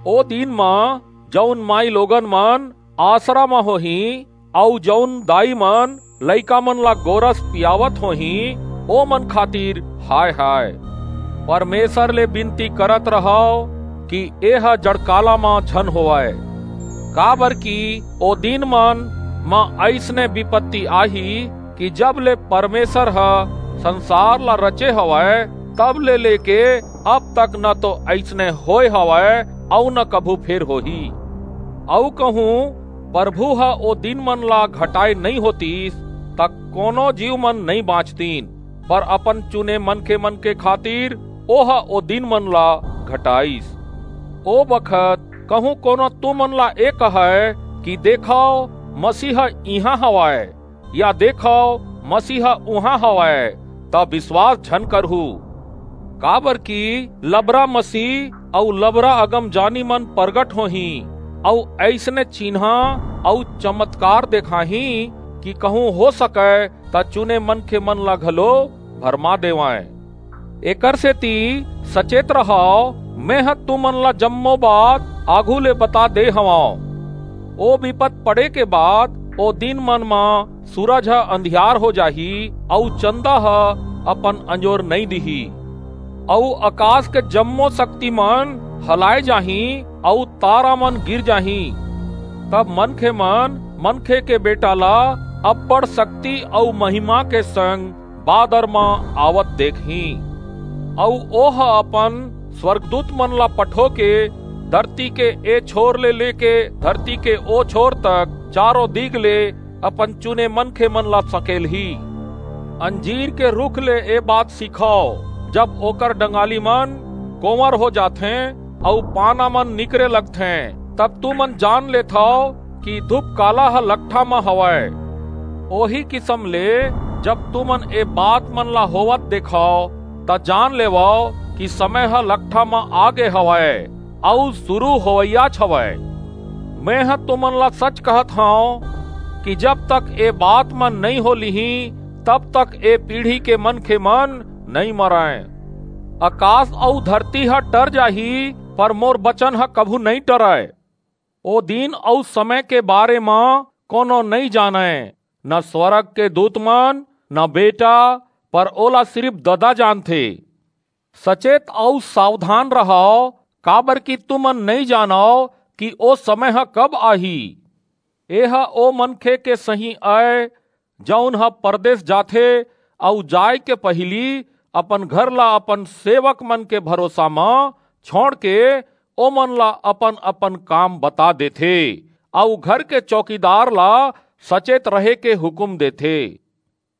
ओ दिन म जऊन माईलोगन मन आसरा म होहीं, अऊ जऊन दाईमन लइकामन ला गोरस पियावत होहीं, ओमन खातिर हाय हाय। परमेसर ले बिनती करत रहव कि एह जड़काला म झन होवय, काबरकि ओ दिनमन म अइसने बिपत्ति आही कि जब ले परमेसर ह संसार ला रचे हवय, तब ले लेके अब तक न तो अइसने होय हवय अऊ न कभू फेर होही। अऊ कहूं परभू ह ओ दिनमन ला घटाय नइं होतिस, त कोनो जीवमन नइं बांचतिन, पर अपन चुने मनखेमन के खातिर ओह ओ दिनमन ला घटाईस। ओ बखत कहूं कोनो तुमन ला ए कहय कि देखव, मसीह इहां हवय, या देखव, मसीह उहां हवय, त बिसवास झन करहू। काबरकि लबरा मसीह अऊ लबरा अगमजानीमन परगट होहीं, अऊ अइसने चिन्हां अऊ चमतकार देखाहीं कि कहूं हो सकय, त चुने मनखेमन ला घलो भरमा देवंय। एकरसेति सचेत रहव, मेंह तुमन ला जम्मो बात आघू ले बता दे हवंव। ओ बिपत पड़े के बाद ओ दिनमन म सूरज ह अंधियार हो जाही, अऊ चंदा ह अपन अंजोर नइं दिही, अऊ अकास के जम्मो सक्तिमन हलाय जाहीं, अऊ तारामन गिर जाहीं। तब मनखेमन मनखे के बेटा ला अब्बड़ सक्ति अऊ महिमा के संग बादर म आवत देखहीं। अऊ ओह अपन स्वरगदूतमन ला पठोके धरती के ए छोर ले लेके धरती के ओ छोर तक चारों दिग ले अपन चुने मनखेमन ला सकेलही। अंजीर के रूख ले ए बात सीखव, जब ओकर डंगालीमन कोंवर हो जाथें अऊ पानामन निकरे लगथें, तब तुमन जान लेथव कि धूपकाला ह लकठा म हवय। ओही किसम ले जब तुमन ए बातमन ला होवत देखव, त जान लेवव कि समय ह लकठा म आगे हवय, अऊ सुरू होवइयाच हवय। मेंह तुमन ला सच कहत हंव कि जब तक ए बातमन नइं हो लिहीं, तब तक ए पीढ़ी के मनखेमन नइं मरंय। अकास अऊ धरती ह टर जाही, पर मोर बचन ह कभू नइं टरय। ओ दिन अऊ समय के बारे म कोनो नइं जानय, न स्वरग के दूतमन, न बेटा, पर ओला सिरिप ददा जानथे। सचेत अऊ सावधान रहव, काबरकि तुमन नइं जानव कि ओ समय ह कब आही। एह ओ मनखे के सहीं अय, जऊन ह परदेस जाथे अऊ जाय के पहिली अपन घर ला अपन सेवकमन के भरोसा म छोंड़के ओमन ला अपन-अपन काम बता देथे, अऊ घर के चौकीदार ला सचेत रहे के हुकूम देथे।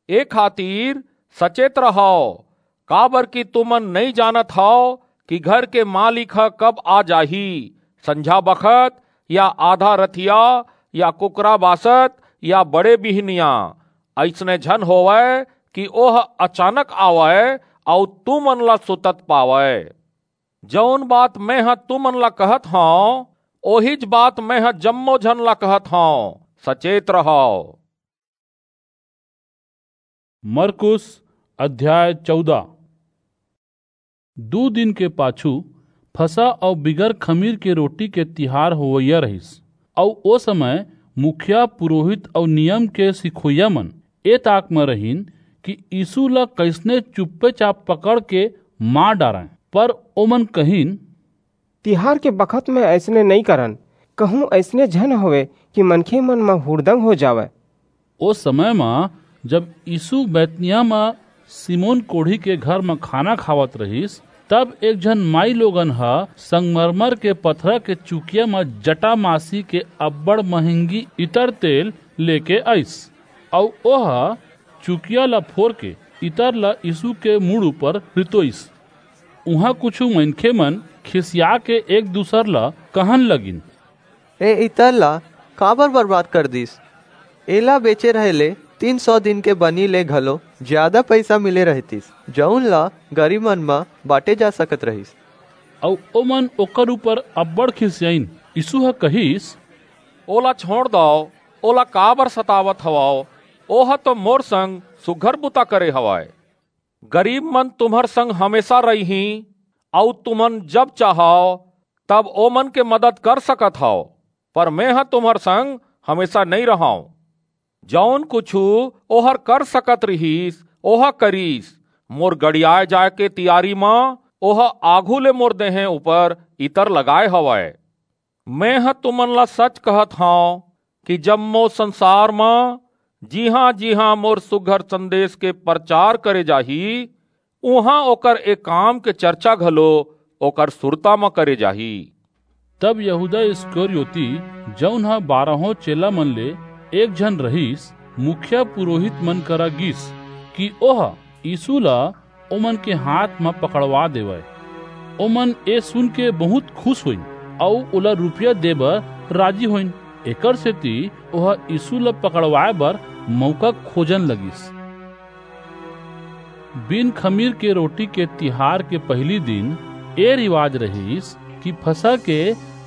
ए खातिर सचेत रहव, काबरकि तुमन नइं जानत हव कि घर के मालिक ह कब आ जाही, संझा बखत, या आधा रतिया, या कुकरा बासत, या बड़े बिहनिया। अइसने झन होवय कि ओह अचानक आवय अऊ तुमन ला सुतत पावय। जऊन बात मेंह तुमन ला कहत हंव, ओहीच बात मेंह जम्मो झन ला कहत हंव, सचेत रहव। मरकुस अध्याय चौदह। दू दिन के पाछू फसह अऊ बिगर खमीर के रोटी के तिहार होवइया रहिस, अऊ ओ समय मुखिया, पुरोहित अऊ नियम के सिखोइया मन ए ताक म रहिन कि यीसू ला कइसने चुप्पेचाप पकड़ के मार डारंय। पर ओमन कहिन, तिहार के बखत म अइसने नइं करन, कहूं अइसने झन होवय कि मनखे मन म हुड़दंग हो जावय। ओ समय म जब यीसू बैतनिय्याह म सिमोन कोढ़ी के घर म खाना खावत रहिस, तब एक झन माईलोगन ह संगमरमर के पथरा के चुकिया म जटा मासी के अब्बड़ महंगी इतर तेल लेके अईस, अऊ ओह चुकिया ला फोरके इतर ला यीसू के मुड़ ऊपर रितोईस। उहां कुछू मनखेमन खिसियाके एक-दूसर ला कहन लगिन, ए इतर ला काबर बरबाद कर दीस? एला बेचे रहे ले तीन सौ दिन के बनी ले घलो जियादा पईसा मिले रहितिस, जऊन ला गरीबमन म बांटे जा सकत रहिस। अऊ ओमन ओकर ऊपर अब्बड़ खिसियाईन। यीसू ह कहिस, ओला छोंड़ दव, ओला काबर सतावत हवव? ओह तो मोर संग सुघर बुता करे हवय। गरीबमन तुम्हर संग हमेसा रहिहीं, अऊ तुमन जब चाहव, तब ओमन के मदद कर सकत हव, पर मेंह तुम्हर संग हमेसा नइं रहंव। जऊन कुछू ओह कर सकत रिहिस, ओह करिस। मोर गड़ियाय जाय के तियारी म ओह आघू ले मोर देहें ऊपर इतर लगाय हवय। मेंह तुमन ला सच कहत हंव कि जम्मो संसार म जिहां-जिहां मोर सुघर संदेस के परचार करे जाही, उहां ओकर ए काम के चरचा घलो ओकर सुरता म करे जाही। तब यहूदा इस्करियोती, जऊन ह बारहों चेलामन ले एक झन रहिस, मुखिया पुरोहितमन करा गीस कि ओह यीसू ला ओमन के हांथ म पकड़वा देवय। ओमन ए सुनके बहुंत खुस होईन अऊ ओला रूपिया दे बर राजी होईन। एकरसेति ओह यीसू ला पकड़वाय बर मऊका खोजन लगिस। बिन खमीर के रोटी के तिहार के पहिली दिन ए रिवाज रहिस कि फसह के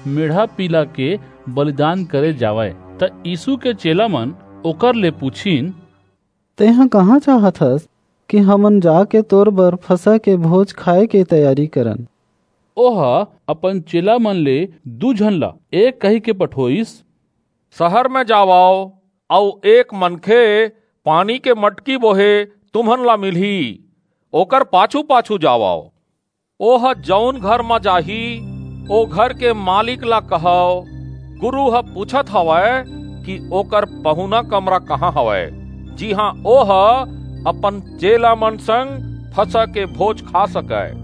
मेढ़ा-पीला के बलिदान करे जावय। त यीसू के चेलामन ओकर ले पुछिन, तेंह कहां चाहत हस कि हमन जाके तोर बर फसह के भोज खाय के तैयारी करन? ओह अपन चेलामन ले दू झन ला ए कहिके पठोईस, सहर म जावव अऊ एक मनखे पानी के मटकी बोहे तुम्हन ला मिलही, ओकर पाछू-पाछू जावव। ओह जऊन घर म जाही, ओ घर के मालिक ला कहव, गुरू ह पुछत हवय कि ओकर पहुना कमरा कहां हवय, जिहां ओह अपन चेलामन संग फसह के भोज खा सकय।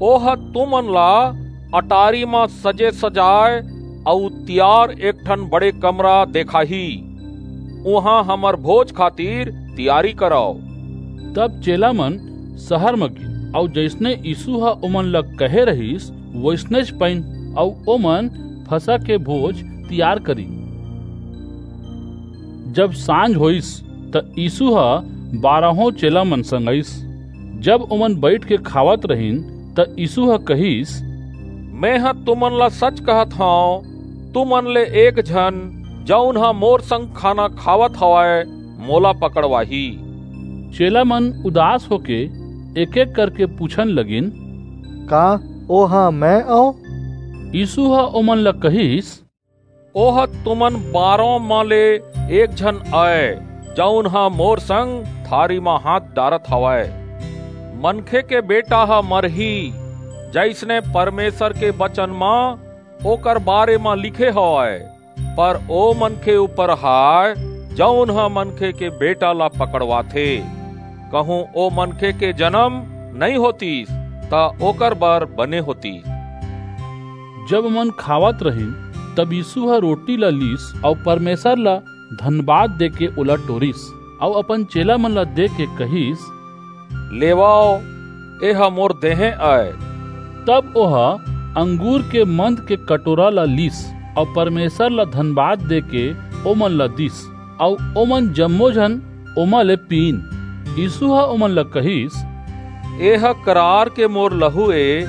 ओह तुमन ला अटारी म सजे-सजाय अऊ तियार एक ठन बड़े कमरा देखाही। उहां हमर भोज खातिर तियारी करव। तब चेलामन सहर म गीन, अऊ जइसने यीसू ह ओमन ला कहे रहिस, वइसनेच पईन, अऊ ओमन फसह के भोज तियार करिन। जब सांझ होईस, त यीसू ह बारहों चेलामन संग अईस। जब ओमन बईठके खावत रहिन, त यीसू ह कहिस, मेंह तुमन ला सच कहत हंव, तुमन ले एक झन, जऊन ह मोर संग खाना खावत हवय, मोला पकड़वाही। चेलामन उदास होके एक-एक करके पुछन लगिन, का ओह मैं अंव? यीसू ह ओमन ला कहिस, ओह तुमन बारों म ले एक झन अय, जऊन ह मोर संग थारी म हांथ डारत हवय। मनखे के बेटा ह मरही, जइसने परमेसर के बचन म ओकर बारे म लिखे हवय, पर ओ मनखे ऊपर हाय, जऊन ह मनखे के बेटा ला पकड़वाथे। कहूं ओ मनखे के जनम नइं होतिस, त ओकर बर बने होतिस। जब ओमन खावत रहिन, तब यीसू ह रोटी ला लीस अऊ परमेसर ला धनबाद देके ओला टोरिस अऊ अपन चेलामन ला देके कहिस, लेवव, एह मोर देहें अय। तब ओह अंगूर के मंद के कटोरा ला लीस अऊ परमेसर ला धनबाद देके ओमन ला दीस, अऊ ओमन जम्मो झन ओमा ले पीन। यीसू ह ओमन ला कहिस, एह करार के मोर लहू ए,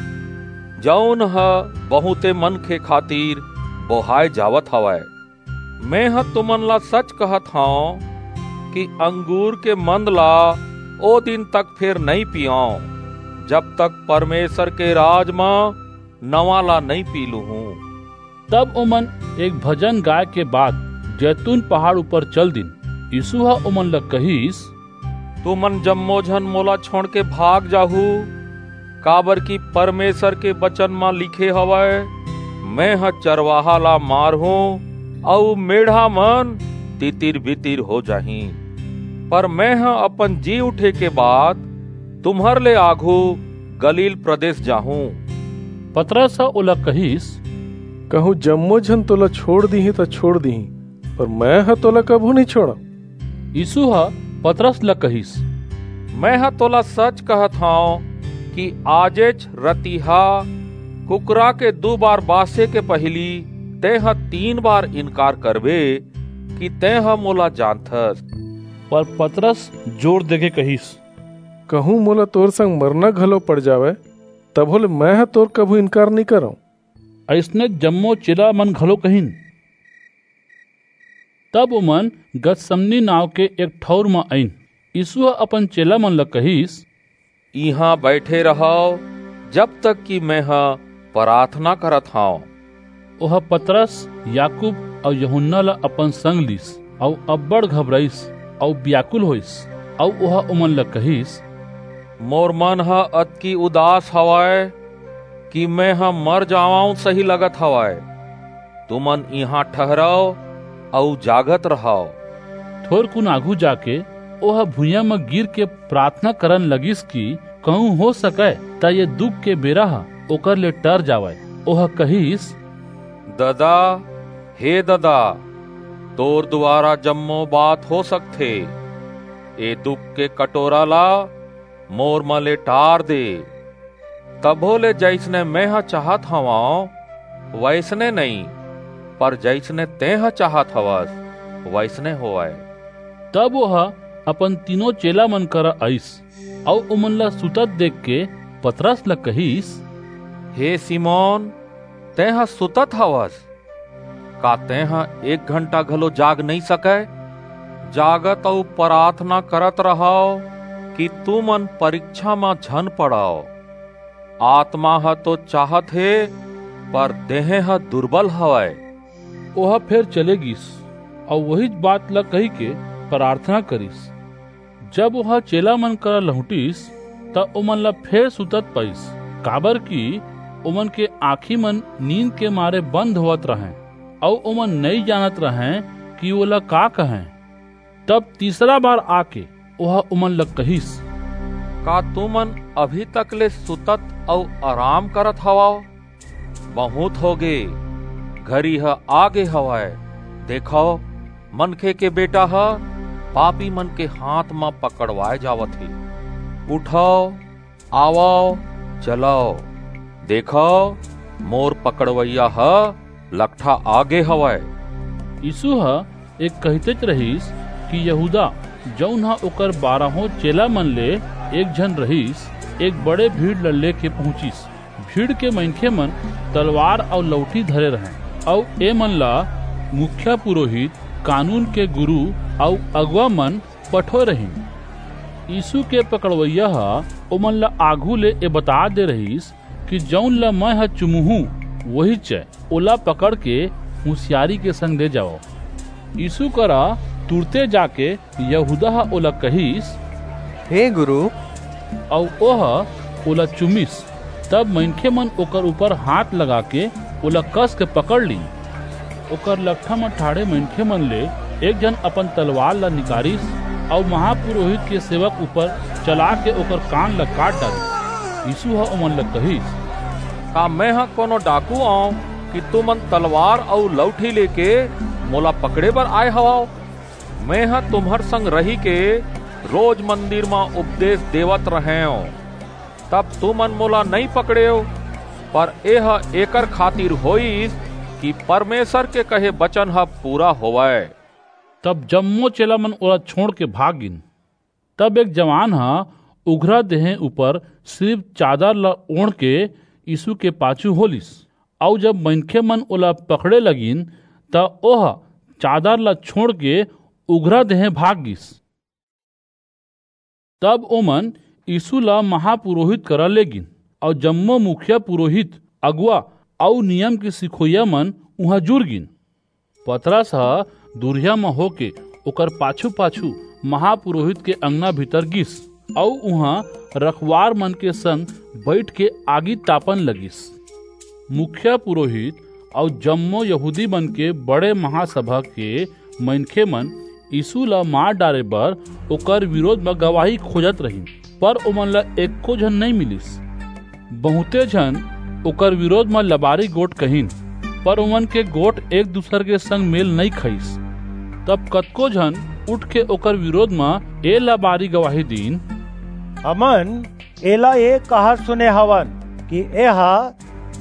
जऊन ह बहुंते मनखे खातिर बोहाय जावत हवय। मेंह तुमन ला सच कहत हंव कि अंगूर के मंद ला ओ दिन तक फेर नइं पींव, जब तक परमेसर के राज म नवा ला नइं पी लूहूं।" तब ओमन एक भजन गाय के बाद जैतून पहाड़ ऊपर चल दिन। यीसू ह ओमन ला कहिस, "तुमन जम्मो झन मोला छोंड़के भाग जाहू, काबरकि परमेसर के बचन म लिखे हवय, 'मेंह चरवाहा ला मारहूं, अऊ मेढ़ा मन तितिर-बितिर हो जाहीं।' पर मेंह अपन जी उठे के बाद तुम्हर ले आघू गलील प्रदेस जाहूं।" पतरस ह ओला कहिस, "कहूं जम्मो झन तोला छोंड़ दिहीं, त छोंड़ दिहीं, पर मेंह तोला कभू नइं छोंड़ंव।" यीसू ह पतरस ला कहिस, "मेंह तोला सच कहत हंव कि आजेच रतिहा कुकरा के दू बार बांसे के पहिली तेंह तीन बार इनकार करबे कि तेंह मोला जानथस।" पर पतरस जोर देके कहिस, "कहूं मोला तोर संग मरना घलो पड़ जावय, तभो ले मेंह तोर कभू इनकार नइं करंव।" अइसने जम्मो चेला मन घलो कहिन। तब ओमन गतसमनी नांव के एक ठऊर म अईन। यीसू ह अपन चेला मन ला कहिस, "इहां बईठे रहव, जब तक कि मेंह पराथना करत हंव।" ओह पतरस, याकूब अऊ यूहन्ना ला अपन संग लीस, अऊ अब्बड़ घबराईस अऊ बियाकुल होईस, अऊ ओह ओमन ला कहिस, "मोर मन ह अतकी उदास हवय कि मेंह मर जावंव सही लगत हवय। तुमन इहां ठहरव अऊ जागत रहव।" थोरकुन आघू जाके ओह भुइयां म गिरके पराथना करन लगिस कि कहूं हो सकय, त ये दुख के बेरा ह ओकर ले टर जावय। ओह कहिस, "ददा, हे ददा, तोर दुवारा जम्मो बात हो सकथे। ए दुख के कटोरा ला मोर म ले टार दे। तभो ले जइसने मेंह चाहत हवंव, वइसने नइं, पर जइसने तेंह चाहत हवस, वइसने होवय।" तब ओह अपन तीनों चेला मन करा अईस, अऊ ओमन ला सुतत देखके पतरस ला कहिस, "हे सिमोन, तेंह सुतत हवस? का तेंह एक घंटा घलो जाग नइं सकय? जागत अऊ पराथना करत रहव कि तुमन परिक्छा म झन पड़व। आतमा ह तो चाहत हे, पर देहें ह दुरबल हवय।" ओह फेर चले गीस, अऊ ओहीच बात ला कहिके पराथना करिस। जब ओह चेला मन करा लहुंटिस, त ओमन ला फेर सुतत पाईस, काबरकि ओमन के आंखी मन नींद के मारे बंद होवत रहंय, अऊ ओमन नइं जानत रहंय कि ओला का कहंय। तब तीसरा बार आके ओह ओमन ला कहिस, "का तुमन अभी तक ले सुतत अऊ अराम करत हवव? बहुंत होगे, घरी ह आगे हवय। देखव, मनखे के बेटा ह पापी मन के हांथ म पकड़वाय जावत हे। उठव, आवव, चलव। देखव, मोर पकड़वइया ह लकठा आगे हवय।" यीसू ह ए कहितेच रहिस कि यहूदा, जऊन ह ओकर बारहों चेला मन ले एक झन रहिस, एक बड़े भीड़ ल लेके पहुंचिस। भीड़ के मनखे मन तलवार अऊ लऊठी धरे रहंय, अऊ ए मन ला मुखिया पुरोहित, कानून के गुरू अऊ अगुवा मन पठोय रहिन। यीसू के पकड़वइया ह ओमन ला आघू ले ए बता दे रहिस कि जऊन ल मेंह चुमहूं, वहीच ए, ओला पकड़के हुसियारी के संग ले जावव। यीसू करा तुरते जाके यहूदा ह ओला कहिस, "हे गुरू।" अऊ ओह ओला चुमिस। तब मनखे मन ओकर ऊपर हांथ लगाके ओला कसके पकड़ लीन। ओकर लकठा म ठाढ़े मनखे मन ले एक झन अपन तलवार ला निकारिस अऊ महापुरोहित के सेवक ऊपर चलाके ओकर कान ला काट डारिस। यीसू ह ओमन ला कहिस, "का मेंह कोनो डाकू अंव कि तुमन तलवार अऊ लऊठी लेके मोला पकड़े बर आय हवव? मेंह तुम्हर संग रहिके रोज मंदिर म उपदेस देवत रहेंव, तब तुमन मोला नइं पकड़ेव, पर एह एकर खातिर होईस कि परमेसर के कहे बचन ह पूरा होवय।" तब जम्मो चेला मन ओला छोंड़के भाग गीन। तब एक जवान ह उघरा देहें ऊपर सिरिप चादर ला ओढ़के यीसू के पाछू होलिस, अऊ जब मनखे मन ओला पकड़े लगिन, त ओह चादर ला छोंड़के उघरा देहें भाग गीस। तब ओमन यीसू ला महापुरोहित करा लेगिन, अऊ जम्मो मुखिया पुरोहित अगुवा अऊ नियम के सिखोइया मन उहां जुर गिन। पतरस ह दुरिहा म होके ओकर पाछू-पाछू महापुरोहित के अंगना भीतर गिस, अऊ उहां रखवार मन के संग बईठ के आगी तापन लगिस। मुखिया पुरोहित अऊ जम्मो यहूदी मन के बड़े महासभा के मनखे मन यीसू ला मार डारे बर ओकर बिरोध म गवाही खोजत रहिन, पर ओमन ला एको झन नइं मिलिस। बहुंते झन ओकर बिरोध म लबारी गोठ कहिन, पर ओमन के गोठ एक-दूसर के संग मेल नइं खईस। तब कतको झन उठके ओकर बिरोध म ए लबारी गवाही दीन, हमन एला ए कहत सुने हवन कि एह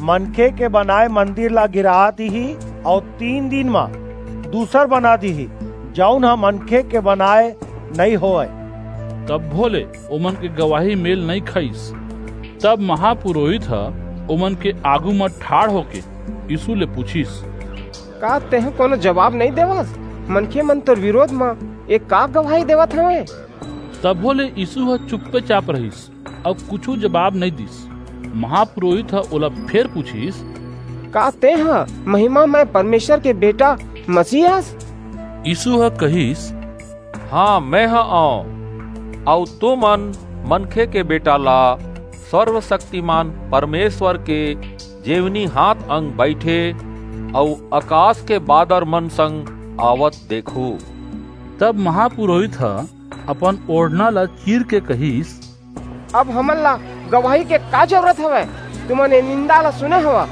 मनखे के बनाय मंदिर ला गिरा दिही अऊ तीन दिन म दूसर बना दिही, जऊन ह मनखे के बनाय नइं होवय। तभो ले ओमन के गवाही मेल नइं खईस। तब महापुरोहित ह ओमन के आगू म ठाढ़ होके यीसू ले पुछिस, का तेंह कोनो जबाब नइं देवस? मनखे मन तोर बिरोध म ए का गवाही देवत हवंय? तभो ले यीसू ह चुप्पेचाप रहिस अऊ कुछू जबाब नइं दीस। महापुरोहित ह ओला फेर पुछिस, का तेंह महिमामय परमेसर के बेटा मसीह अस? यीसू ह कहिस, हां, मेंह अंव, अऊ तुमन मनखे के बेटा ला सर्वसक्तिमान परमेसर के जेवनी हांथ अंग बईठे अऊ अकास के बादर मन संग आवत देखहू। तब महापुरोहित ह अपन ओढ़ना ला चीर के कहिस, अब हमन ला गवाही के का जरूरत हवय? तुमन ए निंदा ला सुने हव,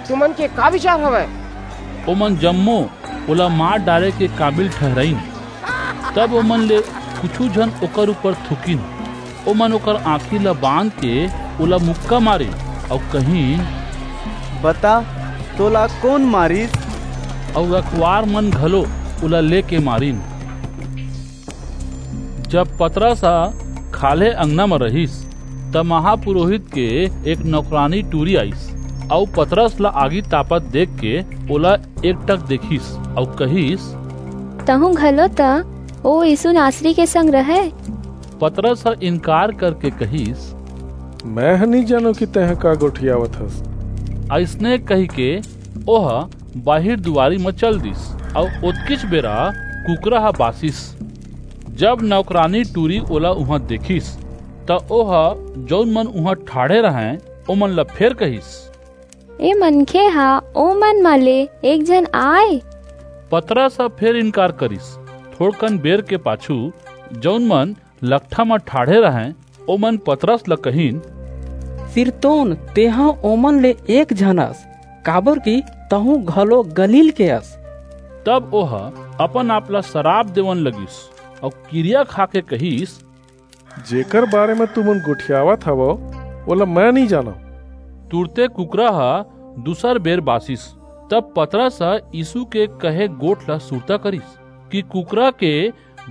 तुमन के का बिचार हवय? ओमन जम्मो ओला मार डारे के काबिल ठहिराईन। तब ओमन ले कुछू झन ओकर ऊपर थूकिन। ओमन ओकर आंखी ला बांध के ओला मुक्का मारिन अऊ कहिन, बता, तोला कोन मारिस? अऊ रखवार मन घलो ओला लेके मारिन। जब पतरस ह खाल्हे अंगना म रहिस, त महापुरोहित के एक नौकरानी टूरी आईस, अऊ पतरस ला आगी तापत देखके ओला एकटक देखिस, अऊ कहिस, तहूं घलो त ओ यीसू नासरी के संग रहय। पतरस ह इनकार करके कहिस, मेंह नइं जानंव कि तेंह का गोठियावत हस। अइसने कहिके ओह बाहिर दुवारी म चल दीस, अऊ ओतकीच बेरा कुकरा ह बासिस। जब नौकरानी टूरी ओला उहां देखिस, त ओह जऊन मन उहां ठाढ़े रहंय, ओमन ला फेर कहिस, ए मनखे ह ओमन म ले एक झन आय। पतरस ह फेर इनकार करिस। थोड़कन बेर के पाछू जऊन मन लकठा म ठाढ़े रहंय, ओमन पतरस ल कहिन, सिरतोन, तेंह ओमन ले एक झन अस, काबरकि तहूं घलो गलील के अस। तब ओह अपन-आप ला सराप देवन लगिस अऊ किरिया खाके कहिस, जेकर बारे म तुमन गोठियावत हवव, ओला मेंह नइं जानंव। तुरते कुकरा ह दूसर बेर बासिस। तब पतरस ह यीसू के कहे गोठ ला सुरता करिस कि कुकरा के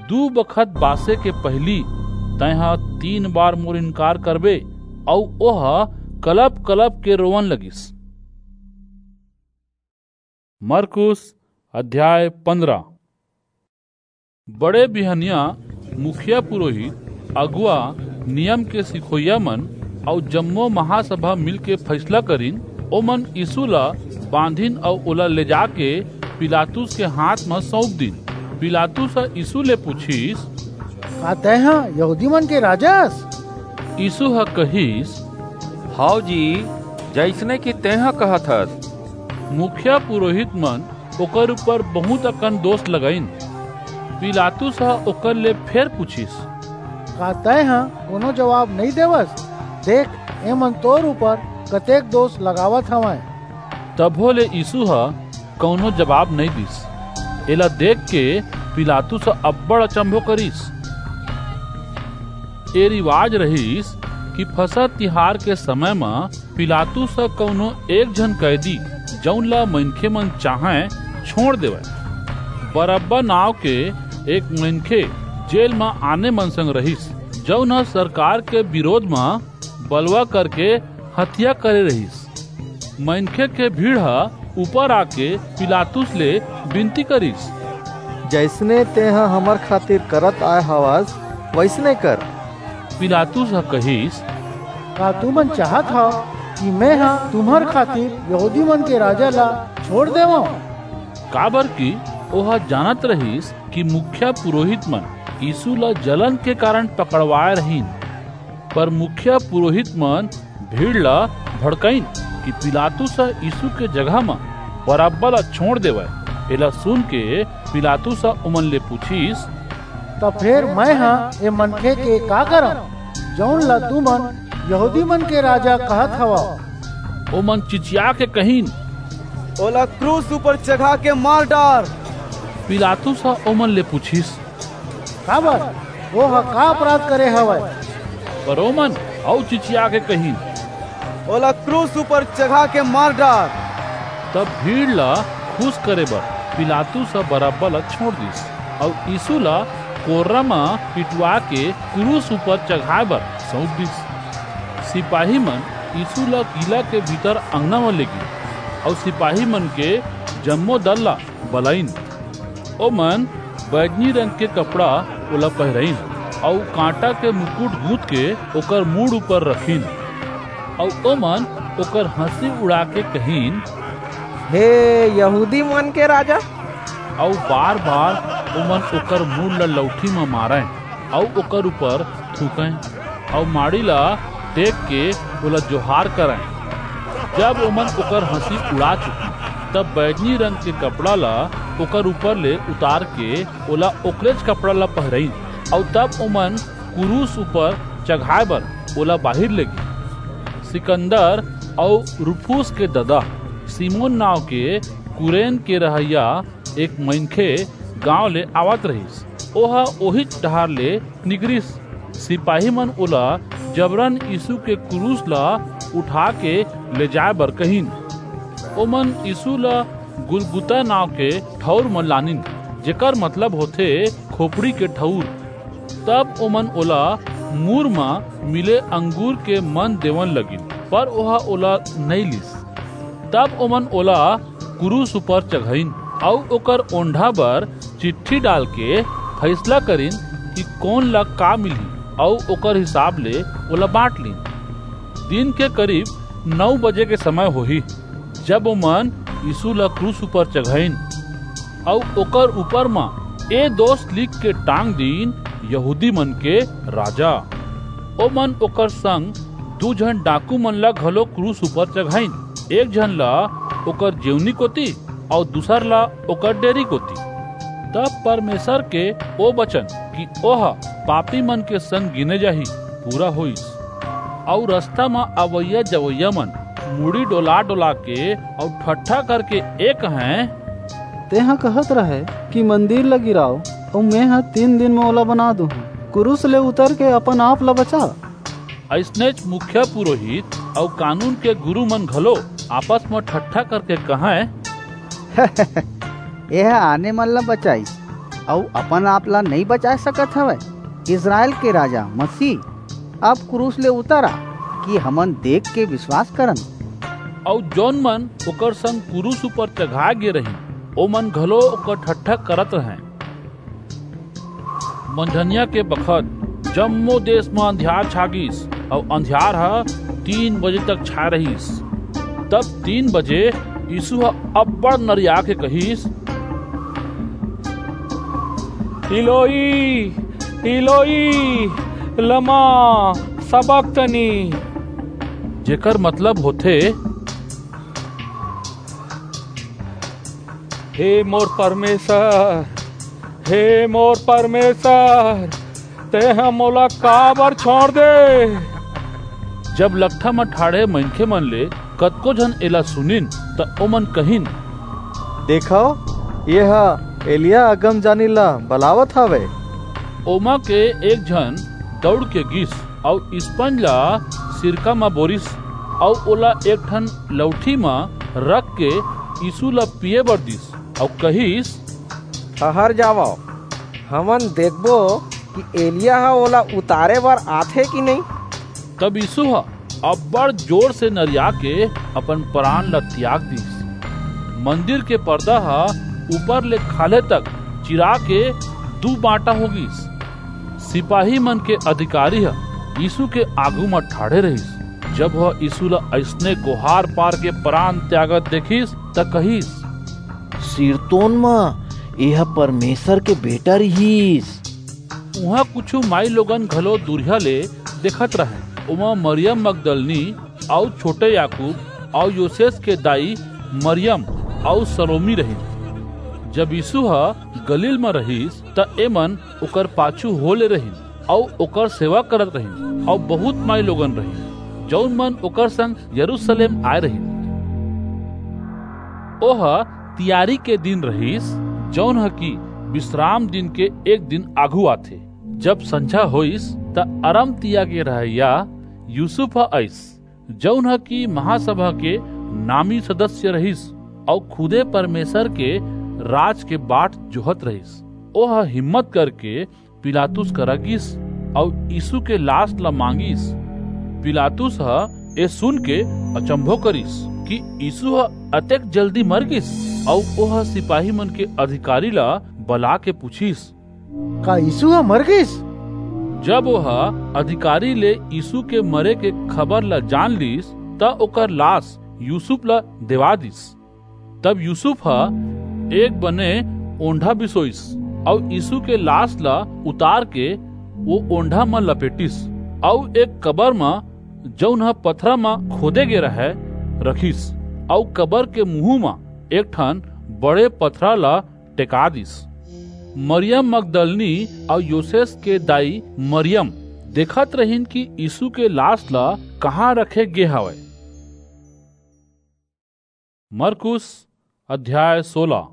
दू बखत बासे के पहिली तेंह तीन बार मोर इनकार करबे। अऊ ओह कलप-कलप के रोवन लगिस। मरकुस अध्याय पंद्रह। बड़े बिहनिया मुखिया पुरोहित, अगुवा, नियम के सिखोइया मन अऊ जम्मो महासभा मिलके फैसला करिन। ओमन यीसू ला बांधिन अऊ ओला ले जाके पिलातुस के हांथ म सऊंप दीन। पिलातुस ह यीसू ले पुछिस, का तेंह यहूदी मन के राजा अस? यीसू ह कहिस, हव जी, जइसने कि तेंह कहत हस। मुखिया पुरोहित मन ओकर ऊपर बहुंत अकन दोस लगाईन। पिलातुस ह ओकर ले फेर पुछिस, का तेंह कोनो जबाब नइं देवस? देख, एमन तोर ऊपर कतेक दोस लगावत हवंय। तभो ले यीसू ह कऊनो जबाब नइं दीस। एला देखके पिलातुस ह अब्बड़ अचंभो करिस। ए रिवाज रहिस कि फसह तिहार के समय म पिलातुस ह कऊनो एक झन कैदी, जऊन ला मनखे मन चाहंय, छोंड़ देवय। बरअब्बा नांव के एक मनखे जेल म आने मन संग रहिस, जऊन ह सरकार के बिरोध म बलवा करके हतिया करे रहिस। मनखे के भीड़ ह ऊपर आके पिलातुस ले बिनती करिस, जइसने तेंह हमर खातिर करत आय हवस, वइसने कर। पिलातुस ह कहिस, का तुमन चाहत हव कि मैं हा तुम्हर खातिर यहूदी मन के राजा ला छोड़ देवं? काबर कि ओह जानत रहिस कि मुखिया पुरोहित मन यीशु ला जलन के कारण पकड़वाय रहिन। पर मुखिया पुरोहित मन भीड़ ला भड़काइन कि पिलातुस ह यीशु के जगह म बरअब्बा ला छोड़ देवय। एला सुन के पिलातुस ह ओमन ले पूछिस, "त फेर मैं ह ए मनखे के का करंव, जऊन ला तुमन यहूदी मन के राजा कहत हवव?" ओमन चिचिया के कहिन, "ओला क्रूस ऊपर चघा के मार डार।" पिलातुस ह ओमन ले पूछिस, "काबर? ओह का अपराध करे हवय?" पर ओमन अऊ चिचिया के कहिन, "ओला क्रूस ऊपर चघा के मार डार।" तब भीड़ ला खुश करे बर पिलातुस ह बरअब्बा ला छोड़ दिस, अऊ यीशु ला कोर्रा म पिटवा के क्रूस ऊपर चघाय बर सऊंप दिस। सिपाही मन यीशु ला किला के भीतर अंगना म लेगिन, अऊ सिपाही मन के जम्मो दल ला बलाइन। ओमन बैजनी रंग के कपड़ा ओला पहिराइन, अऊ कांटा के मुकुट गूंथ के ओकर मूड़ ऊपर रखिन, अऊ ओमन ओकर हंसी उड़ा के कहिन, "हे यहूदी मन के राजा।" अऊ बार-बार ओमन ओकर मूड़ ला लौठी म मारंय, अऊ ओकर ऊपर थूकंय, अऊ माड़ी ला टेक के ओला जोहार करंय। जब ओमन ओकर हंसी उड़ा चुकिन, तब बैजनी रंग के कपड़ा ला ओकर ऊपर ले उतार के ओला ओकरेच कपड़ा ला पहिराइन, अऊ तब ओमन क्रूस ऊपर चघाय बर ओला बाहिर लेगिन। सिकंदर अऊ रूफुस के ददा सिमोन नांव के कुरेन के रहइया एक मनखे गांव ले आवत रहिस। ओह ओहीच डहार ले निकरिस। सिपाही मन ओला जबरन यीशु के क्रूस ला उठा के ले जाय बर कहिन। ओमन यीशु ला गुलगुता नांव के ठऊर म लानिन, जेकर मतलब होथे खोपड़ी के ठऊर। तब ओमन ओला मूर म मिले अंगूर के मन देवन लगिन, पर ओह ओला नइं लीस। तब ओमन ओला क्रूस ऊपर चघाइन, अऊ ओकर ओंढ़ा बर चिट्ठी डाल के फइसला करिन कि कोन ला का मिलही, अऊ ओकर हिसाब ले ओला बांट लीन। दिन के करीब नौ बजे के समय होही, जब ओमन यीशु ला क्रूस ऊपर चघाइन, अऊ ओकर ऊपर म ए दोस लिख के टांग दीन, "यहूदी मन के राजा।" ओमन ओकर संग दू झन डाकू मन ला घलो क्रूस ऊपर चघाइन, एक झन ला ओकर जेवनी कोति, अऊ दूसर ला ओकर डेरी कोति। तब परमेसर के ओ बचन कि ओह पापी मन के संग गिने जाही, पूरा होईस। अऊ रस्ता म अवइया जवइया मन मुड़ी डोला-डोला के अऊ ठट्ठा करके ए कहंय, "तेंह कहत रहय कि मंदिर ला गिराव, अऊ मेंह तीन दिन म ओला बना दूहूं। क्रूस ले उतर के अपन आप ला बचा।" अइसनेच मुखिया पुरोहित अऊ कानून के गुरू मन घलो आपस म ठट्ठा करके कहंय, "एह आने मन ला बचाईस, अऊ अपन आप ला नइं बचा सकत हवय। इसरायल के राजा मसीह, अब क्रूस ले उतर आ, कि हमन देख के बिसवास करन।" अऊ जऊन मन ओकर संग क्रूस ऊपर चघाय गे रहिन, ओमन घलो ओकर ठट्ठा करत रहंय। मंझनिया के बखत जम्मो देस म अंधियार छा गीस, अऊ अंधियार ह तीन बजे तक छाय रहिस। तब तीन बजे यीसू ह अब्बड़ नरिया के कहिस, "इलोई, इलोई, लमा सबक्तनी?" जेकर मतलब होथे, "हे मोर परमेसर, हे मोर परमेसर, तेंह मोला काबर छोंड़ दे?" जब लकठा म ठाढ़े मनखे मन ले कतको झन एला सुनिन, त ओमन कहिन, "देखव, एह एलिय्याह अगमजानी ला बलावत हवय।" ओमा के एक झन दऊड़ के गीस अऊ स्पंज ला सिरका म बोरिस अऊ ओला एक ठन लऊठी म रख के यीसू ला पीये बर दीस अऊ कहिस, "ठहर जावव, हमन देखबो कि एलिय्याह ह ओला उतारे बर आथे कि नइं।" तब यीसू ह अब्बड़ जोर से नरिया के अपन परान ला तियाग दीस। मंदिर के परदा ह ऊपर ले खाल्हे तक चिरा के दू बांटा हो गीस। सिपाही मन के अधिकारी ह यीसू के आघू म ठाढ़े रहिस। जब वह यीशु ला अइसने कोहार पार के परान त्यागत देखिस, त कहिस, "सिरतोन म एह परमेसर के बेटा रिहिस।" उहां कुछू माईलोगन घलो दूरिहा ले देखत रहंय। ओमा मरियम मगदलनी अऊ छोटे याकूब अऊ योसेस के दाई मरियम अऊ सलोमी रहिन। जब यीसू ह गलील म रहिस, त एमन ओकर पाछू हो ले रहिन अऊ ओकर सेवा करत रहिन, अऊ बहुंत माईलोगन रहिन, जऊन मन ओकर संग यरूसलेम आय रहिन। ओह तियारी के दिन रहिस, जऊन ह कि बिसराम दिन के एक दिन आघू आथे। जब संझा होईस, त अरमतिया के रहइया यूसुफ ह अईस, जऊन ह कि महासभा के नामी सदस्य रहिस, अऊ खुदे परमेसर के राज के बाट जोहत रहिस। ओह हिम्मत करके पिलातुस करा गीस, अऊ यीसू के लास ला मांगिस। पिलातुस ह ए सुन के अचंभो करिस कि यीसू ह अतेक जल्दी मर गीस, अऊ ओह सिपाही मन के अधिकारी ला बला के पुछिस, "का यीसू ह मर गीस?" जब ओह अधिकारी ले यीसू के मरे के खबर ला जान लीस, त ओकर लास यूसुफ ला देवा दीस। तब यूसुफ ह एक बने ओंढा बिसोइस, अऊ यीसू के लास ला उतार के ओ ओंढा म लपेटिस, अऊ एक कबर म, जऊन ह पथरा म खोदे गे रहय, रखिस, अऊ कबर के मुहूं म एक ठन बड़े पथरा ला टेका दीस। मरियम मगदलनी अऊ योसेस के दाई मरियम देखत रहिन कि यीसू के लास ला कहां रखे गे हवय। मरकुस अध्याय सोलह।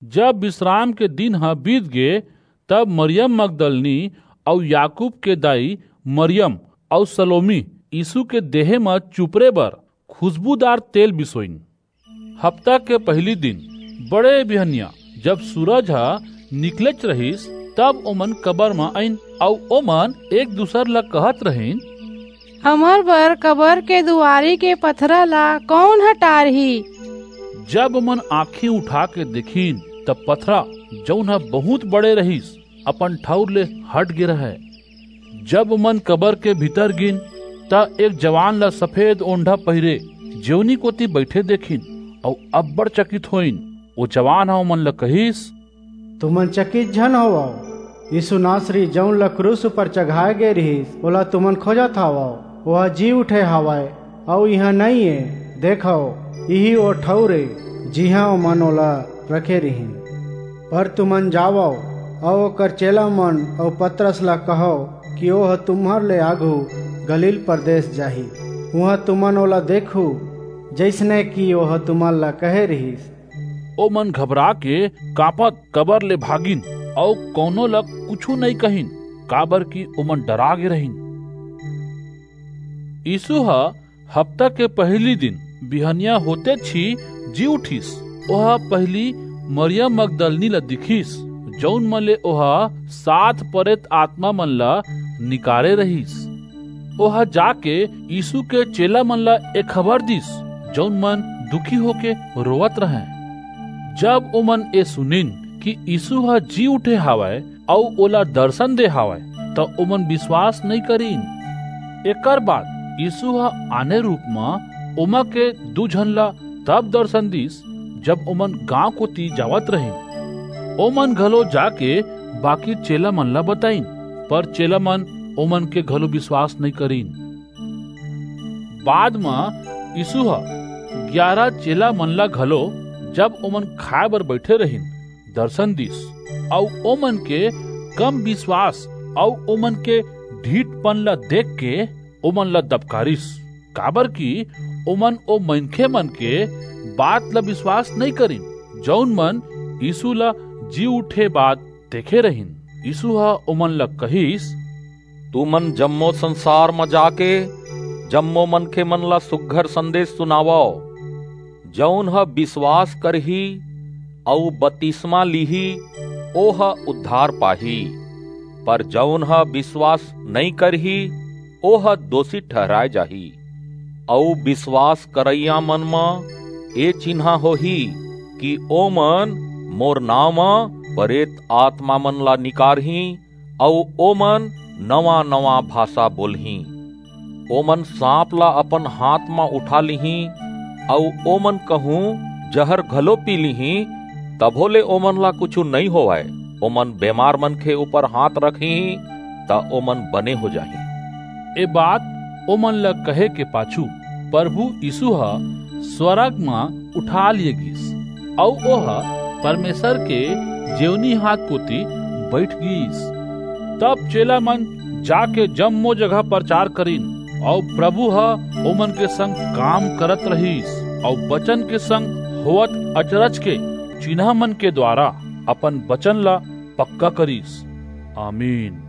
जब बिसराम के दिन ह बीत गे, तब मरियम मगदलनी अऊ याकूब के दाई मरियम अऊ सलोमी यीसू के देहे म चुपरे बर खुसबूदार तेल बिसोइन। हफ्ता के पहिली दिन, बड़े बिहनिया, जब सूरज ह निकलेच रहिस, तब ओमन कबर म आईन, अऊ ओमन एक दूसर ला कहत रहिन, "हमर बर कबर के दुवारी के पथरा ला कऊन ह टारही?" जब ओमन आंखी उठा के देखिन, त पथरा, जऊन ह बहुंत बड़े रहिस, अपन ठऊर ले हट गे रहय। जब ओमन कबर के भीतर गीन, त एक जवान ला सफेद ओंढा पहिरे जेवनी कोति बईठे देखिन, अऊ अब्बड़ चकित होइन। ओ जवान ह ओमन ला कहिस, "तुमन चकित झन होवव। यीसू नासरी, जऊन ला क्रूस ऊपर चघाय गे रिहिस, ओला तुमन खोजत हवव। ओह जी उठे हवय, अऊ इहां नइं ए। देखव, इही ओ ठऊर ए, जिहां ओमन ओला रखे रिहिन। पर तुमन जावव, अऊ ओकर चेला मन अऊ पतरस ला कहव कि ओह तुम्हर ले आघू गलील परदेस जाही। उहां तुमन ओला देखहू, जइसने कि ओह तुमन ला कहे रिहिस।" ओमन घबरा के कांपत कबर ले भागिन, अऊ कऊनो ला कुछू नइं कहिन, काबरकि ओमन डरा गे रहिन। यीसू ह हफ्ता के पहिली दिन बिहनिया होतेच ही जी उठिस। ओह पहिली मरियम मगदलनी ला दिखिस, जऊन म ले ओह सात परेत आतमा मन ला निकारे रहिस। ओह जाके यीसू के चेला मन ला ए खबर दीस, जऊन मन दुखी होके रोवत रहंय। जब ओमन ए सुनिन कि यीसू ह जी उठे हवय अऊ ओला दरसन दे हवय, त ओमन बिसवास नइं करिन। एकर बाद यीसू ह आने रूप म ओमा के दू झन ला तब दरसन दीस, जब ओमन गांव कोति जावत रहिन। ओमन घलो जाके बाकी चेला मन ला बताईन, पर चेला मन ओमन के घलो बिसवास नइं करिन। बाद म यीसू ह ग्यारा चेला मन ला घलो, जब ओमन खाय बर बईठे रहिन, दरसन दीस, अऊ ओमन के कम बिसवास अऊ ओमन के ढीठपन ला देखके ओमन ला दबकारिस, काबरकि ओमन ओ मनखे मन के बात ला बिसवास नइं करिन, जऊन मन यीसू ला जी उठे बाद देखे रहिन। यीसू ह ओमन ला कहिस, "तुमन जम्मो संसार म जाके जम्मो मनखे मन ला सुघर संदेस सुनावव। जऊन ह बिसवास करही अऊ बतिसमा लीही, ओह उद्धार पाही, पर जऊन ह बिसवास नइं करही, ओह दोसी ठहराय जाही। अऊ बिसवास करइया मन म ए चिन्हा होही कि ओमन मोर नांव म परेत आतमा मन ला निकारहीं, अऊ ओमन नवां-नवां भासा बोलहीं। ओमन सांप ला अपन हाथ म उठा लिहीं, अऊ ओमन कहूं जहर घलो पी लिहीं, तभो ले ओमन ला कुछू नइं होवय। ओमन बेमार मनखे ऊपर हाथ रखहीं, त ओमन बने हो जाहीं।" ए बात ओमन ला कहे के पाछू परभू यीसू ह स्वरग म उठा लिये गीस, अऊ ओह परमेसर के जेवनी हाथ कोति बईठ गीस। तब चेलामन जाके जम्मो जगह परचार करिन, अऊ परभू ह ओमन के संग काम करत रिहिस, अऊ बचन के संग होवत अचरज के चिन्हामन के दुवारा अपन बचन ला पक्का करिस। आमीन।